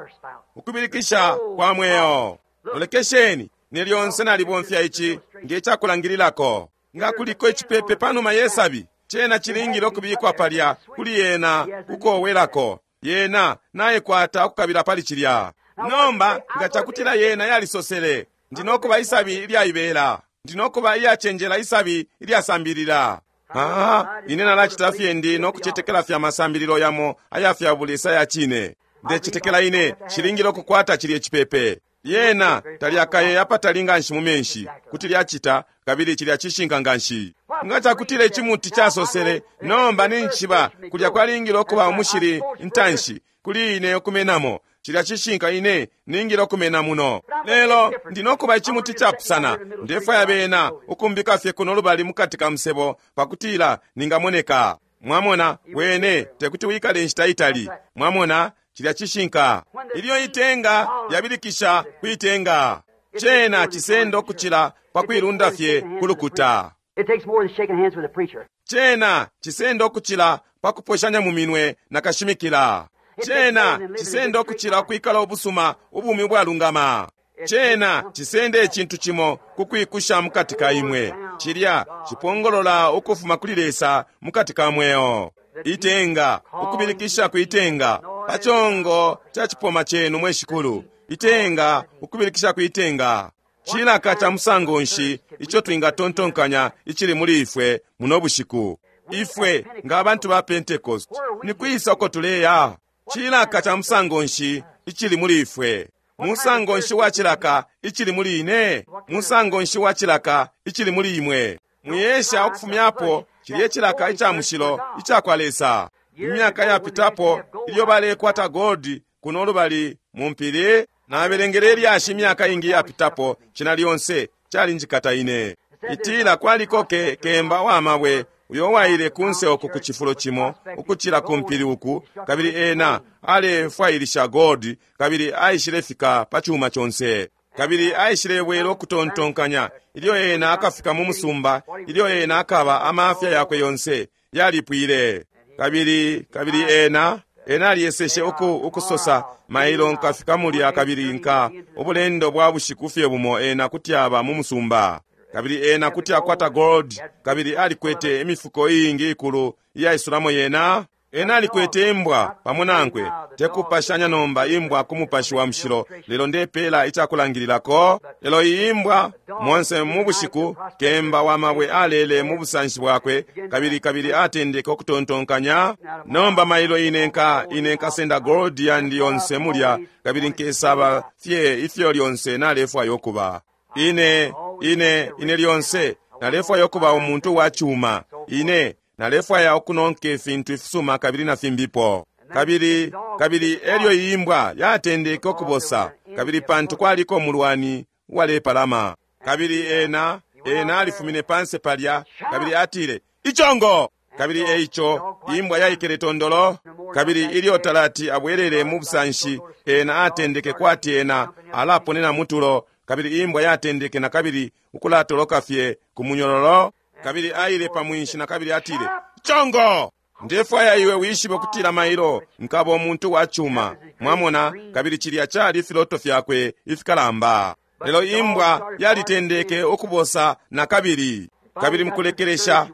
ukubilikisha kwa mweo. Lolekesheni, ne lyonse nalibomfya ici nge cakulangililako. Nga kuliko icipepe panuma yesabi, cena cilingile ukubikwa palya kuli yena kukowelako. Yena naikwata ukukabila pali cilya. Nomba nga cakutila yena yalisosele, ndi nokuba isabi ilyaibela, ndi nokuba iyacenjela isabi ilyasambilila. Ah, ine nalacita fye ndi nokucetekela fya masambililo yamo aya fya bulesa ya cine. Ndecetekela ine cilingile ukukwata cilye cipepe. Yena talyakaye apatali nganshi mu menshi, kuti lyacita, kabili cilya cishinka nganshi. Nga cakutila icimuti casosele, nomba ninjiba kulya kwalingile ukuba umushili intanshi kuli ine ukumenamo. Cilya cishinka, ine ningile ukumena muno. Lelo ndi nokuba icimuti capusana. Ndefwaya bena ukumbika fye kuno lubali mukati ka musebo pakutila ningamoneka. Mwamona, wene tekuti wikale inshita itali. Mwamona, cilya cishinka. Ilyo itenga lyabilikisha kwitenga, cena cisenda ukucila pa kuilunda fye kulukuta. It takes more than shaking hands with a preacher. Cena cisenda ukucila pa kuposhanya mu minwe na kashimikila. Cena cisenda ukucila ukwikala ubusuma ubumi ubwalungama. Cena cisenda icintu cimo ku kwikusha mukati ka imwe. Cilya cipongolola ukufuma kuli Lesa mukati ka mweo. Itenga, ukubilikisha kwitenga pa congo ca cipoma cenu mwe Shikulu. Itenga, ukubilikisha kwitenga. Cilaka ca musango nshi ico twingatontonkanya icili muli ifwe muno bushiku? Ifwe nga abantu ba Pentecost, ni kwisa uko tuleya? Cilaka ca musango nshi icili muli ifwe? Musango nshi wa cilaka icili muli ine? Musango nshi wa cilaka icili muli imwe? Mwiyesha ukufumyapo cilye cilaka ica mushilo ica kwa Lesa. Imyaka yapitapo ilyo balekwata goldi kuno lubali mu mpili, nabelengele ilyashi imyaka ingi yapitapo, cina lyonse calinjikata ine. Itila kwaliko ke kemba wa mabwe uyo waile kunse uku ku cifulo cimo ukucila ku mpili uku, kabili ena alefwailisha goldi, kabili aishile fika pa cuma conse. Kabili aishilebwela ukutontonkanya ilyo ena akafika mu musumba, ilyo ena akaba amafya yakwe yonse yalipwile. Kabili kabili ena ena aliyeseshe uku ukusosa, mailo nkafika mulya kabili nka ubulendo bwa bushiku fye bumo ena kuti aba mu musumba. Kabili ena kuti akwata gold, kabili alikwete imifuko iingi ikulu iyaisulamo yena. Ena alikwete imbwa pamo nankwe, tekupashanya nomba imbwa ku Mupashi wa Mushilo, lelo ndepela icakulangililako. Lelo iyi imbwa, monse mu bushiku, kemba wa mabwe alele mu busanshi bwakwe, kabili kabili atendeke ukutontonkanya, nomba mailo ine nka ine nkasenda gold yandi yonse mulya, kabili nkesaba fye ifyo lyonse nalefwaya ukuba. Ine, ine, ine lyonse nalefwaya ukuba umuntu wa cuma. Ine nalefwaya ukunonka ifintu ifisuma kabili na fimbipo. Kabili, kabili elyo iyi imbwa yatendeke ukubosa, kabili pantu kwaliko umulwani uwalepalama. Kabili ena, ena alifumine panse palya, kabili atile, Icongo! Kabili eico, imbwa yaikele tondolo, kabili ilyo talati abwelele mu busanshi, ena atendeke kwati ena alaponena mutulo, kabili imbwa yatendeke na kabili ukulatoloka fye ku munyololo, kabili aile pa mwinshi na kabili atile, Congo! Ndefwaya iwe wishibe ukutila mailo nkaba umuntu wa cuma. Mwamona, kabili cilya cali filoto fyakwe ifikalamba. Lelo imbwa yalitendeke ukubosa na kabili. Kabili mukulekelesha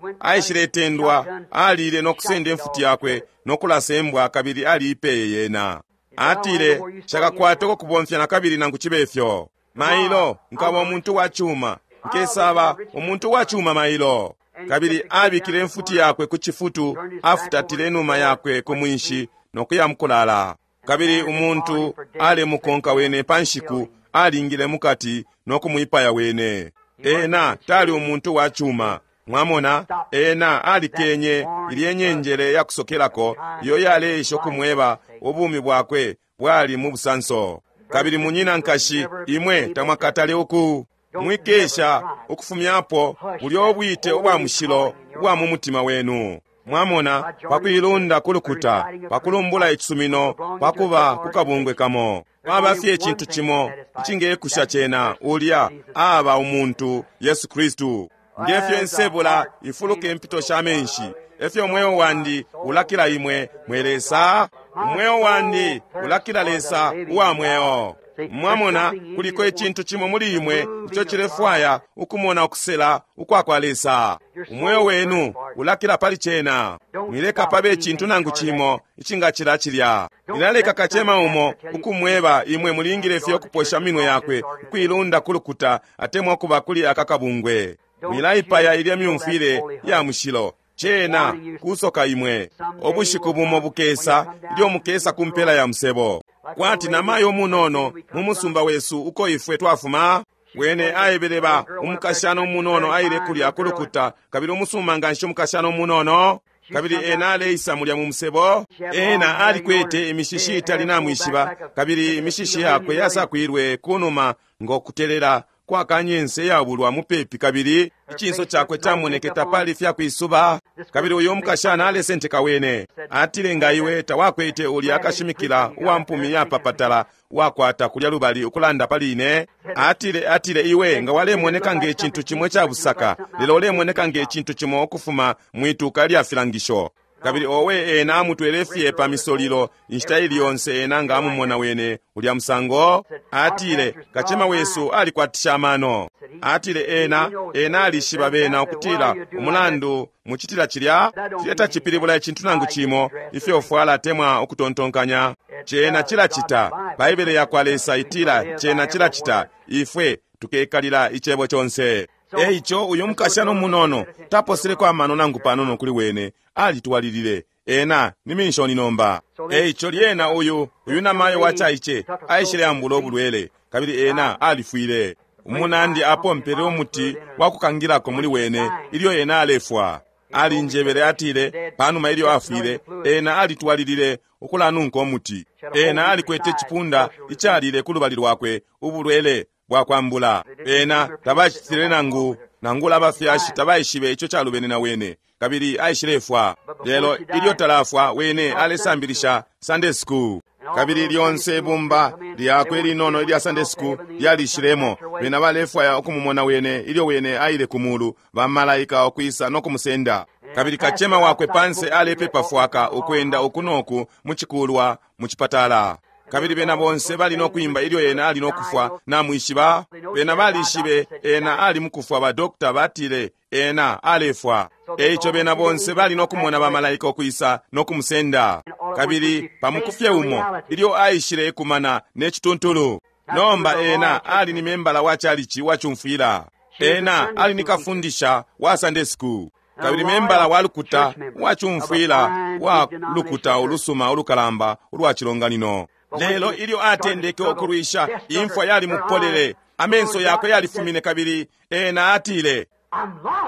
aishiletendwa, alile no kusenda imfuti yakwe no kulasa imbwa kabili aliipeye yena. Atile, nshakakwate uko kubomfya na kabili nangu cibe fyo. Mailo nkaba umuntu wa cuma. Nkesaba umuntu wa cuma mailo. Kabili abikile imfuti yakwe ku cifutu, afutatile inuma yakwe ku mwinshi no kuya mukulala. Kabili umuntu alemukonka wene pa nshiku, alingile mukati no kumwipaya wene. Ena tali umuntu wa cuma. Mwamona, ena alikenye ilye nyenjele ya kusokelako iyo yaleisha ukumweba ubumi bwakwe bwali mu busanso. Kabili munyina nkashi, imwe tamwakatale uku mwikesha ukufumyapo bulyo bwite ubwa mushilo ubwa mu mutima wenu. Mwamona, pakuilunda ku lukuta, pakulumbula icisumino, pakuba ku kabungwe kamo. Kwaba fye icintu cimo icingekusha cena, ulya aba umuntu Yesu Kristu. Ngefyo insebula ifuluka impito sha menshi, efyo umweo wandi ulakila imwe mwe Lesa. Umweo wandi ulakila Lesa uwa mweo. Mwamona, kuliko icintu cimo muli imwe ico cilefwaya ukumona ukusela ukwa kwa Lesa. Umweo wenu ulakila pali cena. Mwileka pabe icintu nangu cimo icingacila cilya. Nilaleka kacema umo ukumweba imwe mulingile fye ukuposha minwe yakwe ukuilunda ku lukuta atemwa ukuba kuli aka kabungwe. Mwilaipaya ilya myumfwile ya mushilo. Cena kusoka imwe. Ubushiku bumo bukesa ilyo mukesa ku mpela ya musebo. Kwati namayo munono mu musumba wesu uko ifwe twafuma, wene aebeleba umukashana umunono aile kulya ku lukuta, kabili umusuma nganshi umukashana umunono, kabili ena aleisa mulya mu musebo. Ena alikwete imishishi itali namwishiba, kabili imishishi yakwe yasakwilwe kunuma ngo kutelela kwa kanyense yabulwa mupepi, kabili icinso cakwe camoneke tapali fyakwisuba. Kabili uyo mukashana alesenteka wene. Atile, nga iwe tawakwete ulya akashimikila uwa mpumi yapapatala wakwata kulya lubali ukulanda pali ine. Atile, atile iwe nga walemoneka nge cintu cimo ca busaka, lelo ulemoneka nge cintu cimo ukufuma mwituka lya filangisho. Kabili owe ena amutwele fye pa misolilo inshita ili yonse ena nga amumona wene ulya musango. Atile, kacema wesu alikwatisha amano. Atile ena, ena alishiba bena ukutila umulandu mucitila cilya cilya tacipilibula icintu nangu cimo ifyo ufwala atemwa ukutontonkanya. Cena cilacita. Baibele yakwa Lesa itila cena cilacita. Ifwe tukekalila icebo conse. Eico uyu mukashana umunono taposeleko amano nangu panono kuli wene, alitwalilile. Ena ni minshoni nomba. Eico lyena uyu uyu namayo wacaice aishile ambula ubulwele, kabili ena alifwile. Umunandi apompele umuti wa kukangilako muli wene ilyo ena alefwa. Alinjebele atile panuma ilyo afwile, ena alitwalilile ukulanunka umuti. Ena alikwete icipunda icalile ku lubali lwakwe ubulwele bwakwambula. Ena tabacitile nangu nangula abafyashi tabaishibe ico calubene na wene, kabili aishilefwa. Lelo ilyo talafwa, wene alesambilisha Sunday school. Kabili lyonse ibumba lyakwe linono ilya Sunday school lyalishilemo. Bena balefwaya ukumumona wene ilyo wene aile ku mulu, bamalaika ukwisa no kumusenda. Kabili kacema wakwe panse alepepa fwaka ukwenda uku noku mu cikulwa mu cipatala. Kabili bena bonse bali no kwimba ilyo ena ali no kufwa, namwishiba. Bena balishibe ena ali mukufwa, ba doctor batile ena alefwa. Eico bena bonse bali no kumona ba malaika ukwisa no kumusenda. Kabili pamukufye umo ilyo aishile kumana ne cituntulu. Nomba ena ali ni membala wa chalichi wa chumfwila. Ena ali ni kafundisha wa Sunday school. Kabili membala wa lukuta wa chumfwila wa lukuta ulusuma ulukalamba ulwa chilonganino. Lelo ilyo atendeke ukulwisha, imfwa yali mupolele, amenso yakwe yalifumine, kabili ena atile,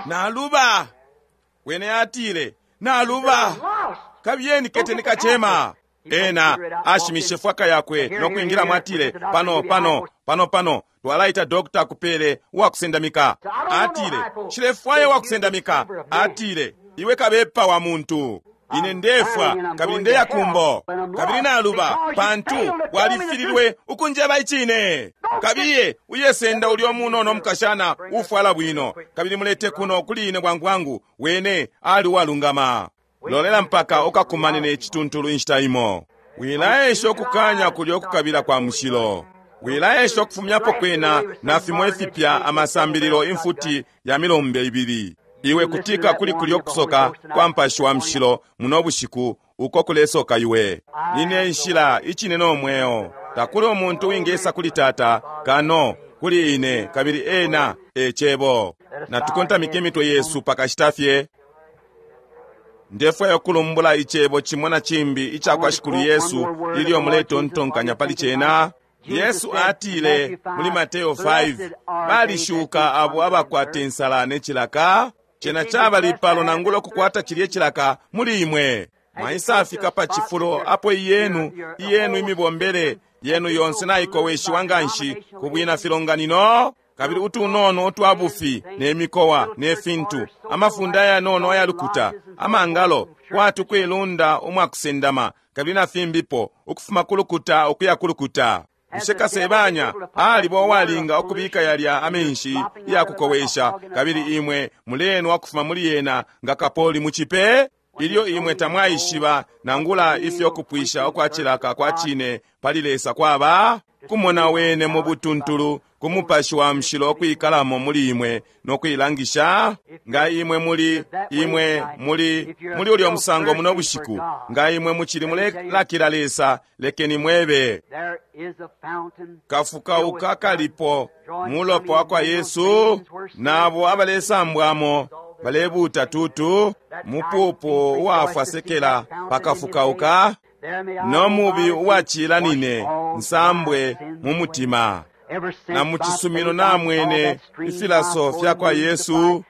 Naluba. Wene atile, Naluba. Kabiyeni keteni kachema. Ena ashimishe fwaka yakwe no kwingira mwatile, pano pano pano pano twalaita dokta kupele wakusendamika. Atile, nshilefwaya wakusendamika. Atile, iwe kabepa wa muntu, ine ndefwa kabili ndeya kumbo, kabili naluba pantu walifililwe ukunjeba icine. Kabiye uyesenda ulyo munono mukashana ufwala bwino, kabili mulete kuno kuli ine bwangu bwangu. Wene ali walungama. Lolela mpaka ukakumane ne cituntulu inshita imo. Wilaesha ukukanya kulyo ukukabila kwa mushilo. Wilaesha ukufumyapo kwena na fimo ifipya amasambililo imfuti ya milombe ibili. Iwe kutika kuli kulyo kusoka kwa mpashi wa mushilo muno bushiku uko kulesoka iwe. Nine nshila icine no mweo. Takuli umuntu wingesa kuli Tata kano kuli ine, kabili ena e cebo. Natukontamike imitwe yesu pakashita fye. Ndefwaya ukulumbula icebo cimo na cimbi ica kwa Shikulu Yesu ilyo muletontonkanya pali cena. Yesu atile muli Mateo 5, balishuka abo abakwata insala ne cilaka. Cena caba lipalo nangula ukukwata cilye cilaka muli imwe. Mwaisafika pa cifulo apo iyenu imibombele yenu yonse naikoweshiwa nganshi ku bwina filonganino, kabili utunono utwa bufi ne mikowa ne fintu, amafunda ayanono ayalukuta, amangalo kwati kwilunda umwakusendama, kabili na fimbipo, ukufuma kulukuta ukuya kulukuta. Bushe kasebanya aliba uwalinga ukubika yalya amenshi yakukowesha, kabili imwe mulenwa kufuma muli yena nga kapoli muchipe? Ilyo imwe tamwaishiba nangula ifyo kupwisha ukwacilaka kwa cine pali Lesa kwaba kumona wene mu butuntulu ku mupashi wa mushilo okwikalamo muli imwe nokuilangisha. Nga imwe muli imwe muli muli ulyo musango muno bushiku, nga imwe muchili mulelakila Lesa, lekeni mwebe kafukauka kalipo mulopo wa kwa Yesu, nabo abalesambwamo balebuta tutu mupupu uwafwasekela pakafukauka, no mubi uwacila nine nsambwe mu mutima. Na mu cisumino namwene ifilaso fya kwa Yesu,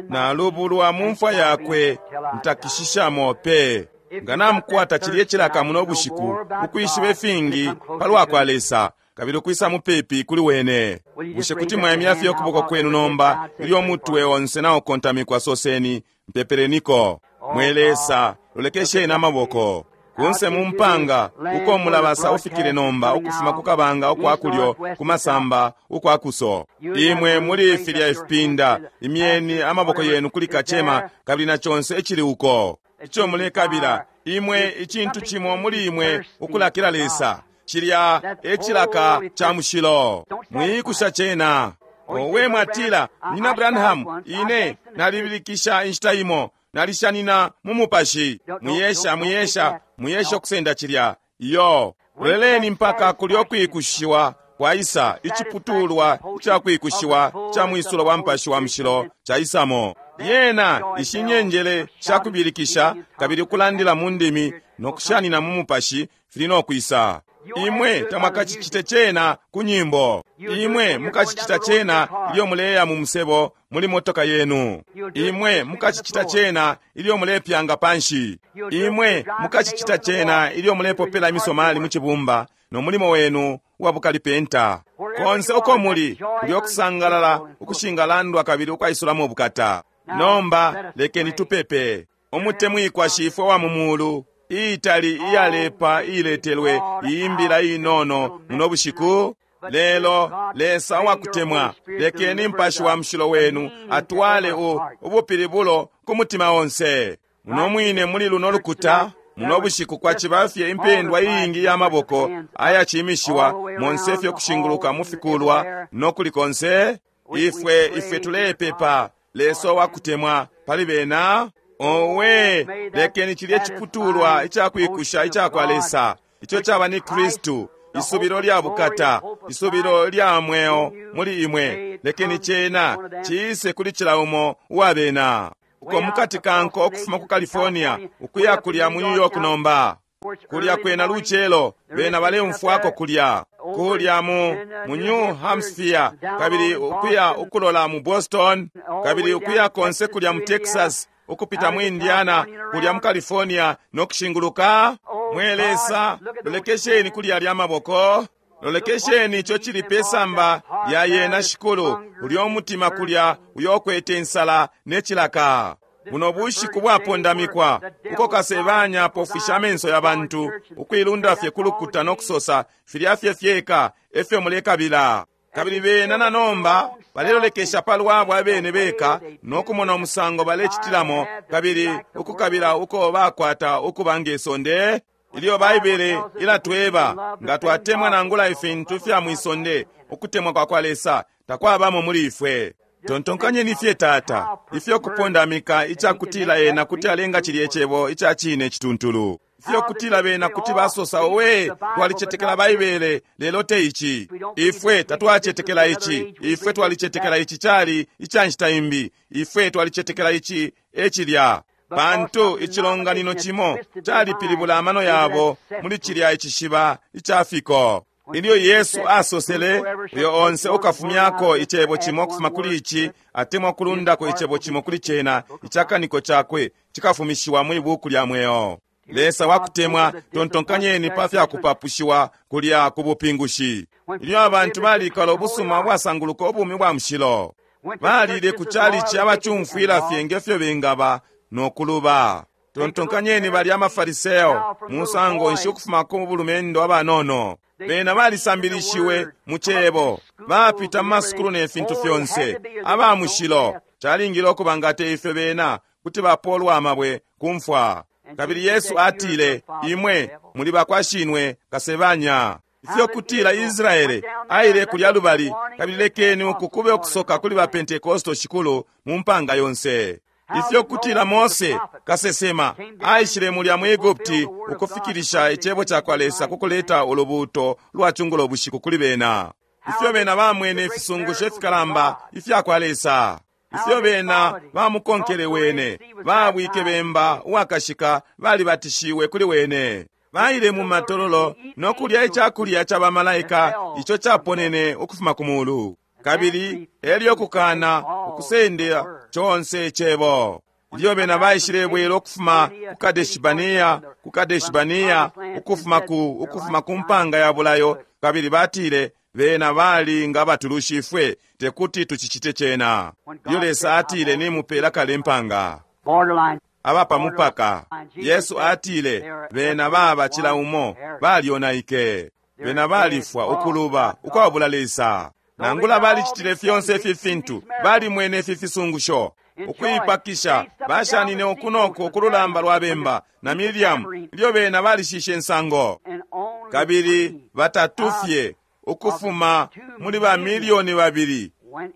nalubulwa mu mfwa yakwe ntakishishamo pe. Nga namukwata cilye cilaka muno bushiku ukwishiba ifingi palwa kwa Lesa, kabili ukwisa mupepi kuli wene. Bushe kuti mwaimya fye ukuboko kwenu nomba ilyo mutwe onse naukontamikwa? Soseni, mpepeleniko. Mwe Lesa, lolekesheni amaboko kunse mu mpanga uko mulabasa ufikile nomba ukufuma ku kabanga ukwa kulyo ku masamba ukwa kuso. Imwe muli filya ifipinda, imyeni amaboko yenu kuli kacema, kabili na conse icili uko ico mulekabila imwe, icintu cimo muli imwe ukulakila Lesa, cilya ecilaka ca mushilo. Mwiikusha cena. Owe mwatila, Nina Branham, ine nalibilikisha inshita imo, nalishanina mu mupashi. Mwiyesha, mwiyesha, mwiyesha ukusenda cilya. Iyo, loleleni mpaka kulyo kwikushiwa kwaisa, iciputulwa ica kwikushiwa ca mwisulo wa mupashi wa mushilo caisamo. Yena ishinyenjele sha kubilikisha kabili ukulandila mu ndimi no kushanina mu mupashi fili no kwisa. Imwe tamwakacicite cena ku nyimbo. Imwe mukacicita cena ilyo muleya mu musebo muli motoka yenu. Imwe mukacicita cena ilyo mulepyanga panshi. Imwe mukacicita cena ilyo mulepopela imisomali mu cibumba no mulimo wenu wa bukalipenta. Konse uko muli, kulyo kusangalala ukushingalandwa kabili ukwaisulamo ubukata. Nomba lekeni tupepe. Umutemwikwa Shifwe wa mu mulu, iitali iyalepa iiletelwe iimbila inono muno bushiku. Lelo Lesa wakutemwa, lekeni mpashi wa mushilo wenu atwale ubupilibulo ku mutima onse. Muno mwine muli luno lukuta, Muno bushiku kwaciba fye impendwa iingi ya maboko ayacimishiwa monse fye kushinguluka mu fikulwa no kuli konse. Ifwe tulepepa, Lesa wakutemwa pali bena. Owe, lekeni cilye ciputulwa icakwikusha icakwa Lesa, ico caba ni Kristu, isubilo lya bukata, isubilo lya mweo muli imwe. Lekeni cena ciise kuli cila umo uwa bena. Uko mukati kanko ukufuma ku California ukuya kulya mu New York nomba, kulya kwena lucelo bena baleumfwako kulya kulya mu New Hampshire, kabili ukuya ukulola mu Boston, kabili ukuya konse kulya mu Texas, ukupita mu Indiana, kulya mu California no kushinguluka. Mwe Lesa, lolekesheni kulya lya maboko, lolekesheni ico cili pe samba lya yena Shikulu, ulyo umutima kulya uyo ukwete insala ne cilaka. Buno bushiku bwapondamikwa uko kasebanya apofwisha amenso ya bantu, ukuilunda fye kulukuta no kusosa filya fye fyeka efyo mulekabila. Kabili bena na nomba balelolekesha palwabo abene beka no kumona umusango balecitilamo, kabili ukukabila uko bakwata ukuba nge sonde. Ilyo Baibele ilatweba nga twatemwa nangula ifintu fya mwisonde, ukutemwa kwa kwa Lesa takwabamo muli ifwe. Tontonkanyeni fye Tata, ifyo kupondamika icakutila ena kuti alenga cilye cebo ica cine cituntulu. Ifyo kutila bena kuti basosa, owe, twalicetekela Baibele, lelo te ici. Ifwe tatwacetekela ici. Ifwe twalicetekela ici cali ica nshita imbi. Ifwe twalicetekela ici ecilya. Pantu icilonganino cimo calipilibula amano yabo muli cilya icishiba ica fiko. Ilyo Yesu asosele, uyo onse ukafumyako icebo cimo ukufuma kuli ici, atemwa kulundako icebo cimo kuli cena, icakaniko cakwe cikafumishiwa mwi buku lya mweo. Lesa wakutemwa, tontonkanyeni pa fya kupapushiwa kulya ku bupingushi. Ilyo abantu balikala ubusuma ubwasanguluka ubumi bwa mushilo, balile ku chalichi abacumfwila fye ngefyo bengaba no kuluba. Tontonkanyeni balya amafariseo, musango nshi ukufuma ku bulumendo abanono. Bena balisambilishiwe mu cebo, bapita mu masukulu ne fintu fyonse, aba mushilo. Calingile ukuba nga te ifyo bena kuti bapolwa amabwe ku mfwa. Kabili Yesu atile, imwe muli bakwa shinwe kasebanya. Ifyo kutila Israele aile kulya lubali, kabili lekeni uku kube ukusoka kuli ba Pentekosto shikulu mu mpanga yonse. Ifyo kutila Mose kasesema aishile mulya mu Egupti ukufikilisha icebo ca kwa Lesa kukuleta ulubuuto lwa cungulo bushiku kuli bena. Ifyo bena bamwene ifisungusho ifikalamba ifya kwa Lesa. Ifyo bena bamukonkele wene, babwike bemba uwakashika, balibatishiwe kuli wene. Baile mu matololo no kulya icakulya ca bamalaika ico caponene ukufuma ku mulu. Kabili elyo kukana ukusendela conse icebo. Ilyo bena baishile bwela ukufuma ku Kadeshibania, ku Kadeshibania, ukufuma ku mpanga ya bulayo, kabili batile bena bali nga batulushi ifwe tekuti tucicite cena. Ilyo Lesa atile nimupela kale mpanga abapa mupaka, Yesu atile bena baba cila umo balyonaike, bena balifwa ukuluba ukwabula Lesa. Nangula balicitile fyonse ifi fintu, balimwene ifi fisungusho, ukuipakisha bashanine ukunoko ukululamba lwa bemba na Miriamu ilyo bena balishishe nsango. Kabili batatu fye ukufuma muli ba milioni 2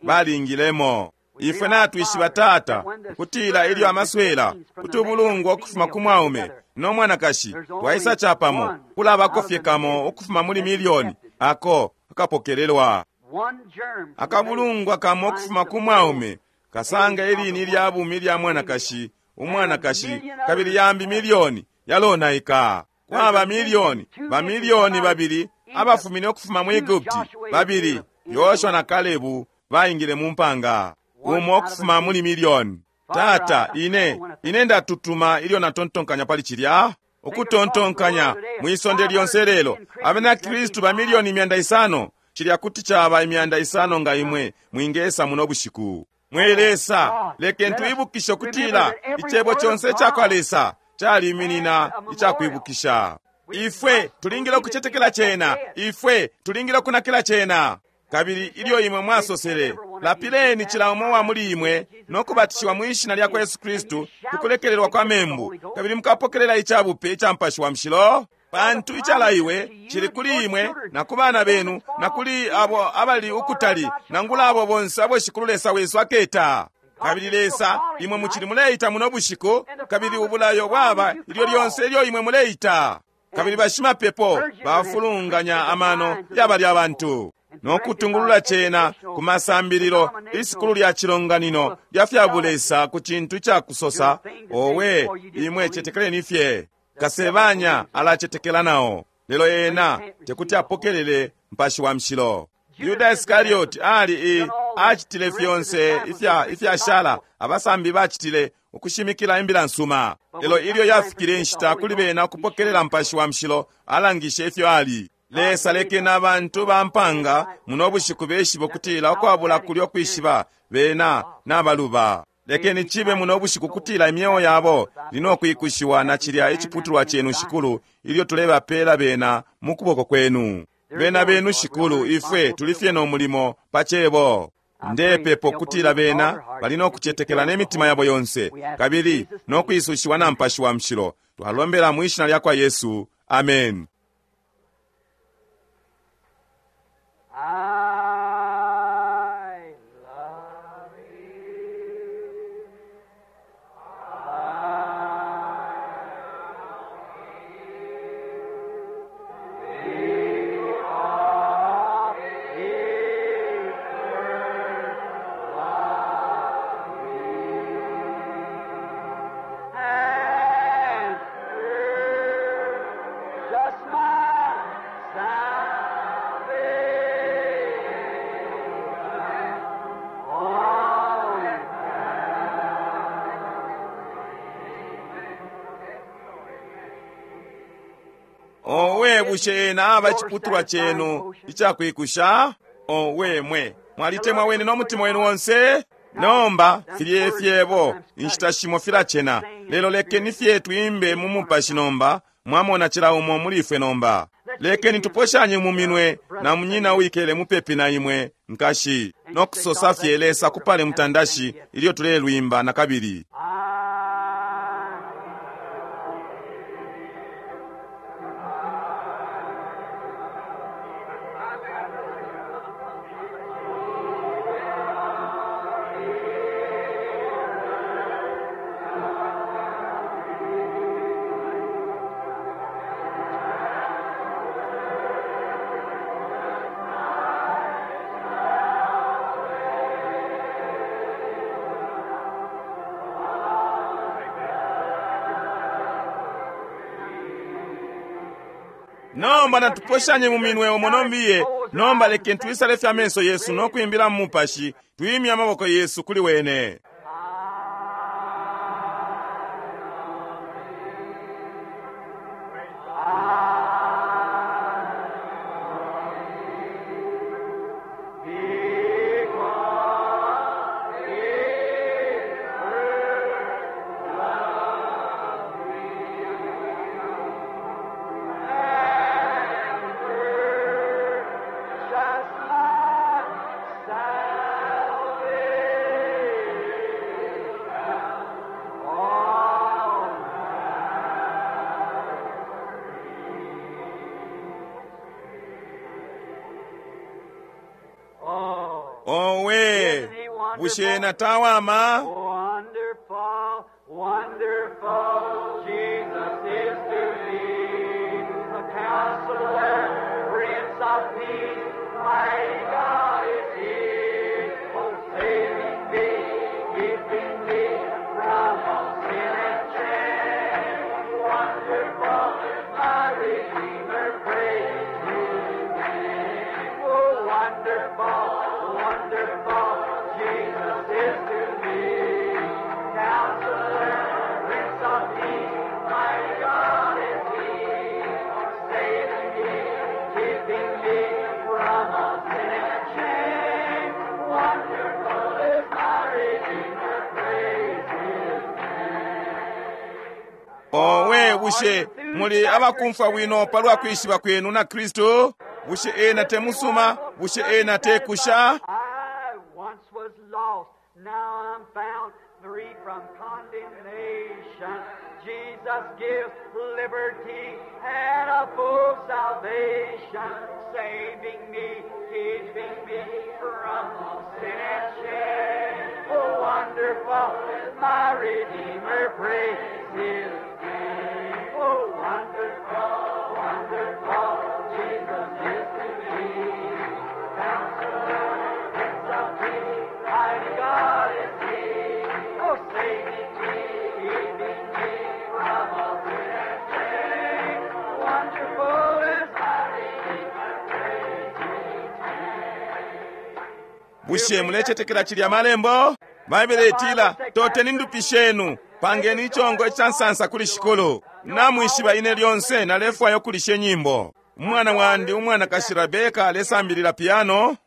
balingilemo. Ifwe natwishiba Tata kutila ilyo amaswela utubulungwa ukufuma ku mwaume no mwanakashi twaisa capamo, kulabako fye kamo ukufuma muli milioni ako akapokelelwa. Akabulungwa kamo ukufuma ku mwaume kasanga ilini lya bumi lya mwanakashi umwanakashi, kabili yambi milioni yalonaika. Kwaba milioni bamilioni 2 abafumine ukufuma mu Egupti, 2 Yoshua na Kalebu baingile mu mpanga, umo ukufuma muli milioni. Tata, ine ndatutuma ilyo natontonkanya pali cilya. Ukutontonkanya mwisonde lyonse lelo abena Kristu ba milioni 500, cilya kuti caba 500 nga imwe mwingesa muno bushiku. Mwe Lesa, lekeni tuibukishe kutila icebo conse ica kwa Lesa caliminina icakwibukisha. Ifwe tulingile ukucetekela cena, ifwe tulingile ukunakila cena. Kabili ilyo imwe mwasosele, Lapileni cila umo wa muli imwe no kubatishiwa mwi shina lya kwa Yesu Kristu ku kulekelelwa kwa membu, kabili mukapokelela icabupe ica Mupashi wa Mushilo. Pantu icalaiwe cili kuli imwe na ku bana benu na kuli abo abali ukutali, nangula abo bonse abo Shikulu Lesa wesu aketa. Kabili Lesa, imwe mucili muleita muno bushiku, kabili ubulayo bwaba ilyo lyonse ilyo imwe muleita. Kabili bashimapepo bafulunganya amano yabali abantu no kutungulula cena ku masambililo, isukulu lya cilonganino lya fya bulesa ku cintu icakusosa, owe, imwe cetekeleni fye. Kasebanya alacetekela nao, lelo ena tekuti apokelele Mupashi wa Mushilo. Yuda Iskarioti ali acitile fyonse ifyashala abasambi bacitile ukushimikila imbila nsuma, lelo ilyo yafikile inshita kuli bena ukupokelela Mupashi wa Mushilo, alangishe ifyo ali. Lesa lekeni abantu ba mpanga muno bushiku beshibe ukutila ukwabula kulyo kwishiba bena nabaluba. Lekeni cibe muno bushiku kutila imyeo yabo linokwikushiwa na cilya iciputulwa chenu Shikulu, ilyo tulebapela bena mu kuboko kwenu. Bena benu Shikulu, ifwe tulifye no mulimo pa cebo. Ndepepo kutila bena bali nokucetekela ne mitima yabo yonse, kabili nokwisushiwa na Mupashi wa Mushilo. Twalombela mwi shina lya kwa Yesu. Amen. I love you. And just my salvation. On Owe, bushe ena aba iciputulwa chenu icakwikusha? Owe mwe, mwalitemwa wene no mutima wenu wonse? Nomba filye fyebo inshita shimo filacena, lelo lekeni fye twimbe mu mupashi nomba. Mwamona cila umo muli ifwe nomba. Lekeni tuposhanye mu minwe na munyina uwikele mupepi na imwe nkashi, no kusosa fye Lesa kupale mutandashi ilyo tulelwimba na kabili. I Nomba natuposhanye mu minwe umo nombiye. Nomba lekeni twisale fya menso yesu no kwimbila mu mupashi, twimye amaboko yesu kuli wene. Just my salvation. On Oh, Owe, bushe ena tawama? wonderful, wonderful Jesus is to me. The counselor, Prince of Peace, mighty God is he. Oh, saving me, keeping me from all sin and shame. Wonderful is my Redeemer, praise his name. Oh, wonderful, wonderful Jesus is to me. Counselor, Prince of Peace, my God is he. Saving me, keeping me from all sin and shame. Wonderful is my Redeemer, praise his Owe, bushe muli abakumfwa bwino palwa kwishiba kwenu na Kristu? Bushe ena temusuma? Bushe ena tekusha? I once was condemnation. Jesus gives liberty and a full salvation, saving me, keeping me from all sin and shame. Oh, wonderful is my Redeemer, praise His name. Oh, wonderful, wonderful, Jesus is to me. Counselor, Prince of Peace, mighty God is He. Oh, saving me, keeping me from all sin and shame. Wonderful is my Redeemer, praise His name. Bushe mulecetekela cilya malembo? Baibele itila, toteni ndupi shenu, pangeni ichongo icansansa kuli shikulu. Namwishiba ine lyonse nalefwaya ukulisha inyimbo. Umwana wandi umwanakashi Rebeka alesambilila piano.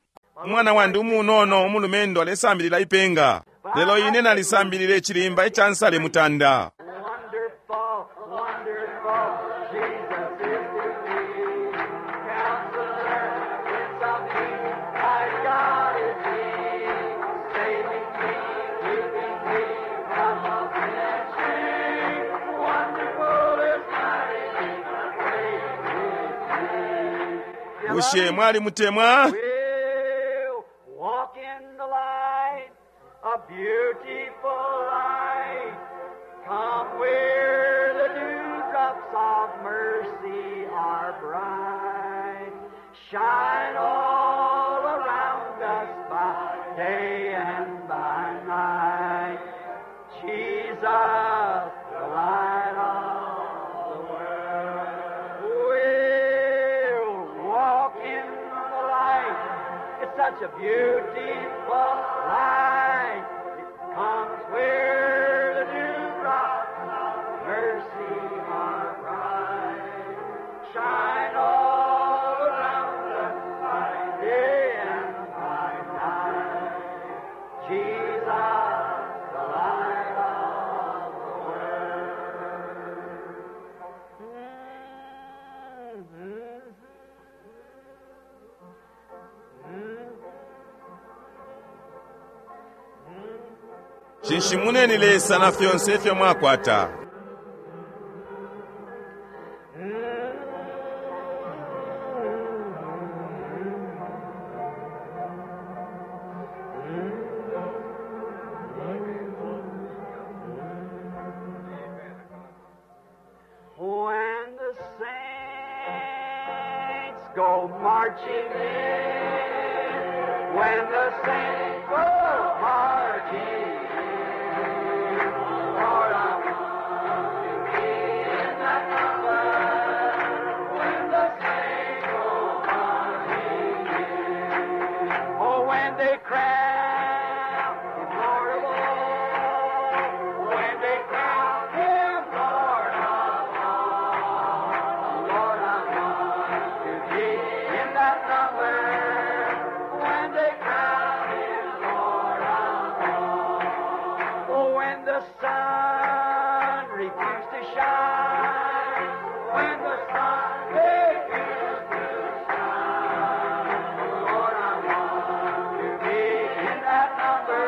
Umwana wandi umunono umulumendo alesambilila ipenga. Lelo ine nalisambilile ichilimba icansale mutanda. Wonderful, wonderful, Jesus is to me. Counselor, Prince of Peace, my God is He. Saving me, keeping me from all sin and shame. Wonderful is my Redeemer, praise His name. Bushe mwali mutemwa? We'll walk in the light, a beautiful light. Come where the dewdrops of mercy are bright. Shine all around us by day and by night. Jesus, the light of the world. We'll walk in the light. It's such a beautiful light. It comes where the dewdrops of mercy are bright. Shine all around us by day and by night. Jesus, the light of the world. Shinshimuneni Lesa na fyonse ifyo mwakwata. When the saints go marching in, when the saints go marching in, Lord, I want to be in that number. When the saints go marching in, oh, when they crown Him Lord of all, when they crown Him Lord of all, Lord, I want to be in that number. When they crown Him Lord of all, oh, when the sun refused to shine, when the sun refused to shine, Lord, I want to be in that number.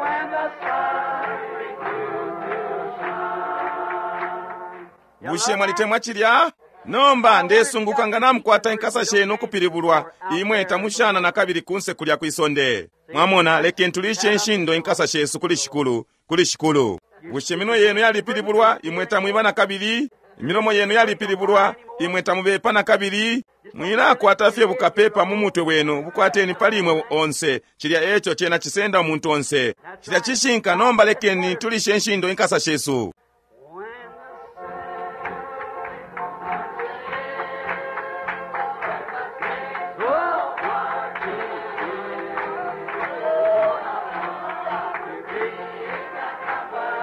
When the sun refused to shine. Bushe mwalitemwa cilya? Nomba ndesunguka nga namukwata inkasa shenu ukupilibulwa, imwe tamushana na kabili kunse kulya kwisonde. Mwamona, lekeni tulishe nshindo inkasa shesu kuli shikulu, kuli shikulu. Bushe minwe yenu yalipilibulwa, imwe tamwiba na kabili? Imilomo yenu yalipilibulwa, imwe tamubepa na kabili? Mwilakwata fye bukapepa mu mutwe wenu, bukwateni pali imwe onse. Cilya eco cena cisenda umuntu onse. Cilya cishinka, nomba lekeni tulishe nshindo inkasa shesu. When the go marching in, Lord, I want to be in that number.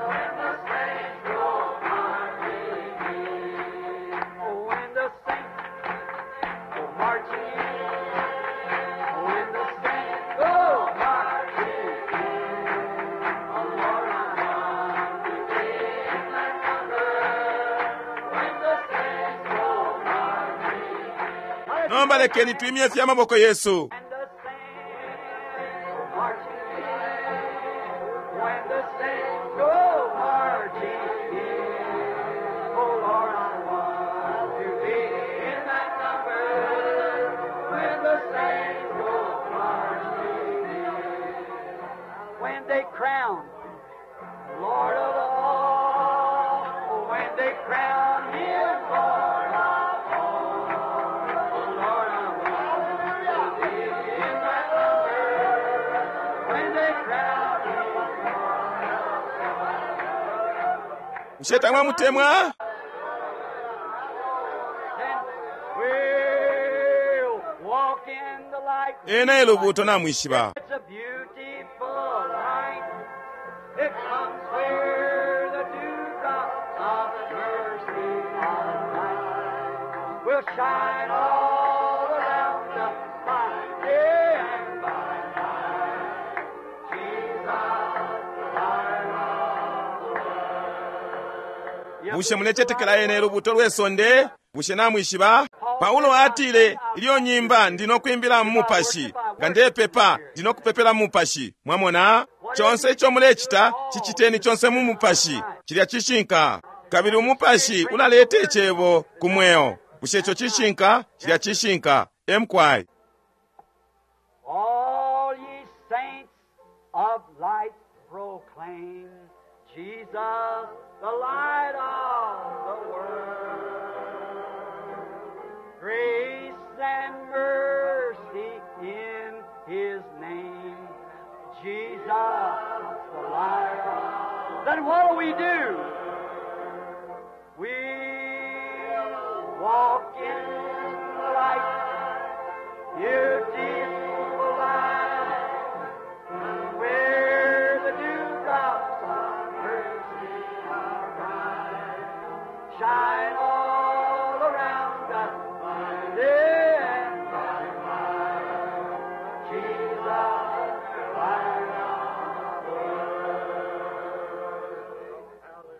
When the saints go marching in, oh, when the saints go marching in, when the saints go marching in, oh, Lord, I want to be in that number. When the saints go marching in. Nomba lekeni twimye fye amaboko yesu. And the saints go marching in. When the saints go marching in. Oh Lord, I want to be in that number when the saints go marching in. When they crown Lord of all, when they crown Him Lord of all, oh Lord, I want to be in that number when they crown Him Lord of all. Bushe tamwamutemwa? Then we'll walk in the light. Ena e lubuuto namwishiba. It's a beautiful light. It comes where the dewdrops of mercy are bright. Will shine all around us by day and by night. Jesus, the light of the world. Bushe mulecetekela ena e lubuuto lwe sonde? Bushe namwishiba? Paulo atile, ilyo nyimba ndino kwimbila mu mupashi, nga ndepepa ndino kupepela mu mupashi. Mwamona? Chonse icho mulecita, chichiteni chonse mu mupashi. Chilya cishinka. Kabili umupashi ulaleta icebo ku mweo. Bushe icho cishinka? Chilya cishinka. Emkwai. All ye saints of light proclaim Jesus, the light of the world. Grace and mercy in his name. Jesus, the light of. Then what do we do? We walk in the light. Beautiful light, where the dewdrops of mercy are bright, shine all around us by day and by night. Jesus, the light of the world.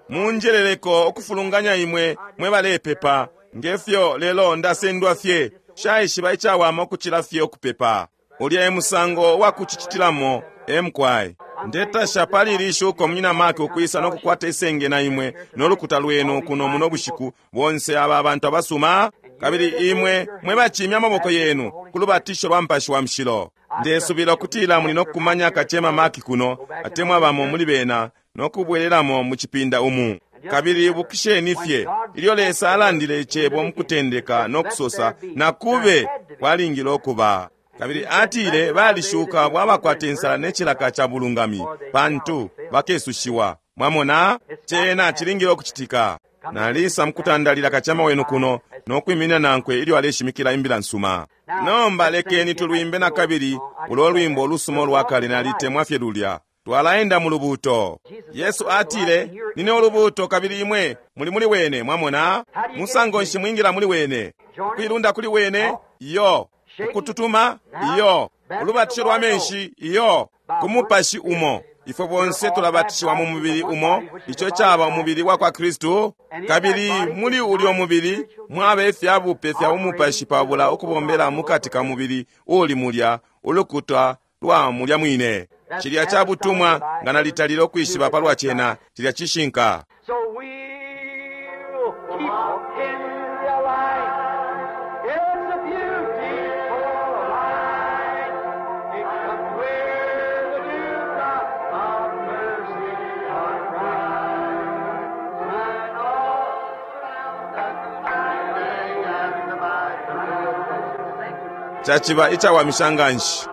Munjeleleko ukufulunganya imwe mwe balepepa ngefyo lelo ndasendwa fye shaishiba icawama ukucila fye ukupepa. Ulya e musango wa kucicitilamo emkwai. Ndetasha pali ili shuko munyina Mark ukwisa no kukwata isenge na imwe n'olukuta lwenu kuno muno bushiku bonse aba abantu abasuma kabili imwe mwe bacimya amaboko yenu ku lubatisho lwa mpashi wa mshilo. Ndesubila ukutila muli nokukumanya kachema Mark kuno atemwa bamo muli bena nokubwereramo mu chipinda umu. Kabili ibukisheni fye ilyo Lesa alandile icebo mukutendeka nokusosa nakube kwalingile okuba. Kabili atile balishuka bwabakwata insala ne cilaka cha bulungami pantu bakesushiwa. Mwamona cena chilingile okuchitika. Nalisa mukutandalila kachama wenu kuno nokwiminina nankwe ilyo aleshimikila imbila nsuma. Nomba lekeni tulwimbe na kabili ulo lwimbo olusuma olwakale nalitemwa fye lulya. Twalaenda mu lubuuto. Yesu atile, nine ulubuuto kabili imwe muli muli wene. Mwamona musango nshi mwingila muli wene? Kuilunda kuli wene? Iyo. Ukututuma? Iyo. Ulubatisho lwa menshi? Iyo. Ku mupashi umo ifwe bonse tulabatishiwa mu mubili umo, ico caba umubili wa kwa Kristu. Kabili muli ulyo mubili mwaba ifyabupe fya umupashi pabula ukubombela mukati ka mubili uli mulya ulukuta lwa mulya mwine. Chilya cha butumwa nga nalitalile okwishiba palwa chena, chilya cishinka. So we'll keep in the light. It's a beautiful light. It comes where the dewdrops of mercy are bright. Shine all around us by day and by night. Chachiba icawamisha nganshi.